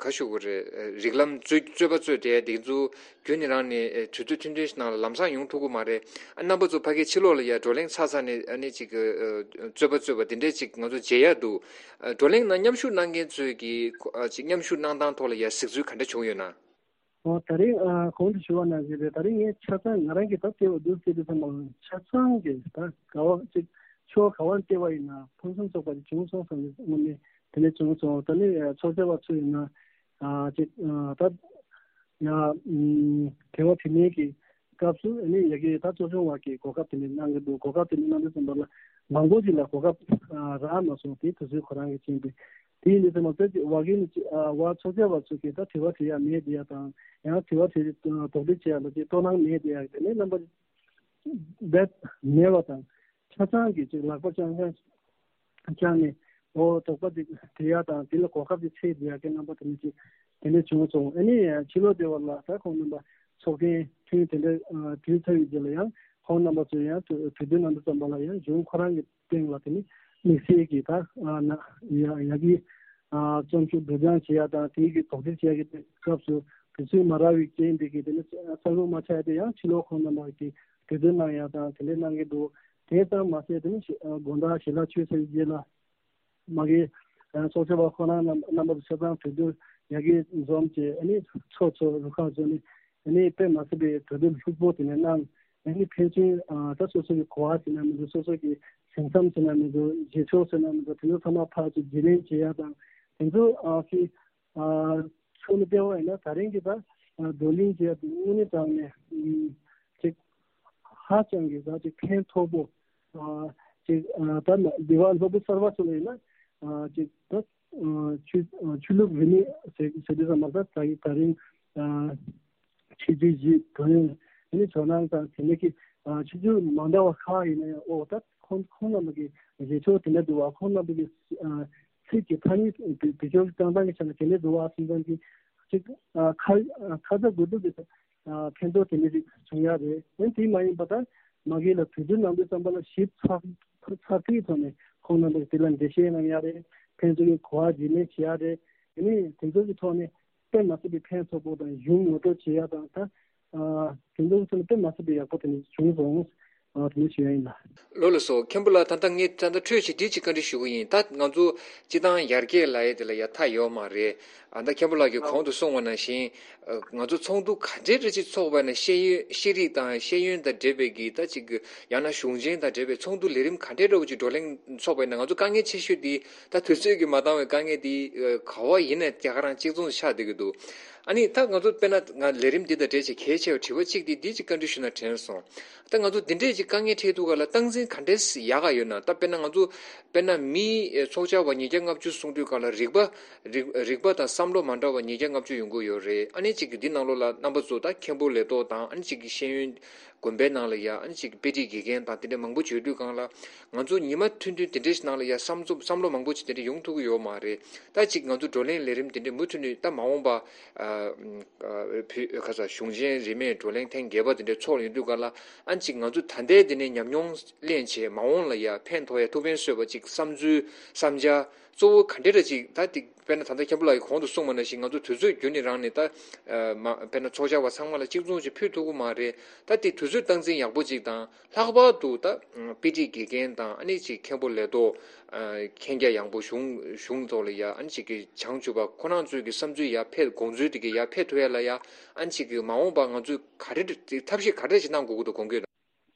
ག་ཞུ་དགོས་རེད། རིགས་ལམ་རྩོད་རྩོད་པ་རྩོད་བསྡད་དེ་ཚོ་རྒྱུན་ནས་རང་ནས་ཨ་དུས་ཚོད་ཐུང་ཐུང་ཞིག་ནང་ལ་ལམ་སང་ཡོང་ཐུབ་ཀྱི་མ་རེད། ཨ་རྣམ་པ་ཚོ་ཕ་གིའི་ཕྱི་ལོགས་ལ་ཡ་བགྲོ་གླེང་ཚར་ཚར་ནས་ཨ་ནི་ཅིག་གི་ཨ་རྩོད་པ་རྩོད་པ་དེ་འདྲས་ཅིག་ང་ཚོ་མཇལ་ཡ་འདུག་ཨ་བགྲོ་གླེང་ནང་མཉམ་ཞུགས་གནང་མཁན་ཚོས་ཀྱི་ཁོ་ཨ་ཅིག་མཉམ་ཞུགས་གནང་སྟངས་ཐོག་ལ་ཡ་གཟིགས་ཚུལ་ག་འདྲ་བྱུང་ཡོད་ན། ཨོ་ད་རེས་ཨ་གོང་དུ་ཞུ་བ་ནང་བཞིན་རེད། ད་རེས་ངས་ཆ་ཚང་ང་རང་གིས་ད་བལྟས་པ་འདུག་བལྟས་དུས་ཙམ་པ་ཆ་ཚང་གི་ད་ག་བ་ཅིག་ཕྱོགས་ག་བ་བལྟས་པ་ཡིན་ན་ཕུན་སུམ་ཚོགས་པ་ཅིག་བྱུང་སོང་བསམ་ནས་དངོས་གནས་དེ་འདྲ་བྱུང་སོང་། ད་ནི་ཨ་ཚོགས་བཅར་བ་ཚོ་ཡིན་ན་ཨ་ཅིག་ཨ་ད་ཡ་ཨུམ་དེ་བ་དེ་ནས་ཀྱི་སྐབས་སུ་ཨ་ནི་ཡ་གི་ད་གཙོ་སྐྱོང་བ་གི་གོ་སྐབས་དེ་འདྲ་གནང་གི་འདུག་གོ་སྐབས་དེ་འདྲ་གནང་དུས་ཙམ་པ་ལ་མང་པོ་ཅིག་ལ་གོ་སྐབས་ཨ་རག་མ་སོང་། དེ་དུས་ཚོད་ཁོ་རང་གི་རྐྱེན་པས། དེ་ཡིན་དུས་ཙམ་པ་ད་ཅིག་བ་གི་ནི་ཅིག་ཨ་བ་ཚོགས་བཅར་བ་ཚོ་གིས་ད་དྲི་བ་དྲི་ཡ་མེད་བསྡད་ཡ་དང་། ཡང་དྲི་བ་དྲི་དོགས་འདྲི་བྱེད་ཡ་ལ་ཅིག་དོ་སྣང་མེད་བསྡད་ཡ་དེ་ནས་རྣམ་པ་རྦད་མེད་པ་དང་། ཆ་ཚང་གིས་ཅིག་ལག་པ་བརྐྱངས་བརྐྱངས་བརྐྱངས་ནས་འོ་དོགས་པ་ཅིག་དྲི་ཡ་དང་། དེ་ལ་གོ་སྐབས་ཅིག་འཚོལ་བསྡད་ཡ་གི་རྣམ་པ་དེ་འདྲ་ཅིག་དེ་འདྲ་བྱུང་སོང་། ཨ་ནི་ཕྱི་ལོགས་སྡེ་བ་ལ་ད་ཁོང་རྣམ་པ་ཚོགས་ཐེངས་ཐེངས་དེ་འདྲ་ཨ་བསྡུས་ཚར་བའི་རྗེས་ལ་ཡང་ཁོང་རྣམ་པ་ཚོས་ཡང་གྲོས་གྲོས་བསྡུར་གནང་དུས་ཙམ་པ་ལ་ཡང་གཞུང་ཁོ་རང་གི་སྟེང་ལ་དེ་ནི་དམིགས་བསལ་གྱི་ད་ཨ་ན་ཡ་ཡ་གི་ཨ་བརྩམས་ཆོས་སྒྲོག་སྦྱང་བྱེད་ཡ་དང་། དེའི་གི་དོགས་འདྲི་བྱེད་ཡ་གི་སྐབས་སུ་དུས་ཚོད་མ་རག་པའི་རྐྱེན་དེ་གིས་དེ་ནི་གསལ་པོ་མ་ཆགས་ཏེ་ཡང་ཕྱི་ལོགས་ཁོང་རྣམ་པ་གིས་གྲོས་བསྡུར་གནང་ཡ་དང་དེ་འདྲ་གནང་གི་འདུག་དེ་ཙམ་མ་ཟད་དེ་ནི་ཞི་ཨ་དགོང་དག་ཞལ་ལག་མཆོད་ཚར་བའི་རྗེས་ལ་མ་གི་ཨ་ཚོགས་བཅར་བ་ཁོ་རང་རྣམ་རྣམ་པ་ཚོ་ཆ་ཚང་གྲོས་བསྡུར་ཡ་གི་འཛོམས་བྱས། ཨ་ནི་ཚོགས་གཙོ་རུ་ཁག་ཚོ་ནི་ཨ་ནི་དཔེ་མ་སྲིད་པའི་གྲོས་བསྡུར་ལྷུག་པོ་དེ་ནས་གནང་། ཨ་ནི་ཕན་ཚུན་ཨ་ད་སོ་སོ་གི་གོ་བ་ཟེར་ན་མི་འདུག་སོ་སོ་གི་ཞིང་མཚམས་ཟེར་ན་མི་འདུག་རྗེས་ཕྱོགས་ཟེར་ན་མི་འདུག་དེ་ཚོ་ཚང་མ་ཕར་ཚུར་བརྗེ་ལེན་བྱེད་ཡ་དང་། དེ་ཚོ་ཨ་ཕི་ཨ་ཚུར་ནས་བལྟས་པ་ཡིན་ན་ད་རིང་གི་ད་ཨ་བགྲོ་གླེང་བྱེད་ཡ་དེ་དངོས་གནས་དྲང་ནས་ཨ་ཅིག་ཧ་ཅང་གི་ད་ཅིག་ཕན་ཐོགས་པོ། ཨ་ཅིག་ཨ་ད་ལ་འདི་བ་སློབ་བུ་གསར་པ་ཚོ་ལ་ཡིན་ན་ཨ་ཅིག་ད་ཨ་ཆོས་ཨ་ཆོས་ལུགས་རིས་མེད་ཟེར་ཟེར་དུས་ཙམ་པ་ད་ད་ཡི་ད་རིང་ཨ་ཆོས་རྗེ་བཞི་དོན་ཡོད་ཨ་ནི་ཇོ་ནང་དང་དེ་ནས་ཀྱི་ཨ་ཆོས་རྒྱུད་མ་འདྲ་བ་ཁག་ཡིན་ན་ཡང་། ཨོ་ད་ཁོང་ཁོང་རྣམ་པ་གི་རྗེས་ཕྱོགས་དེ་འདྲ་འདུག་བ། ཁོང་རྣམ་པ་གི་ཨ་ཚིག་གི་ཐ་སྙད་བེད་སྤྱོད་བཏང་སྟངས་ཀྱི་ཆ་ནས་དེ་འདྲ་འདུག་བ་བསམ་ཙང་གི་ཅིག་ཨ་ཁ་ཨ་ཁ་ཚ་དགོས་གཏུགས་ཀྱི་ཨ་ཕན་ཐོགས་དེ་འདྲ་ཞིག་བྱུང་ཡ་རེད། ཡང་དེ་མ་ཡིན་པ་ད་མ་གི་ལ་གྲོས་བསྡུར་གནང་དུས་ཙམ་པ་ལ་ཞིབ་ཚགས་ཚགས་ཚུད་ཐོག་ནས་ཁོང་རྣམ་པ་གི་དེ་ལ་འགྲེལ་བཤད་གནང་ཡ་རེད། ཕན་ཚུན་གྱི་གོ་བ་བརྗེ་ལེན་བྱེད་ཡ་རེད། དེ་ནས་དེ་ཚོ་གི་ཐོག་ནས་དཔེ་མ་སྲིད་པའི་ཕན་ཐོགས་པོ་དང་གཞུང་ངོ་སྤྲོད་བྱེད་ཡ་དང་། ད་ཨ་དེ་ཚོ་གི་ཐོག་ནས་དཔེ་མ་སྲིད་པའི་ཡག་པོ་དེ་འདྲ་བྱུང་སོང་། ཨ་དེ་འདྲ་ཞུ་ཡ་ཡིན་ལ། ལགས་ལགས་སོ། མཁན་པོ་ལགས། ད་ལྟ་ངས་ད་ལྟ་འཕྲོས་ཅིག་འདི་ཅིག་བཀའ་འདྲི་ཞུ་གི་ཡིན། ད་ང་ཚོ་སྤྱི་བཏང་ཡར་རྒྱས་ལབ་ཡས་དེ་ལ་ཡ་མཐའ་ཡོད་མ་རེད། ཨ་ད་མཁན་པོ་ལགས་ཀྱིས་གོང་དུ་གསུངས་པ་ནང་བཞིན། ཨ་ང་ཚོ་ཚོགས་འདུ་ག་འདྲའི་འདྲ་ཅིག་ཚོགས་པ་ན་ཤེས་ཡོན་ཤེས་རིག་དང་ཤེས་ཡོན་དང་འབྲེལ་བའི་གི་ད་ཅིག་ཡང་ན་གཞུང་ཆེན་དང་འབྲེལ་བའི་ཚོགས་འདུ་ལས་རིམ་ག་འདྲའི་འདྲ་བོ་ཅིག་བགྲོ་གླེང་ཚོགས་པ་ཡིན་ན། ང་ཚོ་དཀའ་ངལ་ཆེ་ཤོས་འདི་ད་དུས་ཚོད་ཀྱིས་མ་འདང་བའི་དཀའ་ངལ་འདི་ཨ་ག་བ་ཡིན་ནའི་རྒྱ་གར་རང་གཅིག་མཚུངས་ཆགས་བསྡད་ཀྱི་འདུག་ཨ་ནི་ད་ང་ཚོ་དཔེར་ན་ང་ལས་རིམ་འདི་དང་འབྲེལ་བྱས་གལ་ཆེ་བའི་དྲི་བ་གཅིག་འདི་འདི་ཅིག་བཀའ་འདྲི་ཞུ་ན་དྲན་སོང་། ད་ང་ཚོ་འདི་འདྲས་ཅིག་དཀའ་ངལ་འཕྲད་དུས་ག་ལ་སྟངས་འཛིན་ག་འདྲས་ཡག་ག་ཡོད་ན། ད་དཔེར་ན་ང་ཚོ་དཔེར་ན་མི་ཨེ་ཚོགས་བཅར་བ་ཉིས་བརྒྱ་ལྔ་བཅུ་གསུང་དུས་ག་ལ་རིག་པ་རིག་རིག་པ་དང་བསམ་བློ་མ་འདྲ་བ་ཉིས་བརྒྱ་ལྔ་བཅུ་ཡོང་གི་ཡོད་རེད། ཨ་ནི་ཅིག་གི་འདི་ནང་ལོགས་ལ་རྣམ་པ་ཚོ་ད་མཁན་པོ་ལས་ཐོག་དང་། ཨ་ནི་ཅིག་གི་ཤེས་ཡོན་དགོན་པའི་ནང་ལ་ཡ་ཨ་ནི་ཅིག་གི་དཔེ་ཁྲིད་དགེ་རྒན་དང་དེ་འདྲས་མང་པོ་བྱོས་དུས་གང་ལ་ང་ཚོ་ཉི་མ་ཐུང་ཐུང་དེ་འདྲས་ནང་ལ་ཡ་བསམ་ཚུལ་བསམ་བློ་མང་པོ་ཅིག་དེ་འདྲས་ཡོང་ཐུབ་ཀྱི་ཡོད་མ་རེད། ད་ཅིག་ང་ཚོ་བགྲོ་གླེང་ལས་རིམ་དེ་འདྲས་མུ་མཐུད་ནས་ད་མ་འོངས་པ་ཨ་ཨ་བོད་ཁ་ས་གཞུང་ཆེན་རིས་མེད་བགྲོ་གླེང་ཐེངས་བརྒྱད་པ་དེ་འདྲས་ཚོགས་ཡོང་དུས་ག་ལ། ཨ་ནི་ཅིག་ང་ཚོ་ད་ལྟའི་འདི་ནས་ཉམས་མྱོང་ལེན་བྱས་མ་འོངས་ལ་ཡ་ཕན་ཐོགས་ཡ་ཐུགས་ཕན་གསོས་པ་ཅིག་བསམ་ཚུལ་བསམ་འཆར་གཙོ་བོ་ག་འདྲ་རེ་ཅིག་ད་ཏིག་དཔེར་ན་ད་ལྟ་མཁན་པོ་ལགས་ཀྱིས་གོང་དུ་གསུངས་པ་ནང་བཞིན་ང་ཚོ་དུས་ཚོད་རྒྱུན་ནས་རང་ནས་ད་ཨ་མ་དཔེར་ན་ཚོགས་བཅར་བ་ཚང་མ་ལ་གཅིག་མཚུངས་ཅིག་ཕུལ་ཐུབ་ཀྱི་མ་རེད། ད་ཏིག་དུས་ཚོད་སྟངས་འཛིན་ཡག་པོ་ཅིག་དང་། ལྷག་པར་དུ་ད་དཔེ་ཁྲིད་དགེ་རྒན་དང་། ཨ་ནི་ཅིག་མཁན་པོ་ལས་ཐོག་ཨ་མཁྱེན་རྒྱ་ཡངས་པོ་གཞུང་གཞུང་ཐོག་ལ་ཡ་ཨ་ནི་ཅིག་གི་བྱང་ཆུབ་པ་ཁོ་རང་ཚོའི་གི་བསམ་ཚུལ་ཡར་འཕེལ། དགོངས་ཚུལ་དེ་གི་ཡར་འཕེལ་ཐུབ་ཡ་ལ་ཡ་ཨ་ནི་ཅིག་གི་མ་འོངས་པ་ང་ཚོས་ག་རེ་ཐབས་ཤེས་ག་རེ་ཅིག་གནང་དགོས་ཀྱི་འདུག་དགོངས་ཀྱི་ཡོད་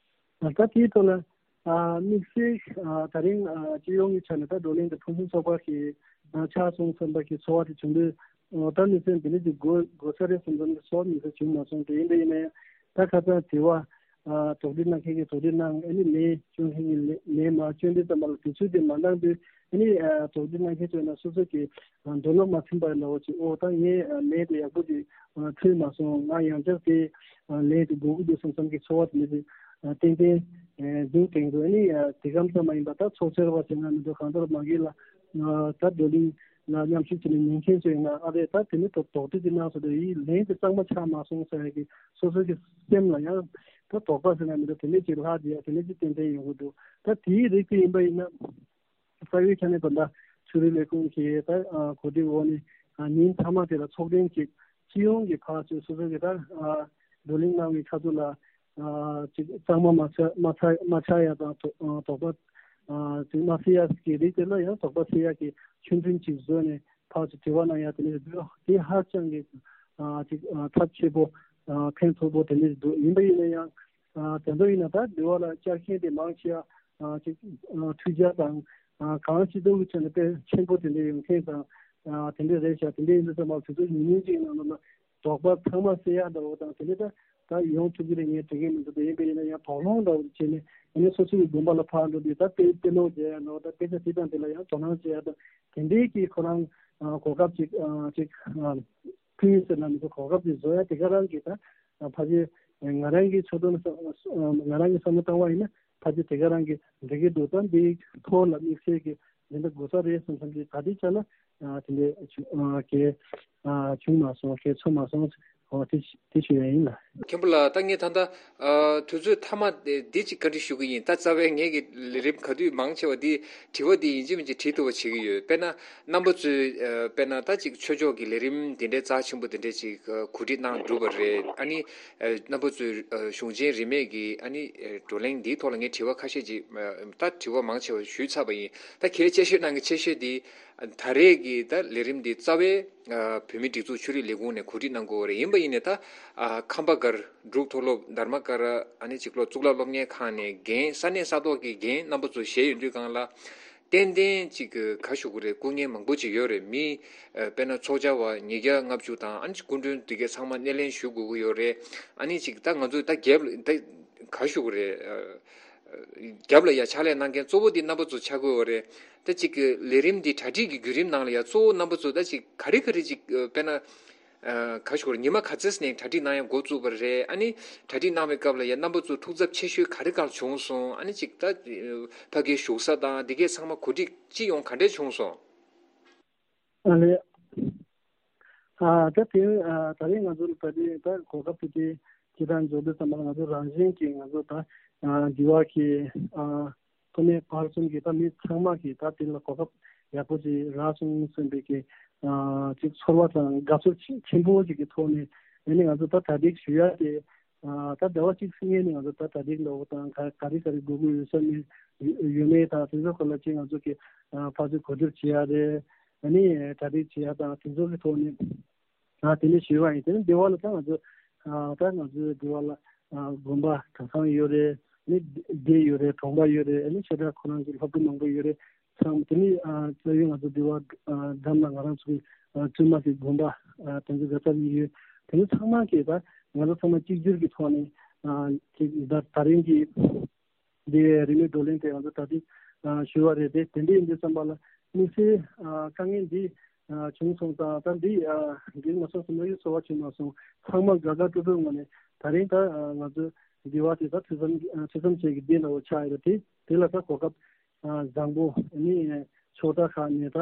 ན། ད་དེའི་ཐོག་ལ་ཨ་དམིགས་བསལ་ཨ་ད་རིང་ཨ་སྤྱི་ཡོངས་ཀྱི་ཆ་ནས་ད་བགྲོ་གླེང་དེ་ཕུན་སུམ་ཚོགས་པ་ཞིག་ཨ་ཆགས་སོང་བསམ་པ་ཞིག་ཚོར་བ་དེ་བྱུང་དུས། ཨ་ད་དམིགས་བསལ་འདི་འདྲ་ཅིག་དགོས་དགོས་ས་རེད་བསམ་བསམ་གྱི་ཚོར་བ་དམིགས་བསལ་བྱུང་མ་སོང་། དེ་ཡིན་པ་ཡིན་ན་ཡང་ད་ཁ་སང་དྲི་བ་ཨ་དོགས་འདྲི་གནང་མཁན་གྱིས་དོགས་འདྲི་གནང་། ཨ་ནི་ལན་སྐྱོན་མཁན་གྱིས་ལན་ལན་མ་སྐྱོན་དུས་ཙམ་པ་ལ་དུས་ཚོད་དེ་མ་འདང་དུས། ཨ་ནི་ཨ་དོགས་འདྲི་གནང་མཁན་ཚོས་ན་སོ་སོ་གི་ཨ་འདོད་བློ་མ་ཚིམ་པ་ལ་འོ་ཅིག་ཨོ་ད་ངས་ཨ་ལན་དེ་ཡག་པོ་ཅིག་ཨ་ཐོས་མ་སོང་། ང་ཡང་བསྐྱར་དེ་ཨ་ལན་དེ་དགོས་ཀྱི་འདུག་བསམ་བསམ་གྱི་ཚོར་བ་དེ་འདྲ་ཅིག་ཨ་ཏན་ཏན་ཨ་འདུག་དེང་དུ། ཨ་ནི་ཨ་དེ་གམ་ཙམ་མ་ཡིན་པ་ད་ཚོགས་ཆེར་བ་ཟེར་ན་མི་འདུག་གང་ལྟར་མ་གི་ལ་ཨ་ད་བགྲོ་གླེང་ལ་མཉམ་ཞུགས་བྱས་ནས་ཉན་མཁན་ཚོས་ན་ཨ་རེད། ད་དེ་ནི་དོགས་དོགས་འདྲི་དེ་གནང་སོང་དུས་ཡིན་ལན་དེ་གཙང་མ་ཆགས་མ་སོང་ཟེར་ཡ་གི་སོ་སོ་གི་སེམས་ལ་ཡང་ད་དོགས་པ་ཟེར་ན་མི་འདུག་དེ་འདྲ་ཅིག་ལྷག་བསྡད་ཡ་དེ་འདྲ་ཅིག་ཏན་ཏན་ཡོང་གི་འདུག་ད་དེའི་རིགས་དེ་ཡིན་པ་ཡིན་ན། རྩ་བའི་ཆ་ནས་ད་ལྟ་ཆོས་རིག་ལས་ཁུངས་ཀྱི་ད་ཨ་གོ་སྒྲིག་འོག་ནས་ཨ་ཉིན་མཐའ་མ་དེ་ལ་ཚོགས་ཐེངས་ཅིག་སྤྱི་ཡོངས་ཀྱི་ཕར་ཚུར་སོ་སོ་གི་ད་ཨ་བགྲོ་གླེང་གནང་བའི་ཁ་ཐུག་ལ་ཨ་ཅིག་གཙང་མ་མ་ཆགས་མ་ཆགས་མ་ཆགས་ཡ་དང་དོ་ཨ་དོགས་པ་ཨ་ཅིག་མ་སེལ་ཡ་གི་རིགས་དེ་ལ་ཡང་དོགས་པ་སེལ་ཡ་གི་ཆོད་སེམས་ཅིག་བཟོས་ནས་ཕར་ཚུར་དྲི་བ་གནང་ཡ་དེ་ནས་དེ་ཧ་ཅང་གི་ཨ་ཅིག་ཨ་ཐབས་ཆེ་པོ་ཨ་ཕན་ཐོགས་པོ་དེ་འདྲ་འདུག་ཡིན་པ་ཡིན་ན་ཡང་། ཨ་དེ་ཚོ་ཡིན་ན་ད་འདི་བ་ལ་བཅར་མཁན་དེ་མང་ཆེ་བ་ཨ་ཅིག་ཨ་འཕྲུལ་ཆས་དང་ཨ་གང་ཅི་ལྟ་བུའི་ཆ་ནས་དཔེ་ཆེན་པོ་དེ་འདྲ་ཡོང་མཁན་དང་ཨ་དེ་འདྲ་རེད་ཤག་དེ་འདྲ་ཡིན་དུས་ཙམ་པ་དུས་ཚོད་ཉུང་ཉུང་ཅིག་ནང་ལ་དོགས་པ་ཚང་མ་སེལ་ཡག་འདྲ་བོ་དང་དེ་འདྲ་ད་ད་ཡོང་ཐུབ་ཀྱི་རེད་ངས་དྲན་གྱི་མི་འདུག་དེ་ཡིན་པ་ཡིན་ན་ཡང་དོགས་སློང་འདྲ་བོ་བྱས་ནས་ཨ་ནི་སོ་སོའི་དགོན་པ་ལ་ཕར་འགྲོ་དུས་ད་དཔེ་དཔེ་ཀློག་བྱས་ཡ་འདྲ་བོ་ད་དཔེ་ཆ་དེ་དང་དེ་ལ་ཡང་དོ་སྣང་བྱས་ཡ་དང་དེ་འདྲའི་གི་ཁོ་རང་ཨ་གོ་སྐབས་ཅིག་ཨ་ཅིག་ཨ། ཕུལ་ཟེར་ན་མི་ཚོ་གོ་སྐབས་དེ་བཟོ་ཡ་དེ་ག་རང་གི་ད་ཕལ་ཆེར་ང་རང་གི་ཚོད་དོན་ང་རང་གི་བསམ་བློ་བཏང་བ་ཡིན་ན་ཕལ་ཆེར་དེ་ག་རང་གི་འགྲིག་གི་འདུག་ད་འདིའི་ཐོག་ལ་དམིགས་བསལ་གྱི་འདི་འདྲ་དགོས་ས་རེད་བསམ་བསམ་གྱི་ད་ལྟའི་ཆ་ལ་དེ་འདྲ་གལ་བྱུང་མ་སོང་། གལ་ཚོར་མ་སོང་། འོ་དེ་དེ་ཞུ་ཡ་ཡིན་ལ། མཁན་པོ་ལགས། ད་ངས་ད་ལྟ་ཨ་དུས་ཚོད་མཐའ་མ་དེ་འདི་ཅིག་བཀའ་འདྲི་ཞུ་གི་ཡིན། ད་རྩ་བའི་ངེད་ཀྱི་ལས་རིམ་ག་དུས་མང་ཆེ་བ་འདི་དྲི་བ་འདི་ཡིན་གཅིག་མིན་གཅིག་དྲི་ཐུབ་པ་བྱེད་ཀྱི་ཡོད། དཔེར་ན་རྣམ་པ་ཚོས་ཨ་དཔེར་ན་ད་ཅིག་ཆོས་ཕྱོགས་ཀྱི་ལས་རིམ་འདི་འདྲའི་རྩ་ཆེན་པོ་འདི་འདྲ་ཅིག་ཨ་གོ་སྒྲིག་གནང་གྲུབ་པ་རེད། ཨ་ནི་ཨ་རྣམ་པ་ཚོས་ཨ་གཞུང་ཆེན་རིས་མེད་ཀྱི་ཨ་ནི་ཨ་བགྲོ་གླེང་འདིའི་ཐོག་ལ་ངས་དྲི་བ་ཁ་ཤས་ཅིག་ཨ་ད་དྲི་བ་མང་ཆེ་བ་ཞུས་ཚར་བ་ཡིན། ད་གལ་ཆེ་ཤོས་ནང་གི་ཆེ་ཤོས་འདི་ད་རེས་ཀྱི་ད་ལས་རིམ་འདི་རྩ་བའི་ཨ་བོད་མིའི་སྒྲིག་འཛུགས་ཆོས་རིག་ལས་ཁུངས་ནས་གོ་སྒྲིག་གནང་དགོས་པ་རེད། ཡིན་པ་ཡིན་ནའི་ད་ཨ་ཁམས་པ་སྒར་འབྲུག་མཐོ་སློབ་དྷརྨ་ཀ་ར་ཨ་ནི་ཅིག་སློབ་གཙུག་ལག་སློབ་གཉེར་ཁང་ནས་རྒན་ས་གནས་ས་ཐོག་གི་རྒན་རྣམ་པ་ཚོ་བཞེས་ཡོང་དུས་སྒང་ལ་ཏན་ཏན་ཅིག་ག་ཞུ་དགོས་རེད། སྐུ་ངལ་མང་པོ་ཅིག་ཡོད་རེད། མི་ཨ་དཔེར་ན་ཚོགས་བཅར་བ་ཉིས་བརྒྱ་ལྔ་བཅུ་དང་ཨ་ནི་ཅིག་སྐུ་མགྲོན་འདི་གས་ཚང་མ་སྣེ་ལེན་ཞུ་དགོས་ཀྱི་ཡོད་རེད། ཨ་ནི་ཅིག་ད་ང་ཚོ་ད་རྒྱབ་ལ་ད་ག་ཞུ་དགོས་རེད། ཨ་རྒྱབ་ལ་ཡ་ཕྱག་ལས་གནང་མཁན་གཙོ་བོ་འདི་རྣམ་པ་ཚོ་ཆགས་ཀྱི་ཡོད་རེད། ད་ཅིག་གི་ལས་རིམ་འདི་གྲ་སྒྲིག་གི་བརྒྱུད་རིམ་ནང་ལ་ཡ་གཙོ་བོ་རྣམ་པ་ཚོ་ད་ཅིག་ག་རེ་ག་རེ་ཅིག་ཨ་དཔེར་ན་ཨ་ག་ཞུ་དགོས་རེད། ཉི་མ་ག་ཚོད་ནས་གྲ་སྒྲིག་གནང་ཡ་འགོ་བཙུགས་པ་རེད། ཨ་ནི་གྲ་སྒྲིག་གནང་བའི་སྐབས་ལ་ཡ་རྣམ་པ་ཚོ་ཐུགས་འཚབ་ཆེ་ཤོས་ག་རེ་ག་ལ་བྱུང་སོང་། ཨ་ནི་ཅིག་ད་ཨ་ཕ་གིའི་བཞུགས་ས་དང་འདི་གས་ཚང་མ་གོ་སྒྲིག་སྤྱི་ཡོངས་ག་འདྲས་བྱུང་སོང་། ཨ་ལེ། ཨ་ད་དེ་ཨ་ད་རེས་ང་ཚོ་ལ་ད་རེས་ད་གོ་སྐབས་དེ་དེ་སྤྱི་བཏང་འབྱོར་དུས་ཙམ་པ་ང་ཚོ་རང་བཞིན་གྱིས་ང་ཚོ་ད་ཨ་འདི་བ་གི་ཨ་ཐོག་མའི་བར་གསུམ་གྱི་ད་མི་ཚང་མ་གིས་ད་དེ་ལ་གོ་སྐབས་ཡག་པོ་ཅིག་རག་སོང་བསམ་པའི་གི་ཨ་ཅིག་ཚོར་བ་དང་དགའ་ཚོར་ཆེ་ཆེན་པོ་ཅིག་གི་ཐོག་ནས་ཨ་ནི་ང་ཚོ་ད་གྲ་སྒྲིག་ཞུ་ཡ་དེ་ ད་ཟླ་བ་གཅིག་སྔོན་ནས་ང་ཚོ་ད་གྲ་སྒྲིག་ལ་འོ་དང་ག་ག་རེ་ག་རེ་དགོས་ཀྱི་ཡོད་ས་མེད་ཡོད་མེད་དང་དེ་ཚོ་སྐོར་ལ་ཅིག་ང་ཚོ་གི་ཕར་ཚུར་གོ་བསྡུར་བྱེད་ཡ་རེད། ཨ་ནི་གྲ་སྒྲིག་བྱེད་ཡ་དང་དེ་ཚོ་གི་ཐོག་ནས་ཨ་དེ་ནས་ཞུས་པ་ཡིན། དེ་ནས་འདི་བ་ལ་ད་ང་ཚོ་ཨ་ད་ང་ཚོའི་འདི་བ་ལ་ཨ་དགོན་པ་གྲྭ་ཚང་ཡོད་རེད། ཨ་ནི་སྡེ་ཡོད་རེད། གྲོང་པ་ཡོད་རེད། ཨ་ནི་ཆོས་གྲྭ་ཁོ་རང་ཚོའི་སློབ་ཕྲུག་མང་པོ་ཡོད་རེད། ཚང་དེ་ནས་ཨ་རྩ་བའི་ང་ཚོ་འདི་བ་ཨ་འགྲམ་ལ་ང་རང་ཚོའི་ཨ་བཙུན་མ་གི་དགོན་པ་ཨ་དེ་ཚོ་ག་ཚ་ཡོད། དེ་ནས་ཚང་མ་གིས་ད་ང་ཚོ་ཚང་མ་གཅིག་གྱུར་གྱི་ཐོག་ནས་ཨ་ཅིག་ད་ད་རིང་གི་འདི་རིན་མེད་བགྲོ་གླེང་དེ་ང་ཚོ་ད་ལྟ་ཞུ་བ་རེད་དེ། དེ་འདྲ་ཡིན་དུས་ཙམ་པ་ལ་དམིགས་བསལ་དཀའ་ངལ་འདི་བྱུང་སོང་ཙང་ད་འདི་འགྲིག་མ་སོང་ཟེར་ན་ཡོད་ཚོར་བ་བྱུང་མ་སོང་། ཚང་མ་དགའ་དགའ་སྤྲོ་སྤྲོའི་ངང་ནས་ད་རིང་ད་ང་ཚོ་འདི་བ་དེ་ད་ཐུགས་བསམ་ཐུགས་བསམ་བཅས་ཀྱི་འདི་འདྲ་བོ་ཆགས་ཡོད་རེད་དེ། དེ་ལ་ད་གོ་སྐབས་བཟང་པོ་ནི་ཕྱོགས་མཐའ་ཁག་ནས་ད་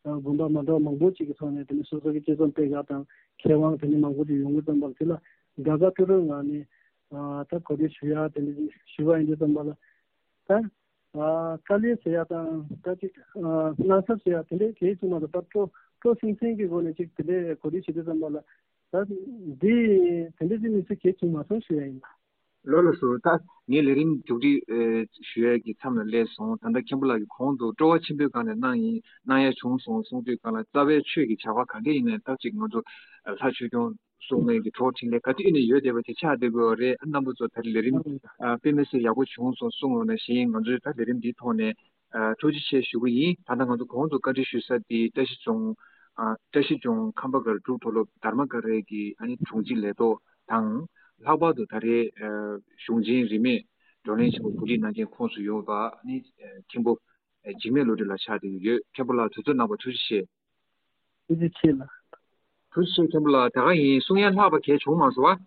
དགོན་པ་མ་འདྲ་བ་མང་པོ་ཅིག་གི་ཐོག་ནས་དེ་ནི་སོ་སོ་གི་དཔྱད་རྩོམ་སྤེལ་ག་དང་མཁས་དབང་དེ་ནི་མང་པོ་ཅིག་ཡོང་གི་ཙམ་པ་ལ་དེ་ལ་དགའ་དགའ་སྤྲོ་སྤྲོའི་ངང་ནས། ཨ་ད་གོ་སྒྲིག་ཞུ་ཡ་དེ་འདྲ་ཞུ་བ་ཡིན་དུས་ཙམ་པ་ལ་ད་ཨ་དཀའ་ལས་ཟེར་ཡ་དང་ད་ཅིག་ཨ་དངངས་འཚབ་ཟེར་ཡ་དེ་འདྲའི་གལ་ཆེ་མ་གཏོགས་ད་སྤྲོ་སྤྲོ་སིང་སིང་གི་སྒོ་ནས་ཅིག་དེ་འདྲའི་གོ་སྒྲིག་བྱེད་དུས་ཙམ་པ་ལ་ད་འདི་དེ་འདྲ་ཅིག་མི་ཚེ་གལ་ཆེ་མ་སོང་ཞུ་ཡ་ཡིན་ལ། ལགས་ལགས་སོ། ད་ངས་ལས་རིམ་མཇུག་སྒྲིལ་ཨེ་ཞུ་ཡ་གི་མཚམས་ལ་སླེབས་སོང་། ད་ལྟ་མཁན་པོ་ལགས་ཀྱིས་གོང་དུ་སྤྲོ་བ་ཆེན་པོའི་སྒང་ནས་གནང་ཡིན་གནང་ཡ་བྱུང་སོང་གསུང་དུས་སྒང་ལ་རྩ་བའི་ཆོས་ཀྱི་བྱ་བ་ག་འདྲ་ཡིན་ནའི་ད་ཅིག་ང་ཚོ་ལྷ་ཆོས་སྐྱོང་། སྲུང་མའི་གི་གྲོགས་འཕྲིན་ལས་ག་དུས་ཨེ་ནས་ཡོད་བསྡད་པ་དེ་ཆགས་བསྡད་དགོས་པ་རེད། ཨ་རྣམ་པ་ཚོ་ད་ལས་རིམ་ཨ་དཔེ་མི་སྲིད་ཡག་པོ་བྱུང་སོང་གསུང་ཡོང་ནང་བཞིན་ང་ཚོས་ད་ལས་རིམ་འདིའི་ཐོག་ནས་ཨ་ཐུགས་རྗེ་ཆེ་ཞུ་གི་ཡིན། ད་ལྟ་ང་ཚོ་གོང་དུ་བཀའ་འདྲི་ཞུ་ས་དེ་བཀྲ་ཤིས་ལྗོངས་ཨ་བཀྲ་ཤིས་ལྗོངས་ཁམས་པ་སྒར་འབྲུག་མཐོ་སློབ་དྷརྨ་ཀ་རའི་གི་ཨ་ནི་དྲུང་ཆེ་ལས་ཐོག་དང་། ལྷག་པར་དུ་ད་རེས་ཨ་གཞུང་ཆེན་རིས་མེད་བགྲོ་གླེང་ཆེན་མོ་གོ་སྒྲིག་གནང་མཁན་ཁོངས་སུ་ཡོད་པ་ཨ་ནི་ཨ་མཁན་པོ་ཨ་འཇིགས་མེད་བློ་གྲོས་ལགས་ཆགས་བསྡད་ཀྱི་ཡོད། མཁན་པོ་ལགས་དུས་ཚོད་གནང་བར་ཐུགས་རྗེ་ཆེ། ཐུགས་རྗེ་ཆེ་ལགས། ཐུགས་རྗེ་ཆེ་མཁན་པོ་ལགས། ད་ག་ཡིན། གསུང་ཡ་ལྷག་པ་གལ་བྱུང་མ་སོང་བ།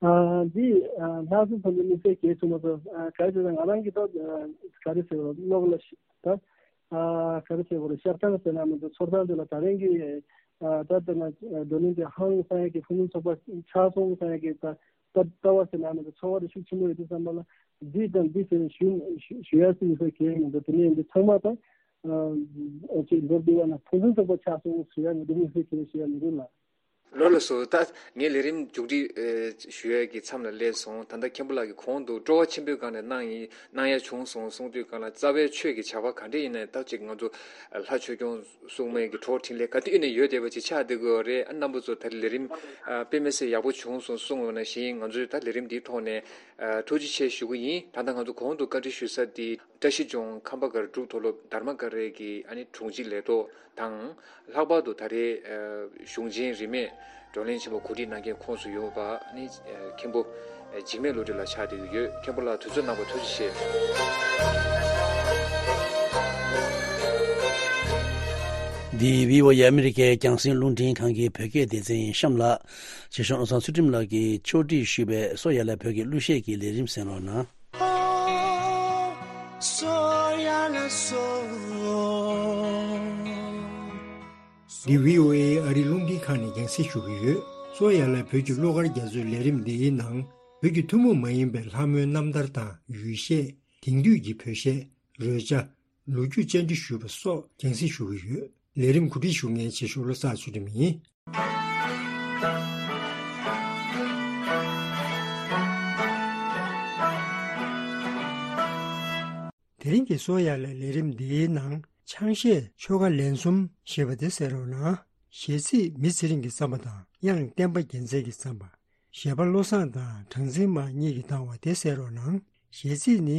ཨ་འདི་ཨ་ལྷག་བསམ་ཚོགས་པའི་དམིགས་བསལ་གལ་བྱུང་མ་སོང་། ཨ་ག་རེ་ཟེར་ན་ང་རང་གི་ཐོག་ཨ་ག་རེ་ཟེར་བ་ཀློག་ལ་ཤི་ད་ཨ་ག་རེ་ཟེར་བ་རེད། ཤར་ཐང་ཟེར་ན་མི་འདུག་ཚོར་ཐང་དེ་ལ་ད་རིང་གི་ཨ་ད་ལྟ་ན་བགྲོ་གླེང་དེ་ཧང་སང་ཡ་གི་ཕུན་སུམ་ཚོགས་པ་ཆགས་སོང་སང་ཡ་གི་ད་ལྟ་ལྟ་བ་ཟེར་ན་མི་འདུག་ཚོར་བ་དེ་ཤུགས་ཆེན་པོ་ཡོད་དུས་ཙམ་པ་ལ་འདི་དང་འདི་ཟེར་ནས་ཞུ་ཞུ་ཡ་སྲིད་ཟེར་གལ་མི་འདུག་དེ་ནས་འདི་ཚང་མ་ད། ཨ་ཅིག་མདོར་བསྡུས་པ་ན་ཕུན་སུམ་ཚོགས་པ་ཆགས་སོང་ཞུ་ཡ་མི་འདུག་དམིགས་བསལ་གྱི་ཞུ་ཡ་མི་འདུག་ལ། ལགས་ལགས་སོ། ད་ངས་ལས་རིམ་མཇུག་སྒྲིལ་ཞུ་ཡ་གི་མཚམས་ལ་སླེབས་སོང་། ད་ལྟ་མཁན་པོ་ལགས་ཀྱིས་གོང་དུ་སྤྲོ་བ་ཆེན་པོའི་སྒང་ནས་གནང་ཡིན་གནང་ཡ་བྱུང་སོང་གསུང་དུས་སྒང་ལ་རྩ་བའི་ཆོས་ཀྱི་བྱ་བ་ག་འདྲ་ཡིན་ནའི་ད་ཅིག་ང་ཚོ་ལྷ་ཆོས་སྐྱོང་སྲུང་མའི་གི་གྲོགས་འཕྲིན་ལས་ག་དུས་ཡིན་ནའི་ཡོད་བསྡད་པ་ཅིག་ཆགས་བསྡད་དགོས་པ་རེད། ཨ་རྣམ་པ་ཚོ་ད་ལས་རིམ་དཔེ་མི་སྲིད་ཡག་པོ་བྱུང་སོང་གསུང་ཡོང་ནང་བཞིན་ང་ཚོས་ད་ལས་རིམ་འདིའི་ཐོག་ནས་ཐུགས་རྗེ་ཆེ་ཞུ་གི་ཡིན། ད་ལྟ་ང་ཚོ་གོང་དུ་བཀའ་འདྲི་ཞུ་ས་དེ། བཀྲ་ཤིས་ལྗོངས་ཁམས་པ་སྒར་འབྲུག་མཐོ་སློབ་དྷརྨ་ཀ་རའི་གི་ཨ་ནི་དྲུང་ཆེ་ལས་ཐོག་དང་། ལྷག་པར་དུ་ད་རེས་ཨ་གཞུང་ཆེན་རིས་མེད་བགྲོ་གླེང་ཆེན་མོ་གོ་སྒྲིག་གནང་མཁན་ཁོངས་སུ་ཡོད་པ་ཨ་ནི་ཨ་མཁན་པོ་ཨ་འཇིགས་མེད་བློ་གྲོས་ལགས་ཆགས་བསྡད་ཀྱི་ཡོད། མཁན་པོ་ལགས་དུས་ཚོད་གནང་བར་ཐུགས་རྗེ་ཆེ། འདི་བྷི་ཨོ་ཨེ་ཨ་མི་རི་ཀའི་རྒྱང་སྲིང་རླུང་འཕྲིན་ཁང་གི་བོད་སྐད་སྡེ་ཚན་ཡིན། གཤམ་ལ་ཆེ་ཤོས་ཨོ་སང་ཚུལ་ཁྲིམས་ལགས་ཀྱིས་ཕྱོགས་སྒྲིག་ཞུས་པའི་སོ་ཡ་ལ་བོད་ཀྱི་གླུ་གཞས་ཀྱི་ལས་རིམ་གསན་རོགས་གནང་། འདི་བྷི་ཨོ་ཨེ་ཨ་རི་རླུང་འཕྲིན་ཁང་ནས་རྒྱང་སྲིང་ཞུ་གི་ཡོད། སོ་ཡ་ལ་བོད་ཀྱི་གླུ་གར་རྒྱ་མཚོའི་ལས་རིམ་འདིའི་ནང་བོད་ཀྱི་ཐུན་མོང་མ་ཡིན་པའི་ལྷ་མོའི་རྣམ་ཐར་དང་ཡུལ་གཞས། དེང་དུས་ཀྱི་བོད་གཞས། རོལ་ཆ། ལོ་རྒྱུས་བཅར་འདྲི་ཞུས་པ་སོགས་རྒྱང་སྲིང་ཞུ་གི་ཡོད། ལས་རིམ་གོ་སྒྲིག་ཞུ་མཁན་ཆེ་ཤོས་བློ་བཟང་ཚུལ་ཁྲིམས་ཡིན། དེ་རིང་གི་སོ་ཡ་ལ་ལས་རིམ་འདིའི་ནང་ཆང་གཞས་ཆོལ་ཁ་ལན་གསུམ་ཞེས་པ་དེ་གསན་རོགས་གནང་། གཞས་ཚིག་མི་ཚེ་རིང་གི་བརྩམས་པ་དང་དབྱངས་བསྟན་པ་རྒྱལ་མཚན་གྱིས་བརྩམས་པ། གཞས་པ་བློ་བཟང་དང་གྲངས་འཛིན་མ་གཉིས་ཀྱིས་བཏང་བ་དེ་གསན་རོགས་གནང་། གཞས་ཚིག་ནི།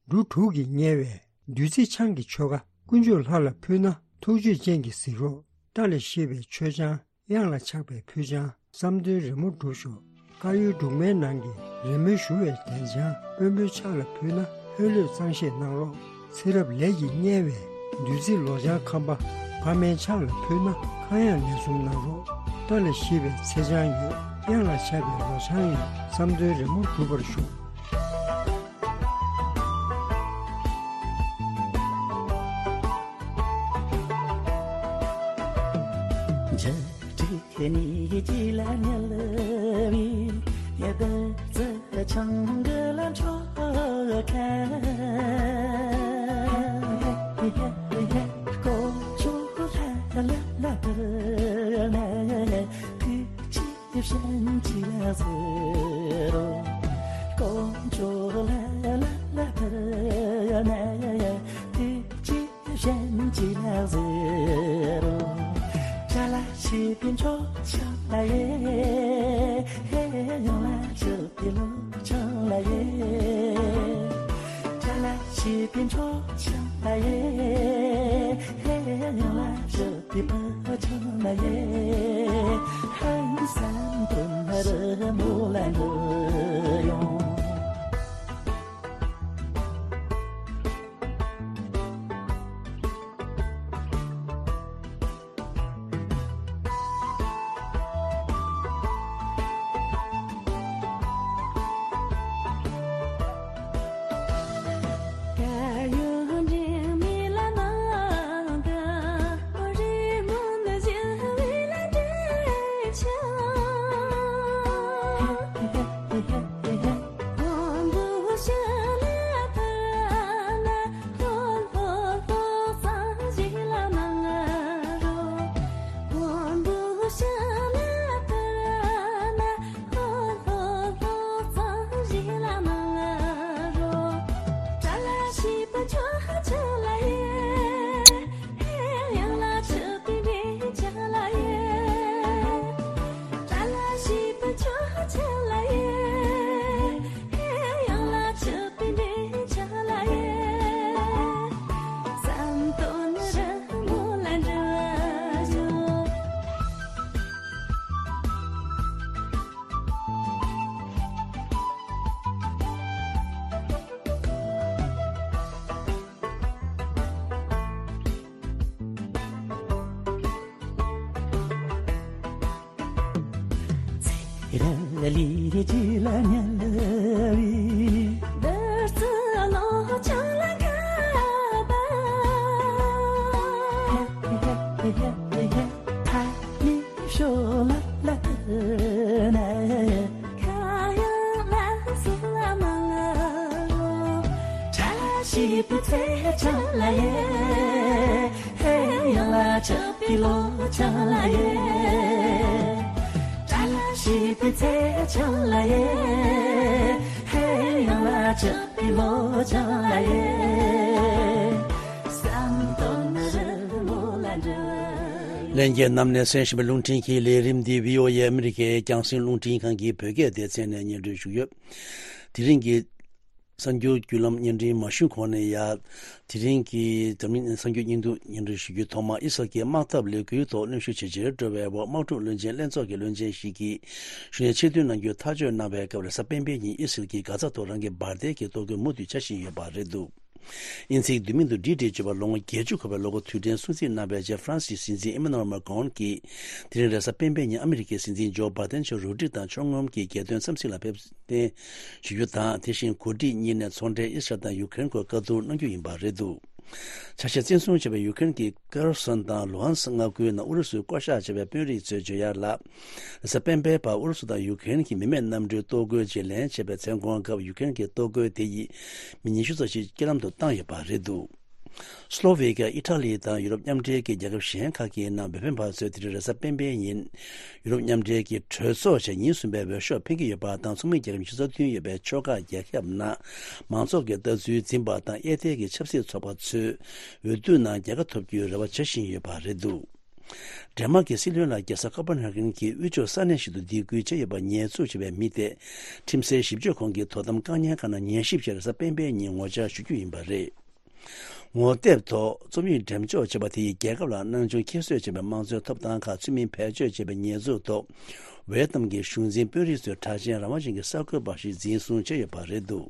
འབྲུ་དྲུག་གིས་བསྙལ་བའི་བདུད་རྩི་ཆང་གི་ཆོ་ག། དཀོན་མཆོག་ལྷ་ལ་ཕུལ་ན་ཐུགས་ཆོས་ཅན་གྱི་གཟིགས་རོགས། སྐྲ་ལ་བཤིག་པའི་མཆོད་ཆང་། གཡང་ལ་ཆགས་པའི་ཕུལ་ཆང་། བསམ་དོན་རི་མོ་འགྲུབ་ཤོག། དཀར་ཡོལ་སྦྲུམ་མའི་ནང་གི་རི་མོའི་བཞུ་བའི་གདན་ཆང་། དཔོན་པོའི་ཕྱག་ལ་ཕུལ་ན་ལྷོད་ལྷོད་གཙང་བཞེས་གནང་རོགས། ཚེ་རབས་ལས་ཀྱིས་བསྙལ་བའི་བདུད་རྩི་ལོ་ལྗང་ཁམ་པ། ཕ་མའི་ཕྱག་ལ་ཕུལ་ན་ཁ་གཡང་ལན་གསུམ་གནང་རོགས། སྐྲ་ལ་བཤིག་པའི་ཚེ་ཆང་ཡོད། གཡང་ལ་ཆགས་པའི་ལོ་ཆང་ཡོད། བསམ་དོན་རི་མོ་འགྲུབ་པར་ཤོག། ན་ཡ་ཡ། དུས་ཀྱི་གཞན་གྱིས་ལ་ཟེར་རོ། ཅ་ལག་ཤེས་པའི་འཕྲོ་ཆགས་ལ་ཡེ། ཡང་ལ་ཆུ་པའི་ལོ་ཆང་ལ་ཡེ། ཅ་ལག་ཤེས་པའི་འཕྲོ་ཆགས་ལ་ཡེ། ཡང་ལ་ཆུ་པའི་ཕོ་ཆང་ལ་ཡེ། ཧང་སང་དུ་ན་རི་མོ་ལ་འགྲོ་ཡོང་། ལྷན་རྒྱས་རྣམས་ནས་གསན་བཞིན་པའི་རླུང་འཕྲིན་གྱི་ལས་རིམ་འདི་བྷི་ཨོ་ཨེ་ཨ་མི་རི་ཀའི་རྒྱང་སྲིང་རླུང་འཕྲིན་ཁང་གི་བོད་སྐད་སྡེ་ཚན་ནས་སྙན་སྒྲོན་ཞུ་གི་ཡོད། དེ་རིང་གི་གསར་འགྱུར་བརྒྱུད་ལམ་སྙན་སྒྲོན་མ་ཞུས་གོང་ནས་ཡ། དེ་རིང་གི་འཛམ་གླིང་གསར་འགྱུར་སྙིང་བསྡུས་སྙན་སྒྲོན་ཞུ་རྒྱུའི་ཐོག་མ། ཨི་སི་རལ་གྱི་དམག་འཐབ་ལས་འགུལ་ཐོག་གནོན་ཤུགས་ཇེ་ཆེར་འགྲོ་བའི་འོག་དམག་འཁྲུག་བློན་ཆེན་ལྷན་ཚོགས་ཀྱི་བློན་ཆེན་ཞིག་གིས་གཞུང་ནས་ཆེད་དོན་གནང་རྒྱུའི་ཐག་གཅོད་གནང་བའི་སྐབས། རེས་གཟའ་སྤེན་པའི་ཉིན་ཨི་སི་རལ་གྱིས་གྷ་ཛ་ཐོག་རང་གི་འབར་མདེལ་གྱི་གཏོར་རྒོལ་མུ་མཐུད་བྱ་བཞིན་ཡོད་པ་རེད་འདུག། དབྱིན་ཚིག་བསྡུས་མིང་དུ་ཌི་ཌི་ཅེས་པ་ལོ་ངོ་བརྒྱད་ཅུ་འཁོར་བའི་ལོ་འཁོར་དུས་དྲན་སྲུང་བརྩི་གནང་བའི་རྗེས། ཧྥ་རན་སིའི་སྲིད་འཛིན་ཨི་མ་ནུ་ཨེལ་མཱ་ཀོན་གྱིས་དེ་རིང་རེས་གཟའ་སྤེན་པའི་ཉིན་ཨ་མི་རི་ཀའི་སྲིད་འཛིན་ཇོ་བྷ་དན་མཆོག་རོ་ཌི་དང་ཕྱོགས་ངོམ་གྱི་རྒྱལ་དོན་འཚམས་གཟིགས་ལ་ཕེབས་གཏན་ཞུ་རྒྱུ་དང་། དེ་བཞིན་འགོ་ཁྲིད་གཉིས་ནས་ཚོང་འབྲེལ་ཨི་སི་རལ་དང་ཡུ་ཀེ་རེན་སྐོར་བཀའ་བསྡུར་གནང་རྒྱུ་ཡིན་པ་རེད་འདུག། ཆ་ཤས་བཙན་བཟུང་བྱས་པའི་ཡུ་ཀེ་རེན་གྱི་ཀེར་སོན་དང་ལུ་ཧན་སི་མངའ་ཁུལ་ནང་ཨུ་རུ་སུས་བསྐོ་བཞག་བྱས་པའི་དཔོན་རིགས་ཚོའི་བརྗོད་ཡག་ལ། རེས་གཟའ་སྤེན་པའི་བར་ཨུ་རུ་སུ་དང་ཡུ་ཀེ་རེན་གྱི་མི་མེད་གནམ་གྲུའི་གཏོར་རྒོལ་རྗེས་ལེན་བྱས་པའི་མཚན་གུང་སྐབས། ཡུ་ཀེ་རེན་གྱི་གཏོར་རྒོལ་དེ་ཡིས་མི་ཉི་ཤུ་ཙམ་ཞིག་རྐྱེན་ལམ་དུ་བཏང་ཡོད་པ་རེད་འདུག། སི་ལོ་ཝེ་ཀི་ཡ། ཨི་ཊ་ལི་དང་ཡུ་རོབ་མཉམ་འབྲེལ་གྱི་རྒྱལ་ཁབ་གཞན་ཁག་གི་ནང་བོད་ཕན་པ་ཚོས་དེ་རིང་རེས་གཟའ་སྤེན་པའི་ཉིན་ཡུ་རོབ་མཉམ་འབྲེལ་གྱི་གྲོས་ཚོགས་བྱས་ཉིན་གསུམ་པའི་འོས་ཤོག་འཕེན་གྱི་ཡོད་པ་དང་། ཚོགས་མི་རྒྱལ་ཁབ་ཉི་ཤུ་རྩ་བདུན་ཡོད་པའི་ཕྱོགས་ཁག་རྒྱལ་ཁབ་ནང་མང་ཚོགས་ཀྱི་ལྟ་ཚུལ་འཛིན་པ་དང་། གཡས་ཐལ་གྱི་ཆབ་སྲིད་ཚོགས་པ་ཚོས་འོས་བསྡུ་ནང་རྒྱལ་ཁ་ཐོབ་རྒྱུའི་རེ་བ་བྱ་བཞིན་ཡོད་པ་རེད་འདུག། ཌེན་མཱག་གི་སྲིད་བློན་ལ་རྒྱལ་ས་ཀོ་པན་ཧ་གྷན་གྱི་དབུས་ཕྱོགས་ས་གནས་ཤིག་ཏུ་སྡིགས་སྐུལ་བྱས་ཡོད་པར་ཉེས་འཛུགས་བྱས་པའི་མི་དེ། ཁྲིམས་སའི་ཞིབ་དཔྱོད་ཁང་གིས་དོ་དམ་བཀག་ཉར་ཁང་ནང་ཉན་ཞིབ་ཆེད་རེས་གཟའ་སྤེན་པའི་ཉིན་ངོ་བཅར་ཞུ་རྒྱུ་ཡིན་པ་རེད། ངོ་དེབ་ཐོག་རྩོམ་ཡིག་འགྲེམས་འཇོག་བྱས་པ་དེ་ཡིས་རྒྱལ་ཁབ་ལ་སྣང་ཆུང་ཁྱད་གསོད་བྱས་པའི་དམངས་གཙོའི་ཐོབ་ཐང་ཁག་ཚུལ་མིན་བེད་སྤྱོད་བྱས་པའི་ཉེས་འཛུགས་ཐོག། ཝེ་ཏམ་གྱི་གཞུང་འཛིན་དཔོན་རིགས་ཚོས་གྲགས་ཅན་རང་དབང་ཅན་གྱི་གསར་འགོད་པ་ཞིག་འཛིན་བཟུང་བྱས་ཡོད་པ་རེད་འདུག།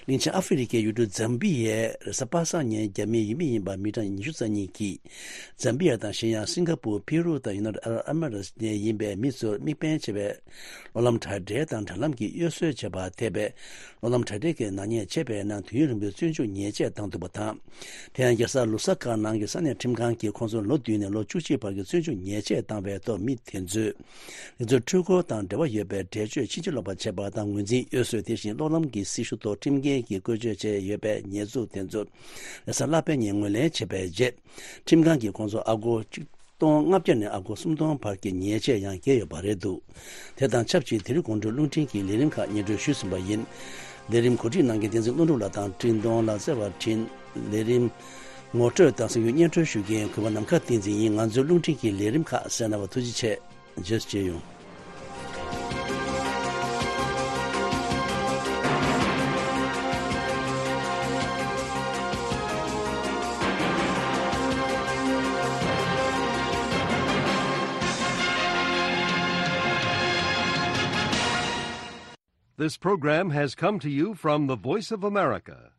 གླིང་ཆེན་ཨ་ཧྥེ་རི་ཁའི་ཡུལ་གྲུ་ཛམ་བི་ཡའི་རེས་གཟའ་པ་སངས་ཉིན་རྒྱ་མིའི་ཡུལ་མི་ཡིན་པ་མི་གྲངས་ཉི་ཤུ་རྩ་གཉིས་ཀྱིས། ཛམ་བི་ཡ་དང་གཞན་ཡང་སིང་ག་པུར། ཕི་རུ་དང་ཡུ་ནའི་ཊེཌ་ཨ་རབ་ཨེ་མི་རེ་ཊི་ནས་ཡིན་པའི་མི་ཚོར་དམིགས་འབེན་བྱས་པའི་གློག་ལམ་དྲ་སྦྲེལ་དང་དྲ་ལམ་གྱི་གཡོ་ཟོལ་བྱས་པ་ཐེ་བའི་གློག་ལམ་དྲ་སྦྲེལ་གྱི་ནག་ཉེས་བྱས་པའི་ནང་དུས་ཡུན་རིང་པོའི་བཙོན་འཇུག་ཉེས་ཆད་བཏང་འདུག་པ་དང་། དེ་ཡང་རྒྱལ་ས་ལུ་ས་ཀ་ནང་གི་ས་གནས་ཁྲིམས་ཁང་གིས་ཁོང་ཚོར་ལོ་བདུན་ནས་ལོ་བཅུ་གཅིག་བར་གྱི་བཙོན་འཇུག་ཉེས་ཆད་བཏང་བའི་ཐོག་མི་དེ་ཚོས་རང་ཚོའི་འཕྲུལ་འཁོར་དང་འབྲེལ་བ་ཡོད་པའི་འགྲེལ་བརྗོད་ཕྱིན་ཅི་ལོག་པ་བྱས་པ་དང་། ངོས་འཛིན་གཡོ་ཟོལ། དེ་བཞིན་གློག་ལམ་གྱི་སྲི་ཞུ་ཐོག་ཁྲིམས་འགལ་གྱིས་བཀོལ་སྤྱོད་བྱས་ཡོད་པའི་ཉེས་འཛུགས་དེ་ཚོ་རེས་གཟའ་ལྷག་པའི་ཉིན་ངོས་ལེན་བྱས་པའི་རྗེས། ཁྲིམས་ཁང་གིས་ཁོང་ཚོར་ཨ་སྒོར་གཅིག་སྟོང་ལྔ་བརྒྱ་ནས་ཨ་སྒོར་སུམ་སྟོང་བར་གྱི་ཉེས་ཆད་ཡང་འགེལ་ཡོད་པ་རེད་འདུག། དེ་དང་ཆབས་ཅིག་དེ་རིང་དགོང་དྲོའི་རླུང་འཕྲིན་གྱི་ལས་རིམ་ཁག་སྙན་སྒྲོན་ཞུས་ཟིན་པ་ཡིན། ལས་རིམ་གོ་སྒྲིག་གནང་མཁན་བསྟན་འཛིན་ཀླུ་སྒྲུབ་ལགས་དང་བཀྲིས་གདོང་ལགས། བརྩེ་བ་དྲིན། ལས་རིམ་ངོ་སྤྲོད་དང་གསན་རྒྱུ་སྙན་སྒྲོན་ཞུ་མཁན་གུས་པ་ནམ་མཁའ་བསྟན་འཛིན་ཡིན། ང་ཚོའི་རླུང་འཕྲིན་གྱི་ལས་རིམ་ཁག་གསན་གནང་བར་ཐུགས་རྗེ་ཆེ། རྗེས་སུ་མཇལ་ཡོང་། This program has come to you from the Voice of America,